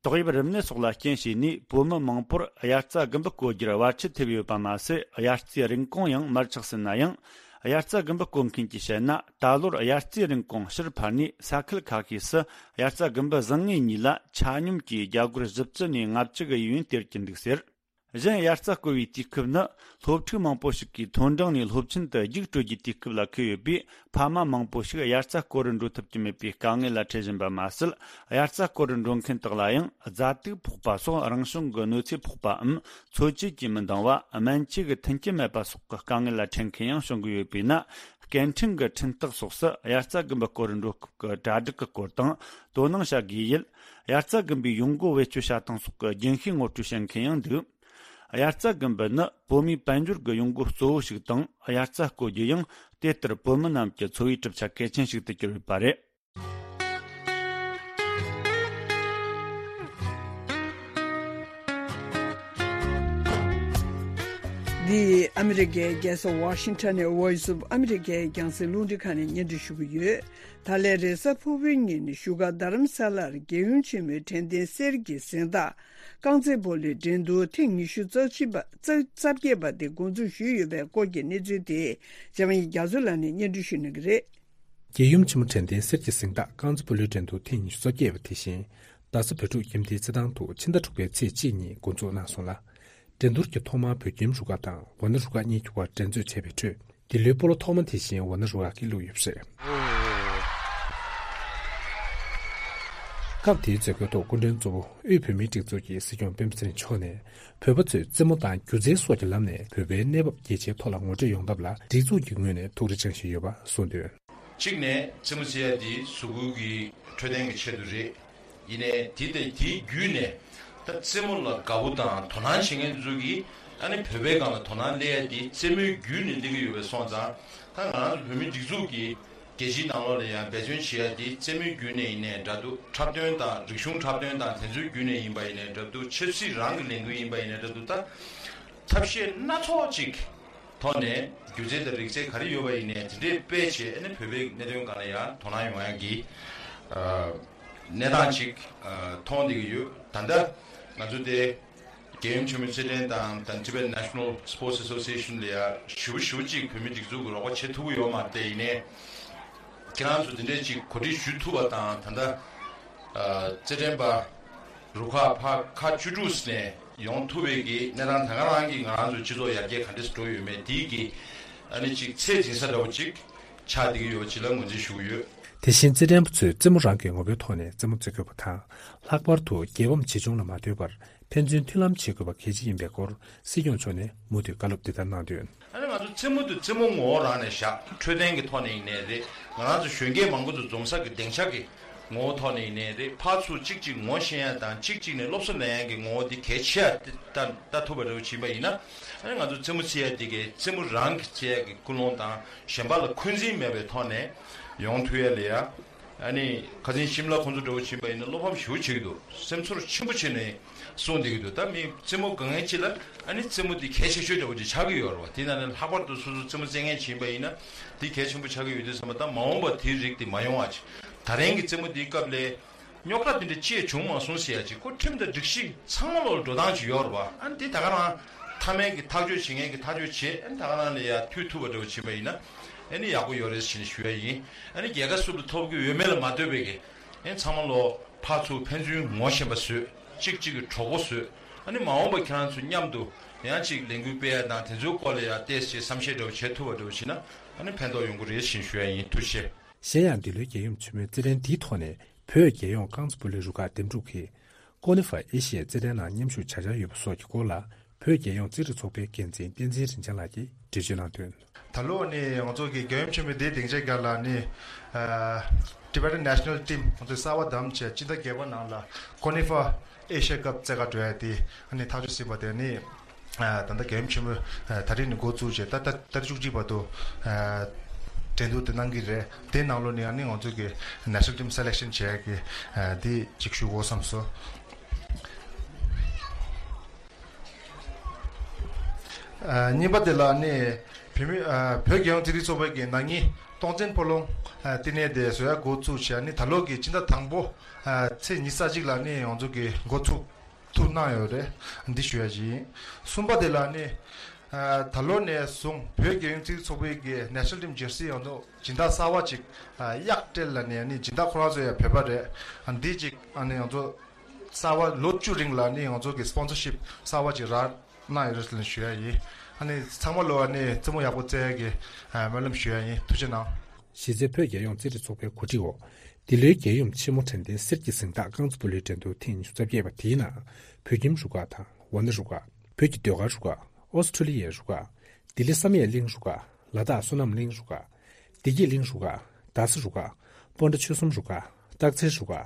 ཏོག་དབྱིབས་རིམས་ནད་སོགས་ལ་རྐྱེན་བྱས་ནས་བོད་མི་མང་པོར་དབྱར་རྩྭ་དགུན་འབུ་བརྐོ་རྒྱུར་བར་ཆད་ཐེབས་ཡོད་པ་མ་ཟད། དབྱར་རྩྭའི་རིན་གོང་ཡང་མར་ཆག་ཟིན་ན་ཡང་། དབྱར་རྩྭ་དགུན་འབུ་བརྐོ་མཁན་གྱིས་བཤད་ན། ད་ལོར་དབྱར་རྩྭའི་རིན་གོང་ཕྱིར་འཕར་ནས། ས་ཁུལ་ཁ་ཤས་སུ་དབྱར་རྩྭ་དགུན་འབུ་བཟང་ངན་གཉིས་ལ་ཆ་སྙོམས་ཀྱིས་རྒྱ་སྒོར་བཞི་བཅུ་ནས་ལྔ་བཅུ་གི་ཡས་གཡོན་སྟེར་གྱི་འདུག་ཟེར། གཞན་དབྱར་རྩྭ་བརྐོ་བའི་དུས་སྐབས་ནི་སློབ་ཕྲུག་མང་པོ་ཞིག་གིས་མཐོ་འབྲིང་ནས་སློབ་ཆེན་དུ་རྒྱུགས་སྤྲོད་རྒྱུའི་དུས་སྐབས་ལ་འཁེལ་ཡོད་པས། ཕ་མ་མང་པོ་ཞིག་དབྱར་རྩྭ་བརྐོ་རུ་འགྲོ་ཐུབ་ཀྱི་མེད་པའི་དཀའ་ངལ་ལ་འཕྲད་བཞིན་པ་མ་ཟད། དབྱར་རྩྭ་བརྐོ་རུ་འགྲོ་མཁན་དག་ལ་ཡང་རྫ་དུག་ཕོག་པ་སོགས་རང་བྱུང་གི་གནོད་འཚེ་ཕོག་པའམ། འཚོ་བཅུད་ཀྱིས་མི་འདང་བ། སྨན་བཅོས་ཀྱི་མཐུན་རྐྱེན་མེད་པ་སོགས་ཀྱི་དཀའ་ངལ་ལ་འཕྲད་མཁན་ཡང་བྱུང་གི་ཡོད་པས་ན། སྐད་འཕྲིན་གྱི་འཕྲིན་སྟེགས་སོགས་སུ་དབྱར་རྩྭ་དགུན་འབུ་བརྐོ་རུ་འགྲོ་སྐབས་ཀྱི་གྲ་སྒྲིག་གི་སྐོར་དང་། དོ་སྣང་བྱ་དགོས་ཡུལ། དབྱར་རྩྭ་དགུན་འབུའི་ཡོང་སྒོ་བེད་སྤྱོད་བྱ་སྟངས་སོགས་ཀྱི་རྒྱུན་ཤེས་ངོ་སྤྲོད་བྱེད་མཁན་ཡང་འདུག་དབྱར་རྩྭ་དགུན་འབུ་ནི་བོད་མིའི་དཔལ་འབྱོར་གྱི་ཡོང་སྒོ་གཙོ་བོ་ཞིག་དང་། དབྱར་རྩྭ་བརྐོ་རྒྱུ་ཡང་དེ་ལྟར་བོད་མི་རྣམས་ཀྱི་འཚོ་བའི་གྲུབ་ཆ་གལ་ཆེན་ཞིག་ཏུ་གྱུར་ཡོད་པ་རེད། འདི་ཨ་མི་རི་ཀའི་རྒྱལ་ས་ཝ་ཤིང་ཊོན་ནས་Voice of America་ཡི་རྒྱང་སྲིང་རླུང་འཕྲིན་ཁང་ནས་སྙན་སྒྲོན་ཞུ་གི་ཡོད། ད་ལན་རེས་གཟའ་ཕུར་བུའི་ཉིན་བཞུགས་སྒར་རྡ་རམ་ས་ལར་རྒྱལ་ཡུམ་ཆེན་མོའི་དྲན་རྟེན་གསེར་གྱི་གཟེངས་རྟགས་རྐང་རྩེད་སྤོ་ལོའི་འགྲན་བསྡུར་ཐེངས་ཉི་ཤུ་རྩ་གཅིག་པ་རྩ་རྩ་བརྒྱད་པ་དེ་འགོ་འཛུགས་ཞུས་ཡོད་པའི་སྐོར་གྱི་གནས་ཚུལ་དེ་འཇམ་དབྱངས་རྒྱ་མཚོ་ལགས་ནས་སྙན་སྒྲོན་ཞུ་གནང་གི་རེད། རྒྱལ་ཡུམ་ཆེན་མོ་དྲན་རྟེན་གསེར་གྱི་གཟེངས་རྟགས་རྐང་རྩེད་སྤོ་ལོའི་འགྲན་བསྡུར་ཐེངས་ཉི་ཤུ་རྩ་བརྒྱད་པ་དེ་བཞིན་རྡ་ས་བོད་ཕྲུག་ཁྱིམ་སྡེའི་རྩེད་ཐང་དུ་ཕྱི་ཟླ་དྲུག་པའི་ཚེས་གཅིག་ཉིན་འགོ་འཛུགས་གནང་སོང་ལ། འགྲན་བསྡུར་གྱི་ཐོག་མར་བོད་ཁྱིམ་རུ་ཁག་དང་ཝཱ་ཎ་རུ་ཁག་གཉིས་ཀྱི་བར་འགྲན་རྩོད་བྱས་པའི་ཁྲོད། འདི་ལོའི་སྤོ་ལོ་ཐོག་མ་དེ་བཞིན་ཝཱ་ཎ་རུ་ཁག་གིས་བླུགས་ཡོད་པ་རེད། སྐབས་དེའི་མཛད་སྒོའི་ཐོག་སྐུ་མགྲོན་གཙོ་བོ་དབུས་བོད་མིའི་སྒྲིག་འཛུགས་ཀྱི་སྲིད་སྐྱོང་སྤེན་པ་ཚེ་རིང་མཆོག་ནས། བོད་པ་ཚོས་རྩེད་མོ་དང་སྒྱུ་རྩལ་སོགས་ཀྱི་ལམ་ནས་བོད་པའི་གནས་བབ་རྒྱ་ཆེའི་ཐོག་ལ་ངོ་སྤྲོད་ཡོང་ཐབས་ལ་སྒྲིག་འཛུགས་ཀྱི་ངོས་ནས་ཐུགས་རེ་བཅངས་བཞིན་ཡོད་པ་གསུངས་དོན། གཅིག་ནས་རྩེད་མོ་རྩེ་ཡ་འདི་གཟུགས་པོ་གི་འཕྲོད་བསྟེན་གྱི་ཆེད་དུ་རེད། ཡིན་ནའི་དེ་དང་དེའི་བརྒྱུད་ནས་ད་རྩེད་མོ་ལ་དགའ་པོ་དང་དོ་སྣང་བྱེད་མཁན་ཚོ་གིས་ཨ་ནི་བོད་པའི་སྒང་ལ་དོ་སྣང་སླེབས་ཡ་དེ་རྩེད་མོའི་བརྒྱུད་ནས་སླེབས་ཀྱི་ཡོད་པའི་སོང་ཙང་། ད་ང་རང་ཚོ་བོད་མིའི་སྒྲིག་འཛུགས་ཀྱིས་རྒྱལ་སྤྱིའི་ནང་ལོགས་ལ་ཡང་འབད་བརྩོན་བྱེད་ཡ་དེ་རྩེད་མོའི་བརྒྱུད་ནས་ཡིན་ནའི་འདྲ་འདུག་འཁྲབ་སྟོན་དང་རིག་གཞུང་འཁྲབ་སྟོན་དང་དེ་ཚོའི་བརྒྱུད་ནས་ཡིན་པ་ཡིན་ནའི་འདྲ་འདུག་ཆབ་སྲིད་རང་གི་ལས་འགུལ་ཡིན་པ་ཡིན་ནའི་འདྲ་འདུག་ད་ཐབས་ཤེས་སྣ་ཚོགས་ཅིག་ཐོག་ནས་སྒྱུ་རྩལ་དང་རིག་རྩལ་ག་རེ་ཡོད་པ་ཡིན་ནའི་དེ་འདྲས་སྤེལ་བྱས། ཨ་ནི་བོད་པའི་གནད་དོན་སྒང་ལ་ཡང་དོ་སྣང་ཡོང་ཡ་གི་ཨ་གནས་སྟངས་ཅིག་ཨ་མཐོང་བསྡད་ཀྱི་ཡོད། ད་ལྟ་ང་ཚོ་དེ་རྒྱལ་ཡུམ་ཆེན་མོའི་རྩེད་འགྲན་དང་དང་Tibet National Sports Association་ལ་ཡ་ཞེ་པོ་ཞེ་པོ་ཅིག་བོད་མི་སྒྲིག་འཛུགས་ཀྱི་རོགས་པ་བྱེད་ཐུབ་ཀྱི་ཡོད་མ་རེད་དེ། ཡིན་ནའི་ཁྱེད་རང་ཚོ་དེ་འདྲས་ཅིག་གོ་སྒྲིག་ཞུ་ཐུབ་པ་དང་། ད་ལྟ་ཨ་རྩེད་འགྲན་པ་རུ་ཁག་ཕར་ཁག་བཅུ་དྲུག་ནས་ཡོང་ཐུབ་པའི་གི་གནས་སྟངས། ད་ག་རང་གིས་ང་རང་ཚོའི་སྤྱི་ཚོགས་ཡར་རྒྱས་ག་འདྲས་སུ་འགྲོ་ཡོད་མེད་དེའི་གི་ཨ་ནི་ཅིག་ཚད་འཛིན་ས་འདྲ་བོ་ཅིག་ཆགས་བསྡད་ཀྱི་ཡོད་པ་ཅིག་ལ་ངོས་འཛིན་ཞུ་གི་ཡོད། དེ་བཞིན་རྩེད་འགྲན་པ་ཚོས་རྩེད་མོ་རང་གི་ངོ་བོའི་ཐོག་ནས་རྩེད་མོ་རྩེ་དགོས་པ་དང་། ལྷག་པར་དུ་རྒྱལ་ཕམ་ཇི་བྱུང་ལ་མ་ལྟོས་པར་ཕན་ཚུན་མཐུན་ལམ་བྱེད་དགོས་པ་གལ་ཆེ་ཡིན་པའི་སྐོར་སྲིད་སྐྱོང་མཆོག་ནས་མུ་མཐུད་བཀའ་སློབ་འདི་ལྟར་གནང་དོན། ཨ་ནི་ང་ཚོ་རྩེད་མོ་དེ་རྩེད་མོ་ངོ་བོ་རང་ནས་བཞག་འཕྲོད་བསྟེན་གྱི་ཐོག་ནས་ཡིན་ནའི་རེད། ང་རང་ཚོ་གཞོན་སྐྱེས་མང་པོ་ཚོ་འཛོམས་ས་གི་སྡིངས་ཆ་གི་ངོ་བོ་ཐོག་ནས་ཡིན་ནའི་རེད། ཕར་ཚུར་གཅིག་གཅིག་ངོ་ཤེས་ཡ་དང་གཅིག་གཅིག་ནས་སློབ་གསོ་ལེན་ཡ་གི་ངོ་བོ་འདི་གལ་ཆེ་ཡ་དེ་ལྟ་ལྟ་ཐུབ་པ་འདྲ་བོ་ཕྱིན་པ་ཡིན་ན། ཨ་ནི་ང་ཚོ་རྩེད་མོ་རྩེ་ཡ་འདི་གའི་རྩེད་མོ་རང་གི་རྩེ་ཡ་གི་ཀུན་སློང་དང་གཞན་པ་ལ་འཁོན་འཛིན་མེད་པའི་ཐོག་ནས་ཡོང་ཐུབ་ཡ་ལ་ཡ། ཨ་ནི་ཁ་སང་ཤིམ་ལ་ཁོང་ཚོ་འདྲ་བོ་ཕྱིན་པ་ཡིན་ན་བློ་ཕམ་ཞེ་པོ་བྱེད་ཀྱི་འདུག་སེམས་ཚོར་ཆེན་པོ་བྱས་ནས་གསུངས་བསྡད་ཀྱི་འདུག་ད་མི་རྩེད་མོ་དགའ་མཁན་ཅིག་ལ་ཨ་ནི་རྩེད་མོ་འདི་གལ་ཆེ་ཤོས་འདྲ་བོ་ཅིག་ཆགས་ཀྱི་ཡོད་རེད་བ། དེ་ན་ནི་ལྷག་པར་དུ་སོ་སོ་རྩེད་མོ་རྩེ་མཁན་ཅིག་ཡིན་པ་ཡིན་ན་འདི་གལ་ཆེན་པོ་ཆགས་ཀྱི་ཡོད་དུས་ཙམ་པ། ད་མ་འོངས་པ་དེའི་རིགས་དེ་མ་ཡོང་བ་ཅིག་ད་རིང་གི་རྩེད་མོ་འདིའི་སྐབས་ལ་རྙོག་དྲ་འདི་འདྲ་ཅི་ཡང་བྱུང་མ་སོང་ཟེར་ཡ་ཅིག་ཁོ་ཁྲིམས་དང་སྒྲིག་གཞི་ཚང་མ་ལོག་ལ་འགྲོ་སྟངས་ཅིག་ཡོད་རེད་བ། ཨ་ནི་འདི་ད་ག་རང་མཐའ་མའི་གི་ཐག་གཅོད་བྱེད་མཁན་གི་ཐག་གཅོད་བྱེད། ཨ་ནི་ད་ག་རང་ལ་ཡ་མཐུད་ཐུབ་པ་འདྲ་བོ་བྱེད་པ་ཡིན་ན་ཨ་ནི་ཡག་པོ་ཡོད་རེད་ཟེར་ནས་ཞུ་ཡ་ཡིན། ཨ་ནི་རྒྱལ་ཁ་སུ་ལ་ཐོབ་ཀྱི་ཡོད་མེད་ལ་མ་ལྟོས་པའི་གི་ཨ་ནི་ཚང་མ་ལོག་ཕར་ཚུར་ཕན་ཚུན་ངོ་ཤེས་པ་བཟོས། གཅིག་གཅིག་གི་གྲོགས་པོ་བཟོས། ཨ་ནི་མ་འོངས་པ་ཁྱེད་རང་ཚོ་མཉམ་དུ་ཡང་ཅིག་ལས་འགུལ་སྤེལ་ཡ་དང་དེ་ཚོའི་སྐོར་ལ་ཡ་ཏོག་ཙམ་བསམ་ཤེས་འདྲ་བོ་བྱེད་ཐུབ་པ་འདྲ་བོ་བྱེད་ན་ཨ་ནི་ཕན་ཐོགས་ཡོང་གི་རེད་ཟེར་ནས་ཞུ་ཡ་ཡིན། ཐུགས་རྗེ་ཆེ། གཞན་ཡང་འདི་ལོའི་རྒྱལ་ཡོངས་ཆེན་མོའི་རྩེད་འགྲན་འདིའི་ཐོག་ནས་བོད་རྒྱལ་ཡོངས་རྐང་རྩེད་སྤོ་ལོའི་རུ་ཁག་འདེམས་སྒྲུག་གིས་ཀོ་ནི་ཧྥ་ཨེ་ཤི་ཡའི་རྩེད་འགྲན་ནང་མཉམ་ཞུགས་བྱ་འཆར་ཡོད་པ་སོགས་ཀྱི་སྐོར་ལ་བོད་རྒྱལ་ཡོངས་རྩེད་རིགས་ཚོགས་པའི་འགན་འཛིན་བསྟན་འཛིན་རིན་ཆེན་ལགས་ཀྱིས་འགྲེལ་བརྗོད་གནང་དོན། ད་ལོ་ནི་ང་ཚོ་གི་རྒྱལ་ཡོངས་ཆེན་མོའི་འདིའི་སྡིངས་ཆའི་སྒང་ལ་ནི་ཨ་Tibetan National Team ང་ཚོའི་གསར་པ་བདམས་བྱས་སྤྱི་ཟླ་བརྒྱད་པ་ནང་ལ་ཀོ་ནི་ཧྥ་ཨེ་ཤི་ཡ་ཀབ་རྩེད་གར་འགྲོ་ཡ་དེ་ཨ་ནི་ཐག་གཅོད་ཟིན་པ་དེ་ནི། ཨ་ད་ལྟ་རྒྱལ་ཡོངས་ཆེན་མོའི་ཨ་ད་རེས་ནས་འགོ་བཙུགས་བྱས་ད་ད་ད་རེས་བཅུ་གཅིག་བར་དུ་ཨ་འགྲན་བསྡུར་དེ་གནང་གི་རེད། དེའི་ནང་ལོགས་ནས་ཨ་ནི་ང་ཚོ་གི་National Team Selection བྱས་ཀྱི་ཨ་དེ་གཅིག་ཞུ་དགོས་བསམ་སོང་། ཨ་གཉིས་པ་དེ་ལ་ཨ་ནི་བོད་མི་ཨ་བོད་རྒྱལ་ཡོངས་རྩེད་རིགས་ཚོགས་པའི་གི་ན་ནིང་སྟོང་བཙན་སྤོ་ལོ་ཨ་བསྟི་གནས་དེ་བཟོ་ཡ་འགོ་བཙུགས་བྱས་ཨ་ནི་ད་ལོ་གི་སྤྱི་ཟླ་དང་པོ་ཨ་ཚེས་ཉི་ཤུ་རྩ་གཅིག་ལ་ཨ་ནི་ང་ཚོ་གི་འགོ་ཚུགས། ཐུགས་གནང་ཡོད་རེད། འདི་ཞུ་ཡ་ཅིག་ཡིན། གསུམ་པ་དེ་ལ་ནི། ཨ་ད་ལོ་ནས་བཟུང་བོད་རྒྱལ་ཡོངས་རྩེད་རིགས་ཚོགས་པའི་གི་National Team Jersey ཡང་དུ་སྦྱིན་བདག་གསར་བ་ཅིག་ཨ་གཡག་སྤྲེལ་ལ་ནི་ཨ་ནི་སྦྱིན་བདག་ཁོ་རང་ཚོ་ཡང་བོད་པ་རེད། ཨ་འདི་ཅིག་ཨ་ནི་ང་ཚོ་གསར་བ་ལོ་བཅུ་རིང་ལ་ནི་ང་ཚོ་གི་Sponsorship གསར་བ་ཅིག་རག་གནང་ཡོད་རེད་ཟེར་ནས་ཞུ་ཡ་ཡིན། ཨ་ནི་ཚང་མ་ལོ་ཨ་ནི་རྩེད་མོ་ཡག་པོ་རྩེ་ཡ་གི་ཨ་སྨོན་ལམ་ཞུ་ཡ་ཡིན། ཐུགས་རྗེ་གནང་། གཞི་རྩའི་བོད་རྒྱལ་ཡོངས་རྩེད་རིགས་ཚོགས་པའི་གོ་སྒྲིག་འོག་འདི་ལོའི་རྒྱལ་ཡོངས་ཆེན་མོ་དྲན་རྟེན་གསེར་གྱི་གཟེངས་རྟགས་རྐང་རྩེད་སྤོ་ལོའི་འགྲན་བསྡུར་ཐེངས་ཉི་ཤུ་རྩ་བརྒྱད་པ་དེའི་ནང་བོད་ཁྱིམ་རུ་ཁག་དང་ཝ་ནི་རུ་ཁག་བོད་ཀྱི་ཟློས་གར་རུ་ཁག་ཨོ་སི་ཁྲུ་ལི་ཡའི་རུ་ཁག་ལྡི་ལི་བསམ་ཡས་གླིང་རུ་ཁག་ལ་དྭགས་བསོད་ནམས་གླིང་རུ་ཁག་བདེ་སྐྱིད་གླིང་རུ་ཁག་རྡ་ས་རུ་ཁག་སྤོན་ཊ་ཆོལ་གསུམ་རུ་ཁག་སྟག་འཚེར་རུ་ཁག་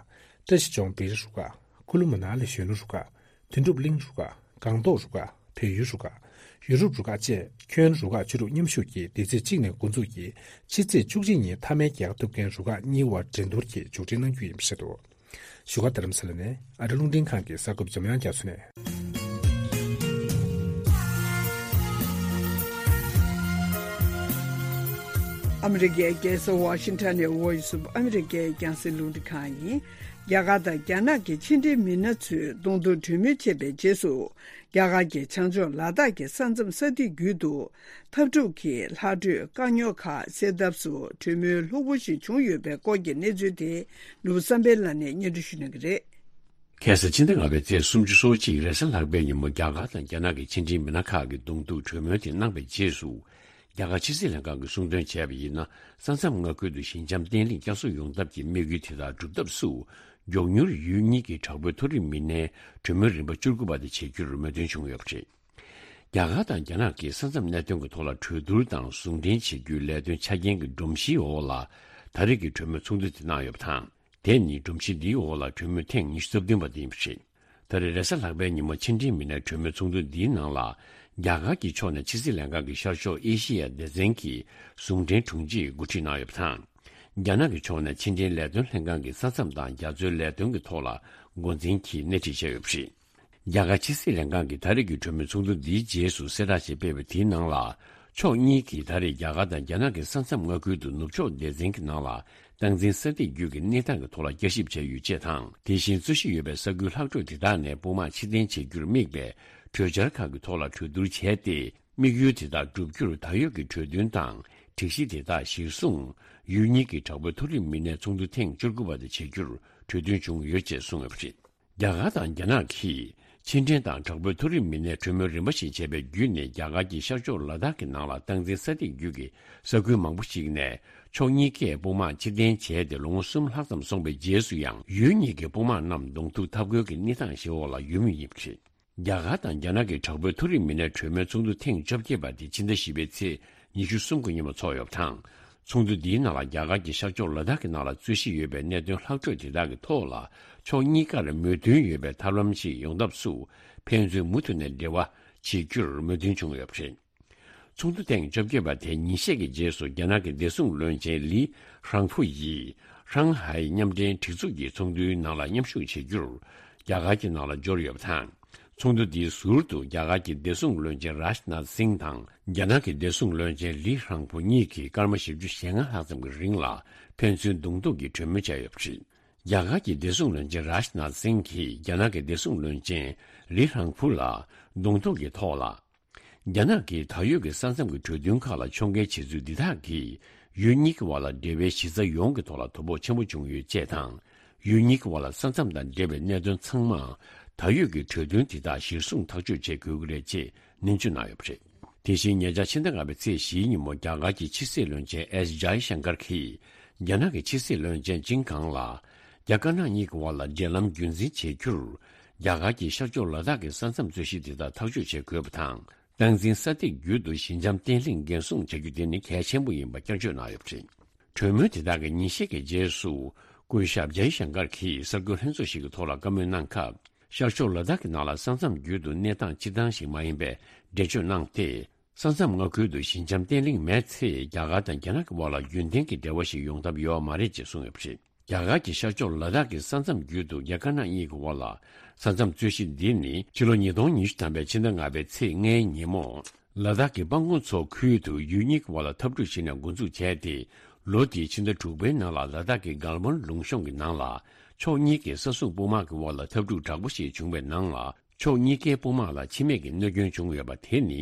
བཀྲ་ཤིས་ལྗོངས་བེ་རི་རུ་ཁག་ཀུ་ལུ་མ་ན་ལི་གཞོན་ནུ་རུ་ཁག་དོན་གྲུབ་གླིང་རུ་ཁག་སྒང་ཏོག་རུ་ཁག་བལ་ཡུལ་རུ་ཁག་ཡུ་རོབ་རུ་ཁག་བཅས་ཁྱོན་རུ་ཁག་བཅུ་དྲུག་མཉམ་ཞུགས་ཀྱིས་འདི་ཚེས་གཅིག་ནས་འགོ་འཛུགས་ཀྱིས་ཕྱི་ཚེས་བཅུ་གཅིག་ཉིན་མཐའ་མའི་རྒྱལ་ཁ་ཐོབ་མཁན་རུ་ཁག་གཉིས་དབར་འགྲན་བསྡུར་གྱི་མཇུག་སྒྲིལ་གནང་རྒྱུ་ཡིན་པ་བཤད་འདུག་བཞུགས་སྒར་རྡ་རམ་ས་ལ་ནས་ཨ་རི་རླུང་འཕྲིན་ཁང་གི་གསར་འགོད་འཇམ་དབྱངས་རྒྱ་མཚོ་ནས། ཨ་མི་རི་ཀའི་རྒྱལ་ས་ཝ་ཤིང་ཊོན་ནས་Voice of America་རྒྱང་སྲིང་རླུང་འཕྲིན་ཁང་ཡིན། རྒྱ་གར་དང་རྒྱ་ནག་གི་ཕྱི་འབྲེལ་མི་སྣ་ཚོས་གདོང་ཐུག་གྲོས་མོལ་བྱས་པའི་རྗེས་སུ། རྒྱ་གར་གྱི་བྱང་ཕྱོགས་ལ་དྭགས་ཀྱི་ས་མཚམས་ས་ཐིག་བརྒྱུད་དུ། འཐབ་འཁྲུག་གི་ལྷག་འཕྲོས་དཀའ་རྙོག་ཁག་སེལ་ཐབས་སུ་གྲོས་མོལ་ལྷུག་པོ་ཞིག་བྱུང་ཡོད་པའི་སྐོར་གྱི་གནས་ཚུལ་དེ་ནོར་བུ་བསམ་འཕེལ་ལགས་ནས་སྙན་སྒྲོན་ཞུ་གནང་གི་རེད། ཁ་སང་ཕྱི་ཟླ་ལྔ་པའི་ཚེས་སུམ་ཅུ་སོ་གཅིག་རེས་གཟའ་ལྷག་པའི་ཉིན་མོ་རྒྱ་གར་དང་རྒྱ་ནག་གི་ཕྱི་འབྲེལ་མི་སྣ་ཁག་གིས་གདོང་ཐུག་གྲོས་མོལ་དེ་གནང་པའི་རྗེས་སུ། རྒྱ་གར་ཕྱི་སྲིད་ལྷན་ཁང་གིས་གསུང་དོན་བྱས་པ་ཡིན་ན། ས་མཚམས་མངའ་ཁུལ་དུ་ཞི་འཇམ་བརྟན་ལྷིང་བསྐྱར་གསོ་ཡོང་ཐབས་ཀྱི་དམིགས་ཡུལ་དེ་དག་སྒྲུབ་ཐབས་སུ། མགྱོགས་མྱུར་ཡུལ་གཉིས་ཀྱི་དྲག་པོའི་མཐོ་རིམ་མི་སྣའི་གྲོས་མོལ་རིམ་པ་བཅུ་དགུ་པ་དེ་བྱེད་རྒྱུར་མོས་མཐུན་བྱུང་ཡོད་པ་རེད། རྒྱ་གར་དང་རྒྱ་ནག་གིས་ས་མཚམས་གནད་དོན་གྱི་ཐོག་ལ་གྲོས་བསྡུར་དང་ཟུང་འབྲེལ་བྱེད་རྒྱུའི་ལས་དོན་ཆ་རྐྱེན་གྱི་སྒྲོམ་གཞིའི་འོག་ལ། ད་རེས་ཀྱི་གྲོས་མོལ་ཚོགས་འདུ་དེ་གནང་ཡོད་པ་དང་། དེ་ནི་སྒྲོམ་གཞི་འདིའི་འོག་ལ་གྲོས་མོལ་ཐེངས་ཉི་ཤུ་རྩ་བདུན་པ་དེ་ཡིན་པ་རེད། ད་རེས་རེས་གཟའ་ལྷག་པའི་ཉིན་མོ་ཕྱི་འབྲེལ་མི་སྣའི་གྲོས་མོལ་ཚོགས་འདུ་འདིའི་ནང་ལ། རྒྱ་གར་གྱི་ཕྱོགས་ནས་ཕྱི་སྲིད་ལྷན་ཁང་གི་ཤར་ཕྱོགས་ཨེ་ཤེ་ཡ་སྡེ་ཚན་གྱི་ཟུང་འབྲེལ་དྲུང་ཆེས་འགོ་ཁྲིད་གནང་ཡོད་པ་དང་། རྒྱ་ནག་གི་ཕྱོགས་ནས་ཕྱི་འབྲེལ་ལས་དོན་ལྷན་ཁང་གི་ས་མཚམས་དང་རྒྱ་མཚོའི་ལས་དོན་གྱི་ཐོག་ལ་འགོ་འཛིན་གྱིས་སྣེ་ཁྲིད་བྱས་ཡོད་པ་རེད། རྒྱ་གར་ཕྱི་སྲིད་ལྷན་ཁང་གིས་ད་རེས་ཀྱི་གྲོས་མོལ་ཚོགས་འདུ་འདིའི་རྗེས་སུ་གསལ་བསྒྲགས་ཤིག་སྤེལ་བའི་དེའི་ནང་ལ། ཕྱོགས་གཉིས་ཀྱིས་ད་རེས་རྒྱ་གར་དང་རྒྱ་ནག་གི་ས་མཚམས་མངའ་ཁུལ་དུ་ནུབ་ཕྱོགས་སྡེ་ཚན་གྱི་ནང་ལ་སྟངས་འཛིན་ས་ཐིག་བརྒྱུད་ཀྱི་གནས་སྟངས་ཀྱི་ཐོག་ལ་བསྐྱར་ཞིབ་བྱས་ཡོད་ཅེས་དང་། དེ་བཞིན་རྩོད་གཞི་ཡོད་པའི་ས་ཁུལ་ལྷག་འཕྲོས་དེ་དག་ནས་དཔུང་དམག་ཕྱིར་འཐེན་བྱེད་རྒྱུར་དམིགས་པའི་གྲོས་འཆར་ཁག་གི་ཐོག་ལ་གྲོས་བསྡུར་བྱས་ཏེ། དམིགས་ཡུལ་དེ་དག་བསྒྲུབ་རྒྱུར་ད་ཡོད་ཀྱི་གྲོས་མཐུན་དང་སྒྲིག་གཞི་དེ་དག་གཞིར་བཟུང་། ཡུལ་གཉིས་ཀྱི་དྲག་པོའི་མཐོ་རིམ་མི་སྣའི་ཚོགས་འདུ་ཐེངས་བཅུ་དགུ་པ་དེ་བྱེད་རྒྱུར་གྲོས་མཐུན་བྱུང་ཡོད་ཅེས་གསུངས་ཡོད་པ་རེད། རྒྱ་གར་དང་རྒྱ་ནག་གིས་ཕྱི་འབྲེལ་དང་དྲག་པོའི་མཐོ་རིམ་མི་སྣའི་གྲོས་མོལ་རིམ་པ་ཞིག་བྱས་པའི་བརྒྱུད་ནས། རྒྱ་གར་གྱི་ཤར་ཕྱོགས་ལ་དྭགས་ཀྱི་ནང་ལ་སྟངས་འཛིན་ས་ཐིག་བརྒྱུད་ཀྱི་ས་ཁུལ་མང་པོ་ཞིག་ནས་ཕྱོགས་གཉིས་ཀས་དཔུང་དམག་ཕྱིར་འཐེན་བྱས་ཏེ་ལོ་ངོ་གསུམ་ལྷག་ཙམ་སོང་པའི་རྗེས་སུ་ཡང་། ཡུལ་གཉིས་ཀྱི་དཔུང་དམག་རྣམས་གདོང་ཐུག་འཐབ་རྒོལ་གྱི་གནས་སྟངས་ཤིག་འོག་ལ་ཡོད་མུས་ཡིན་པ་རེད། རྒྱ་གར་དང་རྒྱ་ནག་གི་དྲག་པོའི་མཐོ་རིམ་མི་སྣའི་གྲོས་མོལ་ཚོགས་འདུ་ཐེངས་བཅོ་བརྒྱད་པ་དེ་ཕྱི་ཟླ་བཞི་པའི་ཚེས་ཉི་ཤུ་གསུམ་གྱི་ཉིན་མོ་ཚོགས་ཡོད་པ་དང་། ཚོགས་འདུ་འདིའི་ནང་ལ་རྒྱ་གར་གྱི་ཤར་ཕྱོགས་ལ་དྭགས་ཀྱི་ནང་ལ་རྩོད་གཞི་ཡོད་པའི་གནད་དོན་ལྷག་འཕྲོས་དེ་དག་གི་ཐོག་ལ་ཕྱོགས་གཉིས་ཀར་མོས་མཐུན་ཡོད་པའི་ཐབས་ལམ་ཞིག་ཡོང་ཐབས་སུ་ཕན་ཚུན་མུ་མཐུད་ནས་འབྲེལ་བ་བྱེད་རྒྱུར་མོས་མཐུན་བྱུང་ཡོད་པ་རེད། ཚོགས་འདུ་ཐེངས་བཅོ་བརྒྱད་པ་དེ་ཉིན་ཤས་ཀྱི་རྗེས་སུ་རྒྱ་ནག་གི་བདེ་སྲུང་བློན་ཆེན་ལི་ཧྲང་ཧྥུ་ཡིས་ཧྲང་ཧའེ་མཉམ་འབྲེལ་སྒྲིག་འཛུགས་ཀྱི་ཚོགས་འདུའི་ནང་ལ་མཉམ་ཞུགས་བྱེད་རྒྱུར་རྒྱ་གར་གྱི་ནང་ལ་འབྱོར་ཡོད་པ་དང་། ཚོགས་འདུ་འདིའི་ཟུར་དུ་རྒྱ་གར་གྱི་བདེ་སྲུང་བློན་ཆེན་རཱཇ་ནཱཐ་སིང་དང་རྒྱ་ནག་གི་བདེ་སྲུང་བློན་ཆེན་ལི་ཧྲང་ཕུ་གཉིས་ཀྱིས་སྐར་མ་བཞི་བཅུ་ཞེ་ལྔ་ལྷག་ཙམ་གྱི་རིང་ལ་ཕན་ཚུན་གདོང་ཐུག་གི་གྲོས་མོལ་བྱས་ཡོད་པ་རེད། རྒྱ་གར་གྱི་བདེ་སྲུང་བློན་ཆེན་རཱཇ་ནཱཐ་སིང་གིས་རྒྱ་ནག་གི་བདེ་སྲུང་བློན་ཆེན་ལི་ཧྲང་ཕུ་ལ་གདོང་ཐུག་གི་ཐོག་ལ། རྒྱ་ནག་གིས་ད་ཡོད་ཀྱི་ས་མཚམས་ཀྱི་གྲོས་མཐུན་ཁག་ལ་ཕྱོགས་འགལ་བྱེད་ཚུལ་འདི་དག་གིས་ཡུལ་གཉིས་ཀྱི་བར་ལ་འབྲེལ་བའི་གཞི་རྩ་ཡོངས་ཀྱི་ཐོག་ལ་དོ་ཕོག་ཆེན་པོ་བྱུང་ཡོད་ཅེས་དང་། ཡུལ་གཉིས་ཀྱི་བར་ལ་ས་མཚམས་དང་འབྲེལ་བའི་གནད་དོན་ཚང་མ་ད་ཡོད་ཀྱི་གྲོས་མཐུན་དེ་དག་གཞིར་བཟུང་ཐག་གཅོད་བྱེད་དགོས་ཀྱི་རེད་ཅེས་ནན་བརྗོད་གནང་ཡོད་པ་རེད། དེ་བཞིན་ཉེ་ཆར་ཕྱི་ཟླ་ལྔ་པའི་ཚེས་བཞིའི་ཉིན་མོ་རྒྱ་གར་གྱི་ཕྱི་སྲིད་བློན་ཆེན་ཨེས་ཇའི་ཤང་ཀར་གྱིས་རྒྱ་ནག་གི་ཕྱི་སྲིད་བློན་ཆེན་ཅིན་ཁང་ལ་རྒྱ་དཀར་ནག་གཉིས་ཀྱི་བར་ལ་འབྲེལ་ལམ་རྒྱུན་འཛིན་བྱེད་རྒྱུར་རྒྱ་གར་གྱིས་ཤར་ཕྱོགས་ལ་དྭགས་ཀྱི་ས་མཚམས་རྩོད་གཞི་དེ་དག་ཐག་གཅོད་བྱེད་དགོས་པ་དང་། སྟངས་འཛིན་ས་སྟེགས་བརྒྱུད་དུ་ཞི་འཇམ་བརྟན་ལྷིང་འགན་སྲུང་བྱ་རྒྱུ་དེ་ནི་གལ་ཆེན་པོ་ཡིན་པ་བསྐྱར་བརྗོད་གནང་ཡོད་པ་རེད། གྲོས་མོལ་དེ་དག་གི་ཉིན་ཤས་ཀྱི་རྗེས་སུ་སྐུ་ཞབས་ཇའི་ཤང་ཀར་གྱིས་གསར་འགོད་ལྷན་ཚོགས་ཤིག་གི་ཐོག་ལ་བཀའ་མོལ་གནང་སྐབས། ཤར་ཕྱོགས་ལ་དྭགས་ཀྱི་ནང་ལ་ས་མཚམས་བརྒྱུད་དུ་གནས་སྟངས་སྤྱིར་བཏང་ཞིག་མ་ཡིན་པའི་འགྲེལ་བརྗོད་གནང་སྟེ། ས་མཚམས་མངའ་ཁུལ་དུ་ཞི་འཇམ་བརྟན་ལྷིང་མེད་ཚེ་རྒྱ་གར་དང་རྒྱ་ནག་གི་དབར་ལ་རྒྱུན་ལྡན་གྱི་འབྲེལ་བ་ཞིག་ཡོང་ཐབས་ཡོད་མ་རེད་ཅེས་གསུངས་ཡོད་པ་རེད། རྒྱ་གར་གྱི་ཤར་ཕྱོགས་ལ་དྭགས་ཀྱི་ས་མཚམས་བརྒྱུད་དུ་རྒྱ་དཀར་ནག་གཉིས་ཀྱི་དབར་ལ་ས་མཚམས་རྩོད་གཞི་འདི་ནི་ཕྱི་ལོ་ཉིས་སྟོང་ཉི་ཤུ་ཐམ་པའི་ཕྱི་ཟླ་ལྔ་པའི་ཚེས་ལྔའི་ཉིན་མོ། ལ་དྭགས་ཀྱི་པང་ཀོང་མཚོ་ཁུལ་དུ་ཡུལ་གཉིས་ཀྱི་དབར་ལ་འཐབ་འཁྲུག་བྱས་ནས་འགོ་འཛུགས་བྱས་ཏེ། ལོ་དེའི་ཕྱི་ཟླ་དྲུག་པའི་ནང་ལ་ལ་དྭགས་ཀྱི་གལ་ཝན་ལུང་གཤོང་གི་ནང་ལ་ཕྱོགས་གཉིས་ཀྱི་ས་སྲུང་དཔུང་དམག་གི་དབར་ལ་འཐབ་འཁྲུག་དྲག་པོ་ཞིག་བྱུང་བའི་ནང་ལ་ཕྱོགས་གཉིས་ཀའི་དཔུང་དམག་ལ་འཆི་རྨས་ཀྱི་གནོད་སྐྱོན་བྱུང་ཡོད་པ་དེ་ནི།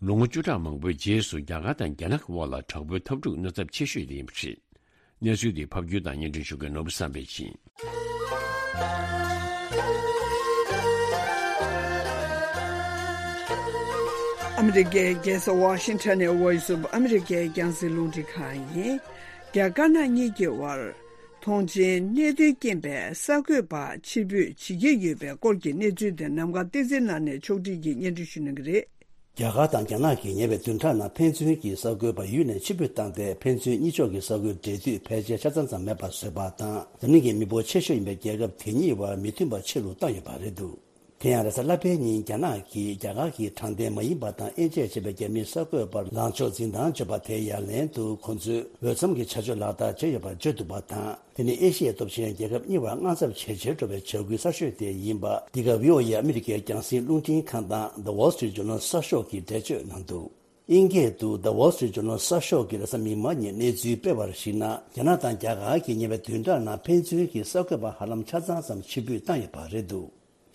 ལོ་ངོ་བཅུ་ཕྲག་མང་པོའི་རྗེས་སུ་རྒྱ་གར་དང་རྒྱ་ནག་གི་དབར་ལ་དྲག་པོའི་འཐབ་འཁྲུག་གནོད་ཚབས་ཆེ་ཤོས་དེ་ཡིན་པ་རེད། གནས་ཚུལ་འདི་ཕབ་སྒྱུར་དང་སྙན་སྒྲོན་ཞུ་མཁན་ནོར་བུ་བསམ་འཕེལ་ཡིན། ཨ་མི་རི་ཀའི་རྒྱལ་ས་ཝ་ཤིང་ཊོན་ནས་Voice of America་རྒྱང་སྲིང་རླུང་འཕྲིན་ཁང་ཡིན། རྒྱ་དཀར་ནག་གཉིས་ཀྱི་དབར་ཐོངས་མཆན་གནད་དོན་རྐྱེན་པས་གསར་འགོད་པ་ཕྱིར་འབུད་བྱེད་ཀྱི་ཡོད་པའི་སྐོར་གྱི་གནས་ཚུལ་དེ་ནམ་མཁའ་བསྟན་འཛིན་ལགས་ནས་ཕྱོགས་སྒྲིག་གིས་སྙན་སྒྲོན་ཞུ་གནང་གི་རེད། རྒྱ་གར་དང་རྒྱ་ནག་གིས་ཉེ་བའི་བདུན་ཕྲག་ནང་ཕན་ཚུན་གྱི་གསར་འགོད་པ་ཡུལ་ནས་ཕྱིར་འབུད་བཏང་སྟེ། ཕན་ཚུན་གཉིས་ཕྱོགས་ཀྱི་གསར་འགོད་འབྲེལ་མཐུད་ཕལ་ཆེར་ཆ་ཚང་ཙམ་མེད་པར་བཟོས་པ་དང་། འཛམ་གླིང་གི་མི་འབོར་ཆེ་ཤོས་ཡིན་པའི་རྒྱལ་ཁབ་དེ་གཉིས་བར་མི་མཐུན་པ་ཆེ་རུ་བཏང་ཡོད་པ་རེད་འདུག་དེ་ཡང་རེས་གཟའ་ལྷག་པའི་ཉིན་རྒྱ་ནག་གིས་རྒྱ་གར་གྱི་དྲང་བདེན་མ་ཡིན་པ་དང་དབྱེ་འབྱེད་བྱེད་པའི་རྒྱ་མིའི་གསར་འགོད་པར་ལངས་ཕྱོགས་འཛིན་སྟངས་བརྗོད་པ་དེའི་ཡ་ལན་དུ། ཁོ་ཚོས་འོས་འཚམ་གྱི་བྱ་སྤྱོད་ལག་བསྟར་བྱས་ཡོད་པར་བརྗོད་འདུག་པ་དང་། དེ་ནི་ཨེ་ཤི་ཡའི་སྟོབས་ཆེན་རྒྱལ་ཁབ་གཉིས་བར་དངངས་འཚབ་ཇེ་ཆེར་འགྲོ་བའི་བྱ་འགུལ་གསར་ཤོས་དེ་ཡིན་པ། འདི་ག་བྷི་ཨོ་ཨེ་ཨ་མི་རི་ཀའི་རྒྱང་སྲིང་རླུང་འཕྲིན་ཁང་དང་The Wall Street Journal་གསར་ཤོག་གིས་འགྲེལ་བརྗོད་གནང་འདུག་དབྱིན་སྐད་དུ་The Wall Street Journal་གསར་ཤོག་གིས་རེས་གཟའ་མིག་དམར་ཉིན་གནས་ཚུལ་སྤེལ་བར་གཞིགས་ན། རྒྱ་ནག་དང་རྒྱ་གར་གྱིས་ཉེ་བའི་བདུན་ཕྲག་ནང་ཕན་ཚུན་གྱི་གསར་འགོད་པ་ཧ་ལམ་ཆ་ཚང་ཙམ་ཕྱིར་འབུད་བཏང་ཡོད་པ་རེད་འདུག་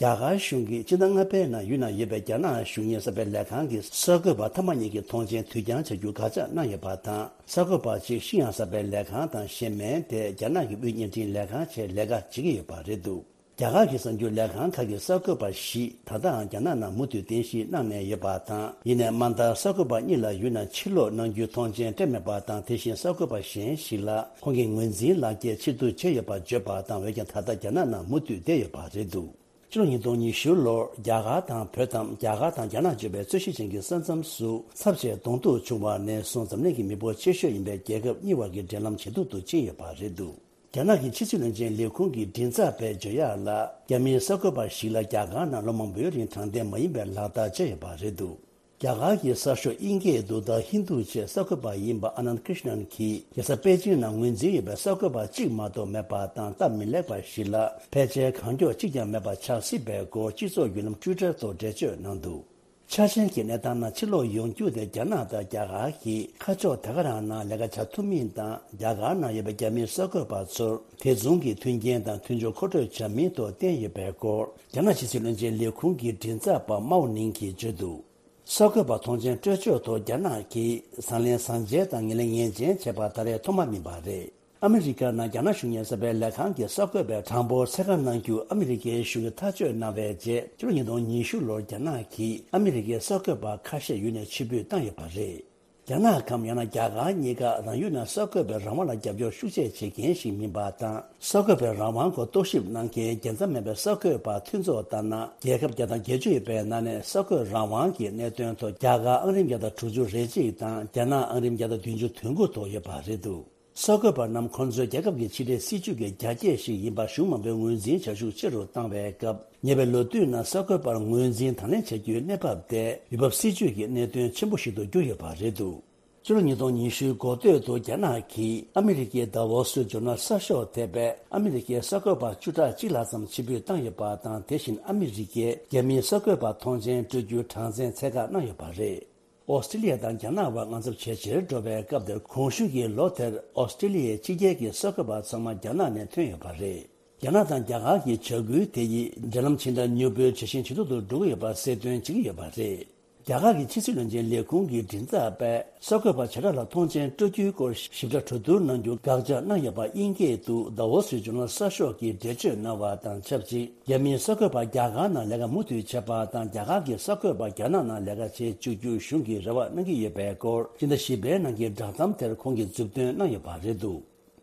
རྒྱ་གར་གཞུང་གིས་སྤྱི་ཟླ་ལྔ་པའི་ནང་ཡུལ་ནང་ཡོད་པའི་རྒྱ་ནག་གཞུང་གཉེར་གསར་སྤེལ་ལས་ཁང་གི་གསར་འགོད་པ་མཐའ་མ་གཉིས་ཀྱི་ཐོངས་མཆན་དུས་འགྱངས་བྱ་རྒྱུ་དགག་བྱ་གནང་ཡོད་པ་དང་། གསར་འགོད་པ་གཅིག་ཤིན་ཡང་གསར་སྤེལ་ལས་ཁང་དང་གཞན་མིན་ཏེ་རྒྱ་ནག་གི་དབུས་བརྙན་འཕྲིན་ལས་ཁང་བཅས་ལས་ཀ་བྱེད་ཀྱི་ཡོད་པ་རེད་འདུག་རྒྱ་གར་གྱི་གསར་འགྱུར་ལས་ཁང་ཁག་གི་གསར་འགོད་པ་བཞིས་ད་ལྟའང་རྒྱ་ནག་ནང་མུ་མཐུད་རྟེན་གཞི་གནང་ནས་ཡོད་པ་དང་། ཡིན་ནའི་མ་མཐར་གསར་འགོད་པ་གཉིས་ལ་ཡུལ་ནང་ཕྱིར་ལོག་གནང་རྒྱུའི་ཐོངས་མཆན་སྤྲད་མེད་པ་དང་། དེ་བཞིན་གསར་འགོད་པ་གཞན་ཞིག་ལ་ཁོང་གི་ངོས་འཛིན་ལག་འཁྱེར་ཕྱིར་བསྡུ་བྱས་ཡོད་པར་བརྗོད་པ་དང་། འོན་ཀྱང་ད་ལྟ་རྒྱ་ནག་ནང་མུ་མཐུད་བསྡད་ཡོད་པ་རེད་འདུག་ཕྱི་ལོ་ཉིས་སྟོང་ཉི་ཤུ་ལོར་རྒྱ་གར་དང་བོད་དམ། རྒྱ་གར་དང་རྒྱ་ནག་བརྗོད་པའི་རྩོད་གཞི་ཅན་གྱི་ས་མཚམས་སུ་ཚབས་ཆེའི་གདོང་ཐུག་བྱུང་བ་ནས་བཟུང་འཛམ་གླིང་གི་མི་འབོར་ཆེ་ཤོས་ཡིན་པའི་རྒྱལ་ཁབ་གཉིས་བར་གྱི་འབྲེལ་ལམ་ཇེ་སྡུག་ཏུ་ཕྱིན་ཡོད་པ་རེད་འདུག་རྒྱ་ནག་གི་ཕྱི་སྲིད་བློན་ཆེན་ལས་ཁུངས་ཀྱི་མགྲིན་ཚབ་པས་བརྗོད་ཡག་ལ། རྒྱ་མིའི་གསར་འགོད་པ་ཞིག་ལ་རྒྱ་གར་ནང་ལོ་མང་པོའི་རིང་དྲང་བདེན་མ་ཡིན་པའི་ལག་བསྟར་བྱས་ཡོད་པ་རེད་འདུག་རྒྱ་གར་གྱི་གསར་ཤོག་དབྱིན་སྐད་དུ་The Hindu་ཅེས་གསར་འགོད་པ་ཡིན་པ་ཨ་ནནྡ་ཀྲིཤ་ནན་གྱིས། རྒྱལ་ས་པེ་ཅིང་ནང་ངོས་འཛིན་ཡོད་པའི་གསར་འགོད་པ་གཅིག་མ་གཏོགས་མེད་པ་དང་། སྟབས་མི་ལེགས་པ་ཞིག་ལ་ཕལ་ཆེར་གང་མགྱོགས་གཅིག་ཀྱང་མེད་པ་ཆགས་སྲིད་པའི་སྐོར་སྤྱི་ཚོགས་བརྒྱུད་ལམ་Twitter་ཐོག་འགྲེལ་བརྗོད་གནང་འདུག་ཆ་ཆེན་གྱི་གནས་སྟངས་ནང་ཕྱིར་ལོག་ཡོང་རྒྱུ་དེ་རྒྱ་ནག་དང་རྒྱ་གར་གྱིས་ཁ་ཕྱོགས་དེ་ག་རང་ནང་ལས་ཀ་བྱ་ཐུབ་མིན་དང་། རྒྱ་གར་ནང་ཡོད་པའི་རྒྱ་མིའི་གསར་འགོད་པ་ཚོར་དེ་མཚུངས་ཀྱི་མཐུན་རྐྱེན་དང་མཐུན་ཕྱོགས་མཁོ་སྤྲོད་བྱ་མིན་ཐོག་བསྟན་ཡོད་པའི་སྐོར། རྒྱ་ནག་ཕྱི་སྲིད་བློན་ཆེན་ལས་ཁུངས་ཀྱི་མགྲིན་ཚབ་པ་མའོ་ནིང་གིས་བརྗོད་འདུག་གསར་འགོད་པ་ཐོངས་མཆན་སྤྲོད་ཕྱོགས་ཐོག་རྒྱ་ནག་གིས་བཟང་ལན་བཟང་འཇལ་དང་ངན་ལན་ངན་འཇལ་བྱས་པ་ད་རེས་ཐོག་མ་མིན་པ་རེད། ཨ་མི་རི་ཀ་ནང་རྒྱ་ནག་གཞུང་གཉེར་གསར་སྤེལ་ལས་ཁང་གི་གསར་འགོད་པའི་གྲངས་འབོར་ཚད་བཀག་གནང་རྒྱུ་ཨ་མི་རི་ཀའི་གཞུང་གིས་ཐག་གཅོད་གནང་བའི་རྗེས། ཕྱི་ལོ་ཉིས་སྟོང་ཉི་ཤུ་ལོར་རྒྱ་ནག་གིས་ཨ་མི་རི་ཀའི་གསར་འགོད་པ་ཁ་ཤས་ཡུལ་ནས་ཕྱིར་འབུད་བཏང་ཡོད་པ་རེད། རྒྱ་ནག་གམ་ཡང་ན་རྒྱ་གར་གཉིས་ཀ་རང་ཡུལ་ནང་གསར་འགོད་པའི་རང་དབང་ལ་རྒྱབ་སྐྱོར་ཤུགས་ཆེ་བྱེད་མཁན་ཞིག་མིན་པ་དང་། གསར་འགོད་པའི་རང་དབང་སྐོར་རྟོག་ཞིབ་གནང་མཁན་རྒྱལ་མཚམས་མེད་པའི་གསར་འགོད་པ་མཐུན་ཚོགས་ལྟར་ན། རྒྱལ་ཁབ་བརྒྱ་དང་བརྒྱད་ཅུ་ཡོད་པའི་ནང་ནས་གསར་འགོད་རང་དབང་གི་གནད་དོན་ཐོག་རྒྱ་གར་ཨང་རིམ་བརྒྱ་དང་དྲུག་ཅུ་རེ་གཅིག་དང་རྒྱ་ནག་ཨང་རིམ་བརྒྱ་དང་བདུན་ཅུ་དོན་དགུ་ཐོག་ཡོད་པ་རེད་འདུག་གསར་འགོད་པ་རྣམས་ཁོང་ཚོའི་རྒྱལ་ཁབ་ཀྱི་ཕྱི་འབྲེལ་སྲིད་ཇུས་ཀྱི་རྒྱ་སྐྱེད་ཞིག་ཡིན་པ་གཞུང་མང་པོས་ངོས་འཛིན་བྱ་ཤུགས་ཆེ་རུ་བཏང་བའི་སྐབས། ཉེ་བའི་ལོ་དུས་ནང་གསར་འགོད་པར་ངོས་འཛིན་དང་ལེན་བྱ་རྒྱུའི་གནས་བབ་དེ་ཡུལ་བབ་སྲིད་ཇུས་ཀྱི་གནད་དོན་ཆེན་པོ་ཞིག་ཏུ་གྱུར་ཡོད་པ་རེད་འདུག་ཕྱི་ལོ་ཉིས་སྟོང་ཉི་ཤུ་འགོ་སྟོད་དུ་རྒྱ་ནག་གིས་ཨ་མི་རི་ཀའི་Davos་ཇོ་ནལ་གསར་ཤོག་དེ་བས་ཨ་མི་རི་ཀའི་གསར་འགོད་པ་བཅུ་ཕྲག་གཅིག་ལྷག་ཙམ་ཕྱིར་འབུད་བཏང་ཡོད་པ་དང་། དེ་བཞིན་ཨ་མི་རི་ཀས་རྒྱ་མིའི་གསར་འགོད་པ་མཐོང་མཆན་སྤྲོད་རྒྱུའི་གྲངས་འཛིན་ཚད་བཀག་གནང་ཡོད་པ་རེད། ཨོ་སི་ཀྲི་ལི་ཡ་དང་རྒྱ་ནག་དབར་དངངས་འཚབ་ཇེ་ཆེར་འགྲོ་བའི་སྐབས་དེར། གོང་ཞུས་ཀྱི་ལོ་དེར་ཨོ་སི་ཀྲི་ལི་ཡའི་ཕྱི་རྒྱལ་གྱི་གསར་འགོད་པ་ཚང་མ་རྒྱ་ནག་ནས་ཐོན་ཡོད་པ་རེད། རྒྱ་ནག་དང་རྒྱ་གར་གྱི་བྱ་འགུལ་དེ་ཡིས་འབྲེལ་ལམ་ཇི་འདྲ་མྱུར་པོའི་ཇེ་ཞན་ཇེ་སྡུག་ཏུ་འགྲོ་གི་ཡོད་པ་གསལ་སྟོན་བྱེད་ཀྱི་ཡོད་པ་རེད། རྒྱ་གར་གྱི་ཕྱི་སྲིད་བློན་ཆེན་ལས་ཁུངས་ཀྱི་མགྲིན་ཚབ་པས་གསར་འགོད་པ་བྱེ་བྲག་ལ་མཐོང་མཆན་སྤྲོད་རྒྱུའི་སྐོར་ཞིབ་ཕྲ་གྲོས་བསྡུར་གནང་རྒྱུ་དགག་བྱ་གནང་ཡོད་པ་དབྱིན་སྐད་དུ་Davos་ཇོ་ནལ་གསར་ཤོག་གིས་འགྲེལ་བརྗོད་གནང་བ་དང་ཆབས་ཅིག་རྒྱ་མིའི་གསར་འགོད་པ་རྒྱ་གར་ནང་ལས་ཀ་མུ་མཐུད་བྱས་པ་དང་། རྒྱ་གར་གྱི་གསར་འགོད་པ་རྒྱ་ནག་ནང་ལས་ཀ་བྱེད་བཅུག་རྒྱུ་གཞུང་གིས་རེ་བ་གནང་གི་ཡོད་པའི་སྐོར་སྤྱི་ཟླ་བཞི་པའི་ནང་གི་བསྒྲགས་གཏམ་དེར་ཁོང་གིས་མཛུབ་སྟོན་གནང་ཡོད་པ་རེད་འདུག་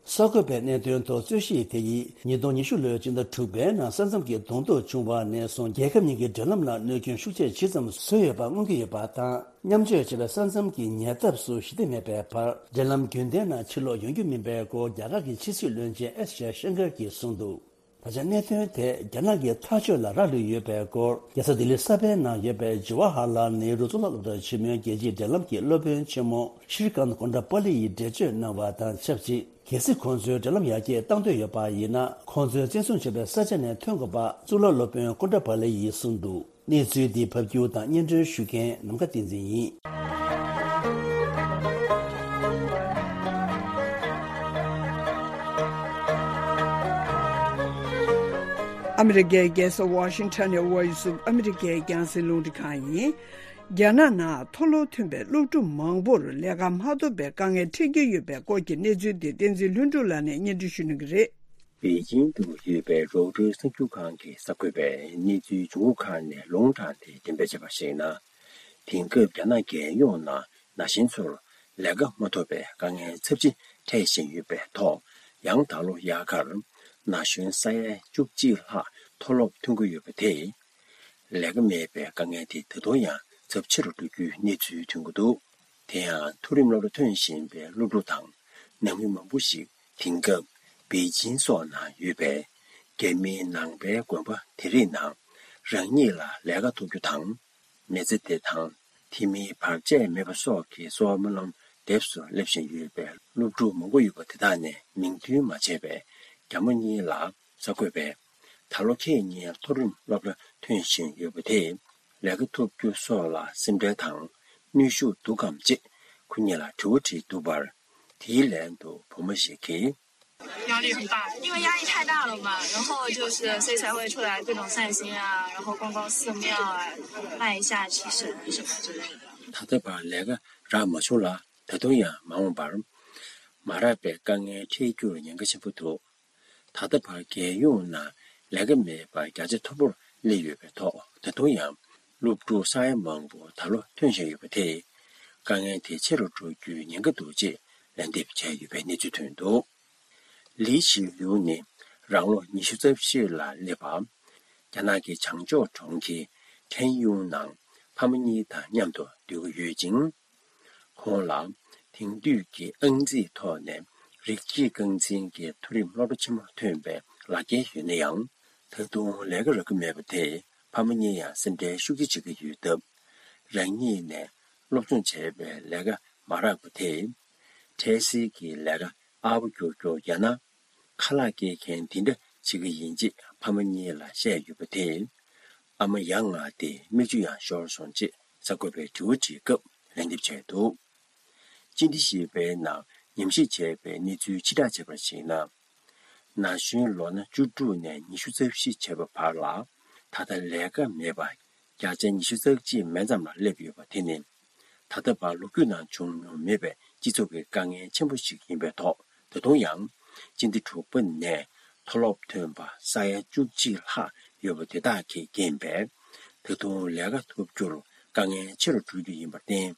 གསར་འགོད་པའི་གནད་དོན་ཐོག་རྩོད་གཞི་དེ་ཡིས་ཉིས་སྟོང་ཉི་ཤུ་ལོའི་སྤྱི་ཟླ་དྲུག་པའི་ནང་ས་མཚམས་ཀྱི་གདོང་ཐུག་བྱུང་བ་ནས་བཟུང་རྒྱལ་ཁབ་གཉིས་ཀྱི་འབྲེལ་ལམ་ལ་གནོད་སྐྱོན་ཤུགས་ཆེ་ཇི་ཙམ་བཟོས་ཡོད་པ་མངོན་གྱི་ཡོད་པ་དང་། མཉམ་སྤྱོད་བྱས་པའི་ས་མཚམས་ཀྱི་ཉེ་འདབས་སུ་ཞི་བདེ་མེད་པའི་བར་འབྲེལ་ལམ་རྒྱུན་ལྡན་ནང་ཕྱིར་ལོག་ཡོང་རྒྱུ་མིན་པའི་སྐོར་རྒྱ་གར་གྱི་ཕྱི་སྲིད་བློན་ཆེན་ཨེས་ཇེ་ཤན་ཀར་གྱིས་གསུངས་འདུག་ད་ཆ་གནད་དོན་དེ་རྒྱ་ནག་གིས་ཐག་གཅོད་ལ་རག་ལུས་ཡོད་པའི་སྐོར་རྒྱལ་ས་ལྡི་ལི་གསར་པའི་ནང་ཡོད་པའི་ཇི་ཝ་ཧར་ལཱལ་ནེ་རུ་གཙུག་ལག་སློབ་གྲྭ་ཆེན་མོའི་རྒྱལ་སྤྱིའི་འབྲེལ་ལམ་གྱི་སློབ་དཔོན་ཆེན་མོ་ཤྲི་ཀཱན་ཀོན་ཏྲ་པཱ་ལི་ཡིས་འགྲེལ་བརྗོད་གནང་བ་དང་ཆབས་ཅིག་གལ་སྲིད་ཁོང་ཚོའི་འབྲེལ་ལམ་ཡར་རྒྱས་གཏང་འདོད་ཡོད་པ་ཡིན་ན། ཁོང་ཚོས་བཙན་བཟུང་བྱས་པའི་ས་ཆ་ནས་ཐོན་དགོས་པ་གཙུག་ལག་སློབ་དཔོན་ཀོན་ཏྲ་པཱ་ལི་ཡིས་གསུངས་འདུག་གནས་ཚུལ་འདི་ཕབ་སྒྱུར་དང་སྙན་སྒྲོན་ཞུ་མཁན་ནམ་མཁའ་བསྟན་འཛིན་ཡིན། ཨ་མི་རི་ཀའི་རྒྱལ་ས་ཝ་ཤིང་ཊོན་ནས་Voice of America་རྒྱང་སྲིང་རླུང་འཕྲིན་ཁང་ཡིན། རྒྱ་ནག་ནང་མཐོ་སློབ་ཐོན་པའི་སློབ་ཕྲུག་མང་པོར་ལས་ཀ་མ་ཐོབ་པའི་དཀའ་ངལ་འཕྲད་ཀྱི་ཡོད་པའི་སྐོར་གྱི་གནས་ཚུལ་དེ་བསྟན་འཛིན་ལྷུན་གྲུབ་ལགས་ནས་སྙན་སྒྲོན་ཞུ་གནང་གི་རེད། པེ་ཅིང་དུ་ཡོད་པའི་རོའི་ཊར་གསར་འགྱུར་ཁང་གི་གསར་འགོད་པས་གནས་ཚུལ་ལྗོངས་ཁང་ནས་ལུང་དྲངས་ཏེ་འགྲེམས་སྤེལ་བྱས་པར་གཞིགས་ན། དེང་སྐབས་རྒྱ་ནག་རྒྱལ་ཡོངས་ནང་ན་གཞོན་ཚོར་ལས་ཀ་མ་ཐོབ་པའི་དཀའ་ངལ་ཚབས་ཆེ་འཕྲད་བཞིན་ཡོད་པའི་ཐོག་ཡང་ད་ལོ་དབྱར་ཁར་ན་གཞོན་ས་ཡ་བཅུ་གཅིག་ལྷག་མཐོ་སློབ་ཐོན་གྱི་ཡོད་པ་དེས། ལས་ཀ་མེད་པའི་དཀའ་ངལ་དེ་ད་དུང་ཡང་ཚབས་ཆེ་རུ་འགྲོ་རྒྱུའི་གནས་ཚུལ་ཐོན་གྱི་འདུག་དེ་ཡང་མཐོ་རིམ་སློབ་གྲྭ་ཐོན་བཞིན་པའི་སློབ་ཕྲུག་དང་ནང་མི་མང་པོ་ཞིག་དེང་སྐབས་པེ་ཅིང་སོགས་ནང་ཡོད་པའི་རྒྱ་མིའི་ནང་པའི་དགོན་པ་དེ་རིགས་ནང་རང་ཉིད་ལ་ལས་ཀ་ཐོབ་རྒྱུ་དང་། མི་ཚེ་བདེ་ཐང་། དེ་མིན་བར་ཆད་མེད་པ་སོགས་ཀྱི་གསོལ་བ་སྨོན་ལམ་འདེབས་སུ་སླེབས་བཞིན་ཡོད་པའི་སློབ་ཕྲུག་མང་པོ་ཡོད་པ་དེ་དག་ནས་མིང་འདོན་མ་བྱས་པའི་རྒྱ་མོ་གཉིས་ལ་གསར་འགོད་པས། ད་ལོ་ཁྱེད་གཉིས་མཐོ་རིམ་སློབ་གྲྭ་ཐོན་བཞིན་ཡོད་པ་དེས་ལས་ཀ་ཐོབ་རྒྱུ་སོགས་ལ་སེམས་ཁྲལ་དང་ནུས་ཤུགས་འདུག་གམ་ཅེས་ཁོ་གཉིས་ལ་དྲི་བ་དྲིས་འདུག་པར། དེའི་ལན་དུ་བུ་མོ་ཞིག་གིས། 压力很大，因为压力太大了嘛，然后就是所以才会出来各种散心啊，然后逛逛寺庙啊，拜一下祈神什么之类的。 ད་ལྟ་བར་ལས་ཀ་རག་མ་བྱུང་ལ། ད་དུང་ཡང་མ་འོངས་པར་མ་རག་པའི་དཀའ་ངལ་འཕྲད་རྒྱུར་ཉེན་ཁ་ཆེན་པོ་འདུག་ད་ལྟ་བར་རྒྱལ་ཡོངས་ནང་ལས་ཀ་མེད་པ་བརྒྱ་ཆ་མཐོ་པོར་སླེབས་ཡོད་པའི་ཐོག་ད་དུང་ཡང་སློབ་ཕྲུག་ས་ཡ་མང་པོ་ད་ལོ་ཐོན་བཞིན་ཡོད་པ་དེས་དཀའ་ངལ་དེ་ཆེ་རུ་འགྲོ་རྒྱུའི་ཉེན་ཁ་འདུག་ཅེས་ལན་འདེབས་བྱས་ཡོད་པའི་གནས་ཚུལ་ཐོན་འདུག་ལི་ཞི་ལུའུ་ནི་རང་ལོ་ཉི་ཤུ་རྩ་བཞི་ལ་སླེབས་པ། རྒྱ་ནག་གི་བྱང་ཕྱོགས་གྲོང་ཁྱེར་ཁྲེན་ཡུང་ནང་ཕ་མ་གཉིས་དང་མཉམ་དུ་སྡོད་ཀྱི་ཡོད་ཅིང་། ཁོང་ལ་དེང་དུས་ཀྱི་ཨང་རྩིས་ཐོག་ནས་རིགས་གཅིག་རྐང་འཛིན་གྱི་མཐོ་རིམ་སློབ་གྲྭ་ཆེན་མོ་ཐོན་པའི་ལག་འཁྱེར་ཡོད་ན་ཡང་། ད་དུང་ལས་ཀ་རག་གི་མེད་པ་དེས་ཕ་མ་གཉིས་ཡང་སེམས་ཁྲལ་ཤུགས་ཆེ་བྱེད་ཀྱི་ཡོད་སྟབས། རང་ཉིད་ནས་སློབ་སྦྱོང་བྱས་པའི་ལས་ཀ་མ་རག་པ་དེས། འཕྲལ་སེལ་གྱི་ལས་ཀ་ཨར་པོ་རྒྱོབ་རྒྱོབ་ཡང་ན། ཁ་ལག་སྐྱེལ་མཁན་དེ་འདྲ་བྱེད་ཀྱི་ཡིན་ཅེས་ཕ་མ་གཉིས་ལ་བཤད་ཡོད་པ་དེས། ཨ་མ་ཡ་ང་སྟེ་མིག་ཆུ་ཡང་ཤོར་སོང་ཅེས་གསར་འགོད་པས་དྲི་བ་དྲིས་སྐབས་ལན་འདེབས་བྱས་འདུག་ཅིན་ཏི་ཞེས་པའི་ནང་ཉམས་ཞིབ་བྱས་པའི་གནས་ཚུལ་ཕྱིར་བསྒྲགས་བྱས་པར་གཞིགས་ན། ན་གཞོན་ལོ་ན་བཅུ་དྲུག་ནས་ཉི་ཤུ་རྩ་བཞི་བྱས་པ་བར་ལ་ད་ལྟ་ལས་ཀ་མེད་པ་བརྒྱ་ཆ་ཉི་ཤུ་རྩ་གཅིག་མན་ཙམ་ལ་སླེབས་ཡོད་པ་དེ་ནི། ད་ལྟ་བར་ལོ་རྒྱུས་ནང་བྱུང་མྱོང་མེད་པའི་སྤྱི་ཚོགས་ཀྱི་དཀའ་ངལ་ཆེན་པོ་ཞིག་ཡིན་པའི་ཐོག་ད་དུང་ཡང་སྤྱི་ཟླ་དྲུག་པ་ནས་མཐོ་སློབ་ཐོན་པ་ས་ཡ་བཅུ་གཅིག་ལྷག་ཡོད་པ་དེ་དག་གིས་རྐྱེན་པས། ད་དུང་ལས་ཀ་ཐོབ་རྒྱུར་དཀའ་ངལ་ཆེ་རུ་འགྲོ་རྒྱུ་ཡིན་པར་བརྟེན།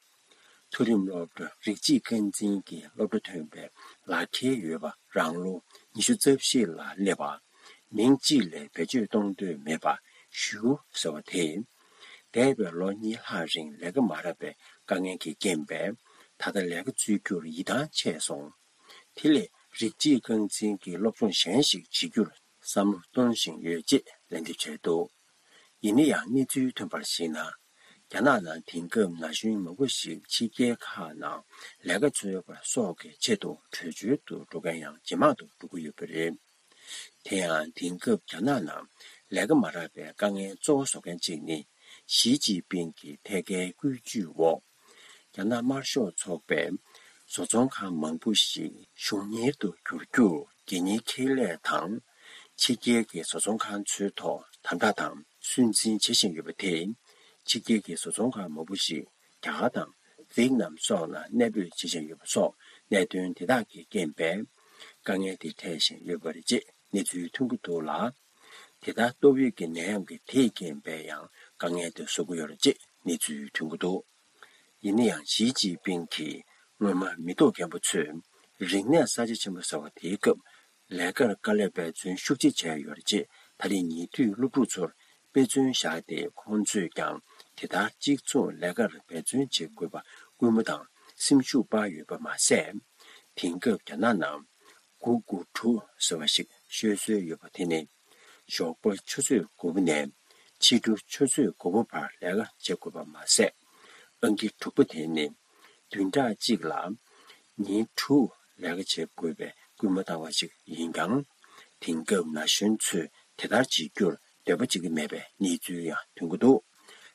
མཐོ་རིམ་སློབ་གྲྭ་རིགས་གཅིག་རྐང་འཛིན་གྱི་སློབ་གྲྭ་ཐོན་པའི་ལག་འཁྱེར་ཡོད་པ་རང་ལོ་ཉི་ཤུ་རྩ་བཞི་ལ་སླེབས་པ། མིང་གཅིག་ལས་བེད་སྤྱོད་གཏོང་འདོད་མེད་པ་ཞུ་ཟེར་བ་དེས། འདས་པའི་ལོ་གཉིས་ལྷག་རིང་ལས་ཀ་མ་རག་པའི་དཀའ་ངལ་གྱི་རྐྱེན་པས། ད་ལྟ་ལས་ཀ་འཚོལ་རྒྱུར་ཡིད་ཐང་ཆད་སོང་། དེ་ལས་རིགས་གཅིག་རྐང་འཛིན་གྱི་སློབ་སྦྱོང་གཞན་ཞིག་བྱེད་རྒྱུར་བསམ་བློ་གཏོང་བཞིན་ཡོད་ཅེས་ལན་འདེབས་བྱས་འདུག་ཡིན་ན་ཡང་གནས་ཚུལ་ཐོན་པར་གཞིགས་ན། རྒྱ་ནག་ནང་དེང་སྐབས་ན་གཞོན་མང་པོ་ཞིག་ཕྱི་རྒྱལ་ཁག་ནང་ལས་ཀ་འཚོལ་བ་སོགས་ཀྱི་ཆེད་དུ་བྲོས་བྱོལ་དུ་འགྲོ་མཁན་ཡང་ཇེ་མང་དུ་འགྲོ་གི་ཡོད་པ་རེད། དེ་ཡང་དེང་སྐབས་རྒྱ་ནག་ནང་ལས་ཀ་མ་རག་པའི་དཀའ་ངལ་གཙོ་བོ་བཟོ་མཁན་གཅིག་ནི། ཞི་ཅིན་ཕིང་གི་ཐད་ཀའི་བཀོད་ཇུས་འོག་རྒྱ་ནག་དམར་ཤོག་ཚོགས་པས་བཟོ་ཚོང་ཁང་མང་པོ་ཞིག་གཞུང་གཉེར་དུ་བསྒྱུར་རྒྱུར་དགོས་ངེས་ཁེ་ལས་དང་། ཕྱི་རྒྱལ་གྱི་བཟོ་ཚོང་ཁང་ཚོའི་ཐོག་དམ་དྲག་དང་སུན་འབྱིན་བྱེད་བཞིན་ཡོད་པ་དེས། ཕྱི་རྒྱལ་གྱི་བཟོ་ཚོང་ཁང་མང་པོ་ཞིག་རྒྱ་གར་དང་ཝེ་ཏི་ནམ་སོགས་ལ་གནས་སྤོས་བྱེད་བཞིན་ཡོད་པ་སོགས་གནད་དོན་དེ་དག་གི་རྐྱེན་པས། དཀའ་ངལ་དེ་འཕྲད་བཞིན་ཡོད་པ་རེད་ཅེས་གནས་ཚུལ་ཐོན་གྱི་འདུག་ལ། དེ་ལྟར་ཏོག་དབྱིབས་ཀྱི་ནད་ཡམས་ཀྱི་དེའི་རྐྱེན་པས་ཡང་དཀའ་ངལ་དེ་བཟོ་གི་ཡོད་རེད་ཅེས་གནས་ཚུལ་ཐོན་གྱི་འདུག་ཡིན་ན་ཡང་ཞི་ཅིན་ཕིང་གིས་སྔོན་མ་མི་ཐོག་རྒན་པོ་ཚོས་རིག་གནས་གསར་བརྗེ་ཆེན་པོ་ཟེར་བ་དེའི་སྐབས་ལས་ཀར་དཀའ་ལས་འབད་བརྩོན་ཤུགས་ཆེ་བྱས་ཡོད་རེད་ཅེས་ད་རེས་ཉེ་དུས་སློབ་ཕྲུག་ཚོར་དཔེ་མཚོན་བཞག་སྟེ། ཁོང་ཚོས་ཀྱང་དེ་ལྟར་གཅིག་མཚུངས་ལས་ཀར་འབད་བརྩོན་བྱེད་དགོས་པ་སྐུལ་མ་དང་སེམས་ཤུགས་སྤར་ཡོད་པ་མ་ཟད། དེང་སྐབས་རྒྱ་ནག་ནང་དགུ་དགུ་དྲུག་ཟེར་བ་ཞིག་ཤོད་སྲོལ་ཡོད་པ་དེ་ནི། ཞོགས་པ་ཆུ་ཚོད་དགུ་པ་ནས་ཕྱི་དྲོ་ཆུ་ཚོད་དགུ་པ་བར་ལས་ཀ་བྱེད་དགོས་པ་མ་ཟད། ཨང་ཀི་དྲུག་པ་དེ་ནི། བདུན་ཕྲག་གཅིག་ལ་ཉིན་དྲུག་ལས་ཀ་བྱེད་དགོས་པའི་སྐུལ་མ་བཏང་བ་ཞིག་ཡིན་ཀྱང་། དེང་སྐབས་ན་གཞོན་ཚོས་དེ་ལྟར་བྱེད་རྒྱུར་འདོད་པ་བྱེད་ཀྱི་མེད་པའི་གནས་ཚུལ་ཡང་ཐོན་གྱི་འདུག་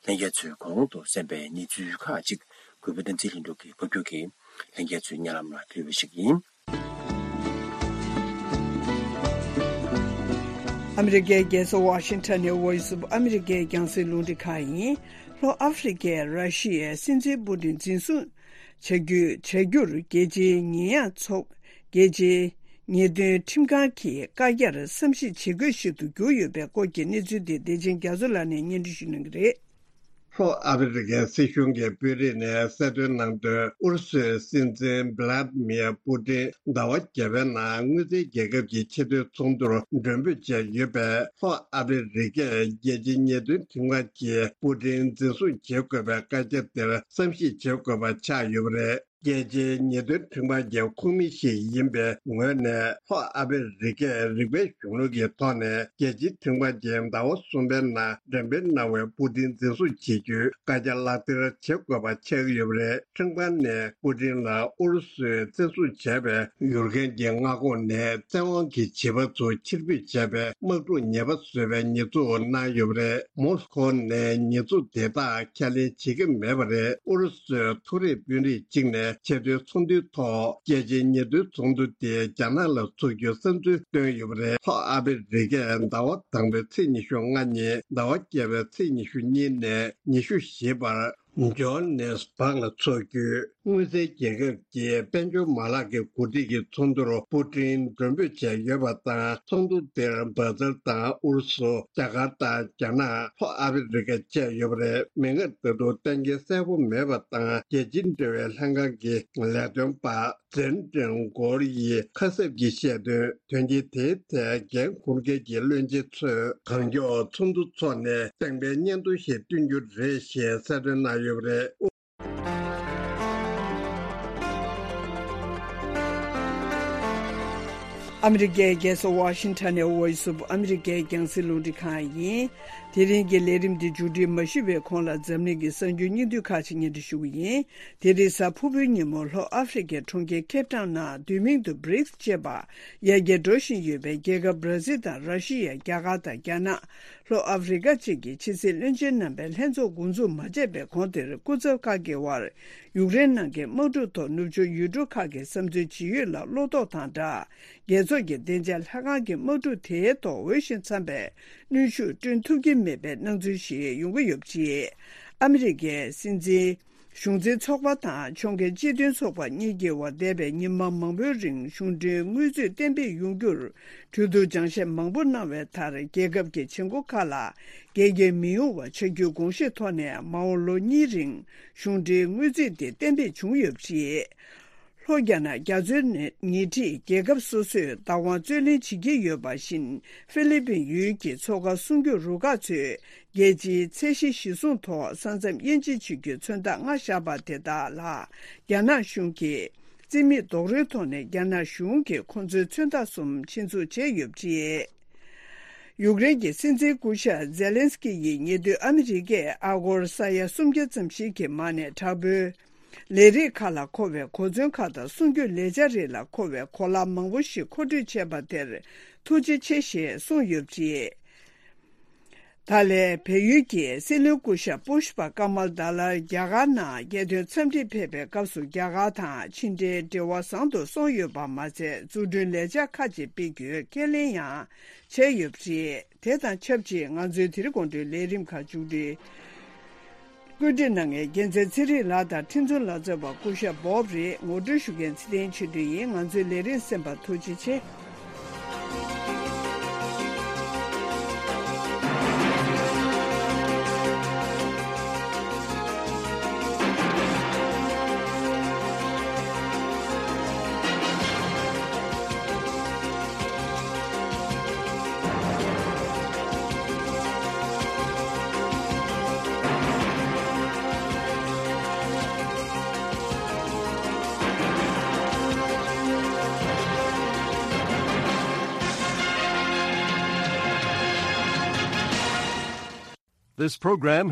ལྷན་རྒྱས་ཚོས་གོང་དུ་གསན་པའི་གནས་ཚུལ་ཁག་ཅིག་གུས་པ་བསྟན་འཛིན་ལྷུན་གྲུབ་ཀྱིས་ཕབ་སྒྱུར་གྱིས་ལྷན་རྒྱས་ཚོའི་སྙན་ལམ་ལ་ཕུལ་བ་ཞིག་ཡིན། ཨ་མི་རི་ཀའི་རྒྱལ་ས་ཝ་ཤིང་ཊོན་ནས་Voice of America་རྒྱང་སྲིང་རླུང་འཕྲིན་ཁང་ཡིན། ལྷོ་ཨ་ཧྥེ་རི་ཀས་ར་ཤི་ཡའི་སྲིད་འཛིན་པུ་ཏིན་འཛིན་བཟུང་བྱ་རྒྱུ། བྱ་རྒྱུར་རྒྱལ་སྤྱིའི་ཉེས་ཡངས་ཚོགས། རྒྱལ་སྤྱིའི་ཉེས་དོན་ཁྲིམས་ཁང་གིས་བཀའ་རྒྱར་བསམ་གཞིག་བྱེད་དགོས་ཤིག་ཏུ་གྱུར་ཡོད་པའི་སྐོར་གྱི་གནས་ཚུལ་དེ་བདེ་ཆེན་རྒྱ་མཚོ་ལགས་ནས་སྙན་སྒྲོན་ཞུ་གནང་གི་རེད། ལྷོ་ཨ་ཧྥེ་རི་ཀའི་སྲིད་གཞུང་གི་དཔོན་རིགས་ནས་གསལ་སྟོན་གནང་དོན། ཨུ་རུ་སུའི་སྲིད་འཛིན་བྷི་ལ་ཏི་མིར་པུ་ཏིན་ཟླ་བ་བརྒྱད་པའི་ནང་དངུལ་རྩའི་རྒྱལ་ཁབ་ཀྱི་ཆེས་མཐོའི་ཚོགས་འདུར་མགྲོན་འབོད་བྱས་ཡོད་པས། ལྷོ་ཨ་ཧྥེ་རི་ཀས་རྒྱལ་སྤྱིའི་ཉེས་དོན་ཁྲིམས་ཁང་གིས་པུ་ཏིན་འཛིན་བཟུང་བྱེད་དགོས་པའི་བཀའ་རྒྱ་དེར་བསམ་གཞིག་བྱེད་དགོས་པ་ཆགས་ཡོད་པ་རེད། རྒྱལ་སྤྱིའི་ཉེས་དོན་ཁྲིམས་ཁང་གི་ཁོངས་མི་ཞིག་ཡིན་པའི་ངོས་ནས། ལྷོ་ཨ་ཧྥེ་རི་ཀས་རིགས་པའི་གཞུང་ལུགས་ཀྱི་ཐོག་ནས་རྒྱལ་སྤྱིའི་ཁྲིམས་ཁང་གིས་ཟླ་བ་གསུམ་པའི་ནང་འགྲེམས་སྤེལ་གནང་བའི་པུ་ཏིན་འཛིན་བཟུང་བྱེད་རྒྱུའི་བཀའ་རྒྱ་ལག་བསྟར་བྱེད་དགོས་པ་ཆགས་ཀྱི་ཡོད་པ་རེད། ཁྲིམས་ཁང་ནས་པུ་ཏིན་ལ་ཨུ་རུ་སུས་བཙན་བཟུང་བྱས་པའི་ཡུཀ་རེན་གྱི་མངའ་ཁོངས་ནས་བཙན་དབང་གི་བྱིས་པ་ཚོ་ཕྱིར་འབུད་བྱས་པའི་དམག་འཁྲུག་ཉེས་པ་བཟོས་པའི་ཉེས་འཛུགས་གནང་ཡོད་པ་རེད། མོ་སི་ཁོ་ནས་ཉེས་འཛུགས་དེ་དག་ཁས་ལེན་བྱེད་ཀྱི་མེད་པ་རེད། ཨུ་རུ་སུའི་མཐོ་རིམ་དཔོན་རིགས་གཅིག་ནས་ཆེས་མཐོའི་ཚོགས་འདུའི་ཐོག་རྒྱལ་སྤྱིའི་ཉེས་དོན་ཚོགས་འདུ་དེ་རྒྱ་ནག་ལ་འཚོགས་རྒྱུའི་བསམ་ཚུལ་བཏོན་ཡོད་པ་རེད། ལྷོ་ཨ་ཧྥེ་རི་ཀས་ཟླ་བ་དང་པོའི་ཚེས་ཉི་ཤུ་ལྔ་ཉིན་ཟླ་བ་བརྒྱད་པའི་ཚེས་ཉི་ཤུ་གཉིས་ནས་ཉི་ཤུ་བཞི་བར་ཇོ་ཧ་ནེ་སི་བྷག་ལ་འཚོགས་རྒྱུའི་དངུལ་རྩའི་རྒྱལ་ཁབ་ཀྱི་དཔལ་འབྱོར་མ་ལག་གི་འགོ་ཁྲིད་ཀྱི་ཚོགས་འདུར་པུ་ཏིན་མགྲོན་འབོད་བྱས་ཡོད་པ་དང་། ཚོགས་འདུ་དེར་བྷར་ཛིལ་དང་ཨུ་རུ་སུ། རྒྱ་གར་དང་རྒྱ་ནག་ལྷོ་ཨ་ཧྥེ་རི་ཀ་བཅས་ཡོད་པ་རེད། མིག་སྔར་ད་དུང་གཏན་འཁེལ་གསལ་པོ་མེད་པ་དང་། རྒྱལ་སྤྱིའི་འབྲེལ་བའི་ལྷན་ཁང་གི་ལས་དོན་པ་ཙེན་ཀྲེང་གོར་ཡིས་ཁ་གསབ་ཀྱིས་བཤད་དོན། དོན་རྐྱེན་དེའི་ཐད་འགན་འཁུར་མཁན་གྱི་བློན་ཆེན་ཚོས་གང་མགྱོགས་ཚོགས་འདུ་འཚོགས་ནས་གཏན་འཁེལ་སྙན་ཐོ་ཞིག་བཏོན་རྒྱུ་རེད་ཞེས་གསལ་སྟོན་གནང་ཡོད་པ་རེད། ཨ་མི་རི་ཀའི་རྒྱལ་ས་ཝ་ཤིང་ཊོན་ནས་Voice of America་རྒྱང་སྲིང་རླུང་འཕྲིན་ཁང་ཡིན། དེ་རིང་གི་ལས་རིམ་འདི་མཇུག་སྒྲིལ་མ་ཞུས་པའི་གོང་ལ་འཛམ་གླིང་གི་གསར་འགྱུར་སྙིང་བསྡུས་ཁག་ཅིག་སྙན་སྒྲོན་ཞུ་གི་ཡིན། དེ་རིང་གཟའ་ཕུར་བུའི་ཉིན་མོ་ལྷོ་ཨ་ཧྥེ་རི་ཀའི་གྲོང་ཁྱེར་ཁེབ་ཊའུན་ནང་བསྡུས་མིང་དུ་བྷི་རིགས་ཅེས་པ་ཡར་རྒྱས་འགྲོ་བཞིན་ཡོད་པའི་རྒྱལ་ཁབ་བྷར་ཛིལ་དང་ར་ཤི་ཡ། རྒྱ་གར་དང་རྒྱ་ནག་ལྷོ་ཨ་ཧྥེ་རི་ཀ་བཅས་ཀྱི་ཕྱི་སྲིད་བློན་ཆེན་རྣམ་པའི་ལྷན་ཚོགས་འགོ་འཛུགས་མ་བྱས་པའི་གོང་དེར། སྐུ་ཚབ་ཁག་གི་དབར་ཡུཀ་རེན་ནང་གི་དམག་འཁྲུག་ཐོག་ནུབ་ཕྱོགས་ཡུལ་གྲུ་ཁག་གི་བསམ་ཚུལ་ཇི་ཡོད་ལ་བློ་དོགས་དང་སྦྲགས། རྒྱལ་ཚོགས་ཀྱི་བདེ་འཇགས་ལྷན་ཁང་གིས་དམག་འཁྲུག་དེའི་ཐོག་འོས་ཤིང་འཚམ་པའི་གནོན་ཤུགས་བསྐྲུན་ཐུབ་ཀྱི་མེད་པའི་སྣང་ཚུལ་ཞིག་ཡོང་གི་ཡོད་པ་རེད། ཨ་མི་རི་ཀའི་སྲིད་འཛིན། གཞུང་འཛིན་ཚོགས་པ་དང་ཕྱོགས་འགལ་སྤྱི་མཐུན་ཚོགས་པ་གཉིས་ཀྱི་དབར་འདས་པའི་ཉི་མ་མང་པོའི་རིང་གཞུང་འབྲེལ་དངུལ་རྩིས་གཏན་འབེབས་ཡོང་རྒྱུར་གྲོས་བསྡུར་སྦྱང་བཤད་མང་པོ་གནང་བའི་མཐར། རྒྱལ་ཁབ་ཀྱི་བྱེད་སྒོ་ཁག་ལ་འགལ་རྐྱེན་མི་ཡོང་བ་བྱ་རྒྱུའི་དགོངས་བཞེས་ཐོག་ནས། མ་འོངས་ལོ་གཉིས་རིང་གཞུང་འབྲེལ་དངུལ་རྩིས་དེ་གཏན་འབེབས་བྱུང་ཡོད་པ་རེད། ལྷོ་རྒྱ་ནག་རྒྱ་མཚོའི་ཉེ་འཁྲིས་རྒྱལ་ཁབ་སོ་སོས་བདག་དབང་རྩོད་ལེན་བྱེད་ཀྱི་ཡོད་པ་བཞིན། ཧྥི་ལི་པིན་ཡུལ་གྱི་མཚོ་ཁ་སྲུང་སྐྱོབ་རུ་ཁག་ཚོས་རྒྱལ་སྤྱིའི་ཚད་གཞི་གཞིར་བཟུང་ཐོག་ས་མཚམས་དབྱེ་འབྱེད་བྱེད་རྒྱུའི་མཚོན་རྟགས་ལྔ་བཞག་པ་དེ་དག་ལ་རྒྱ་ནག་གཞུང་གིས་རྩིས་མེད་རྡོག་རོལ་ཐོག་ནས་རྒྱ་ནག་གཞུང་གིས་ཁོང་ཚོའི་མཚོན་རྟགས་གསུམ་ཆེད་འཛུགས་བྱས་ཡོད་པ་རེད། ཡུཀ་རེན་གྱི་སྲིད་འཛིན་སྐུ་ཞབས་ཛེ་ལན་སི་ཀི་ཡིས་ཉེ་དུས་ཨ་མི་རི་ཀས་ཨ་སྒོར་ས་ཡ་སུམ་བརྒྱ་ཙམ་ཞིག་གི་མ་ནས་དྲག་པོའི་ལས་རིགས་ཁག་ལ་མཁོ་བའི་གོ་མཚོན་ཁག་དང་སྲུང་སྐྱོབ་ལས་འཆར་རིགས་ལ་མཁོ་བའི་གོ་ལག་མང་པོ་ཞིག་མཁོ་སྤྲོད་བྱས་པ་དེར་ཐུགས་རྗེ་ཆེ་ཞེས་གསུངས་ཡོད་པ་རེད། ད་ལན་བལ་ཡུལ་གྱི་སྲིད་བློན་སྐུ་ཞབས་པུ་ཤ་པ་ཀ་མལ་དཱ་ལར་རྒྱ་གར་ནང་རྒྱལ་དོན་འཚམས་འདྲིར་ཕེབས་པའི་སྐབས་སུ་རྒྱ་གར་དང་ཕྱི་འབྲེལ་འབྲེལ་བ་བཟང་དུ་སོང་ཡོད་པ་མ་ཚད། འཛུགས་སྐྲུན་ལས་འཆར་ཁག་ཅིག་སྤེལ་རྒྱུའི་ཁས་ལེན་ཡང་བྱས་ཡོད་པ་རེད། དེ་དང་ཆབས་ཅིག་ང་ཚོའི་དེ་རིང་དགོང་དྲོའི་ལས་རིམ་ཁག་མཇུག་སྒྲིལ། བཀོད་སྒྲིག་གནང་མཁན་རྒྱལ་མཚན་ཚེ་རིང་ལགས་དང་ཁྲིན་ཚོ་ལག་རྩལ་བ་སྐུ་ཞབས་བོབ་རེད། ངོ་སྤྲོད་ཞུ་མཁན་ཚེ་བརྟན་ཆོས་སྒྲོན་ཡིན། ང་ཚོའི་ལས་རིམ་གསན་པར་ཐུགས་རྗེ་ཆེ། This program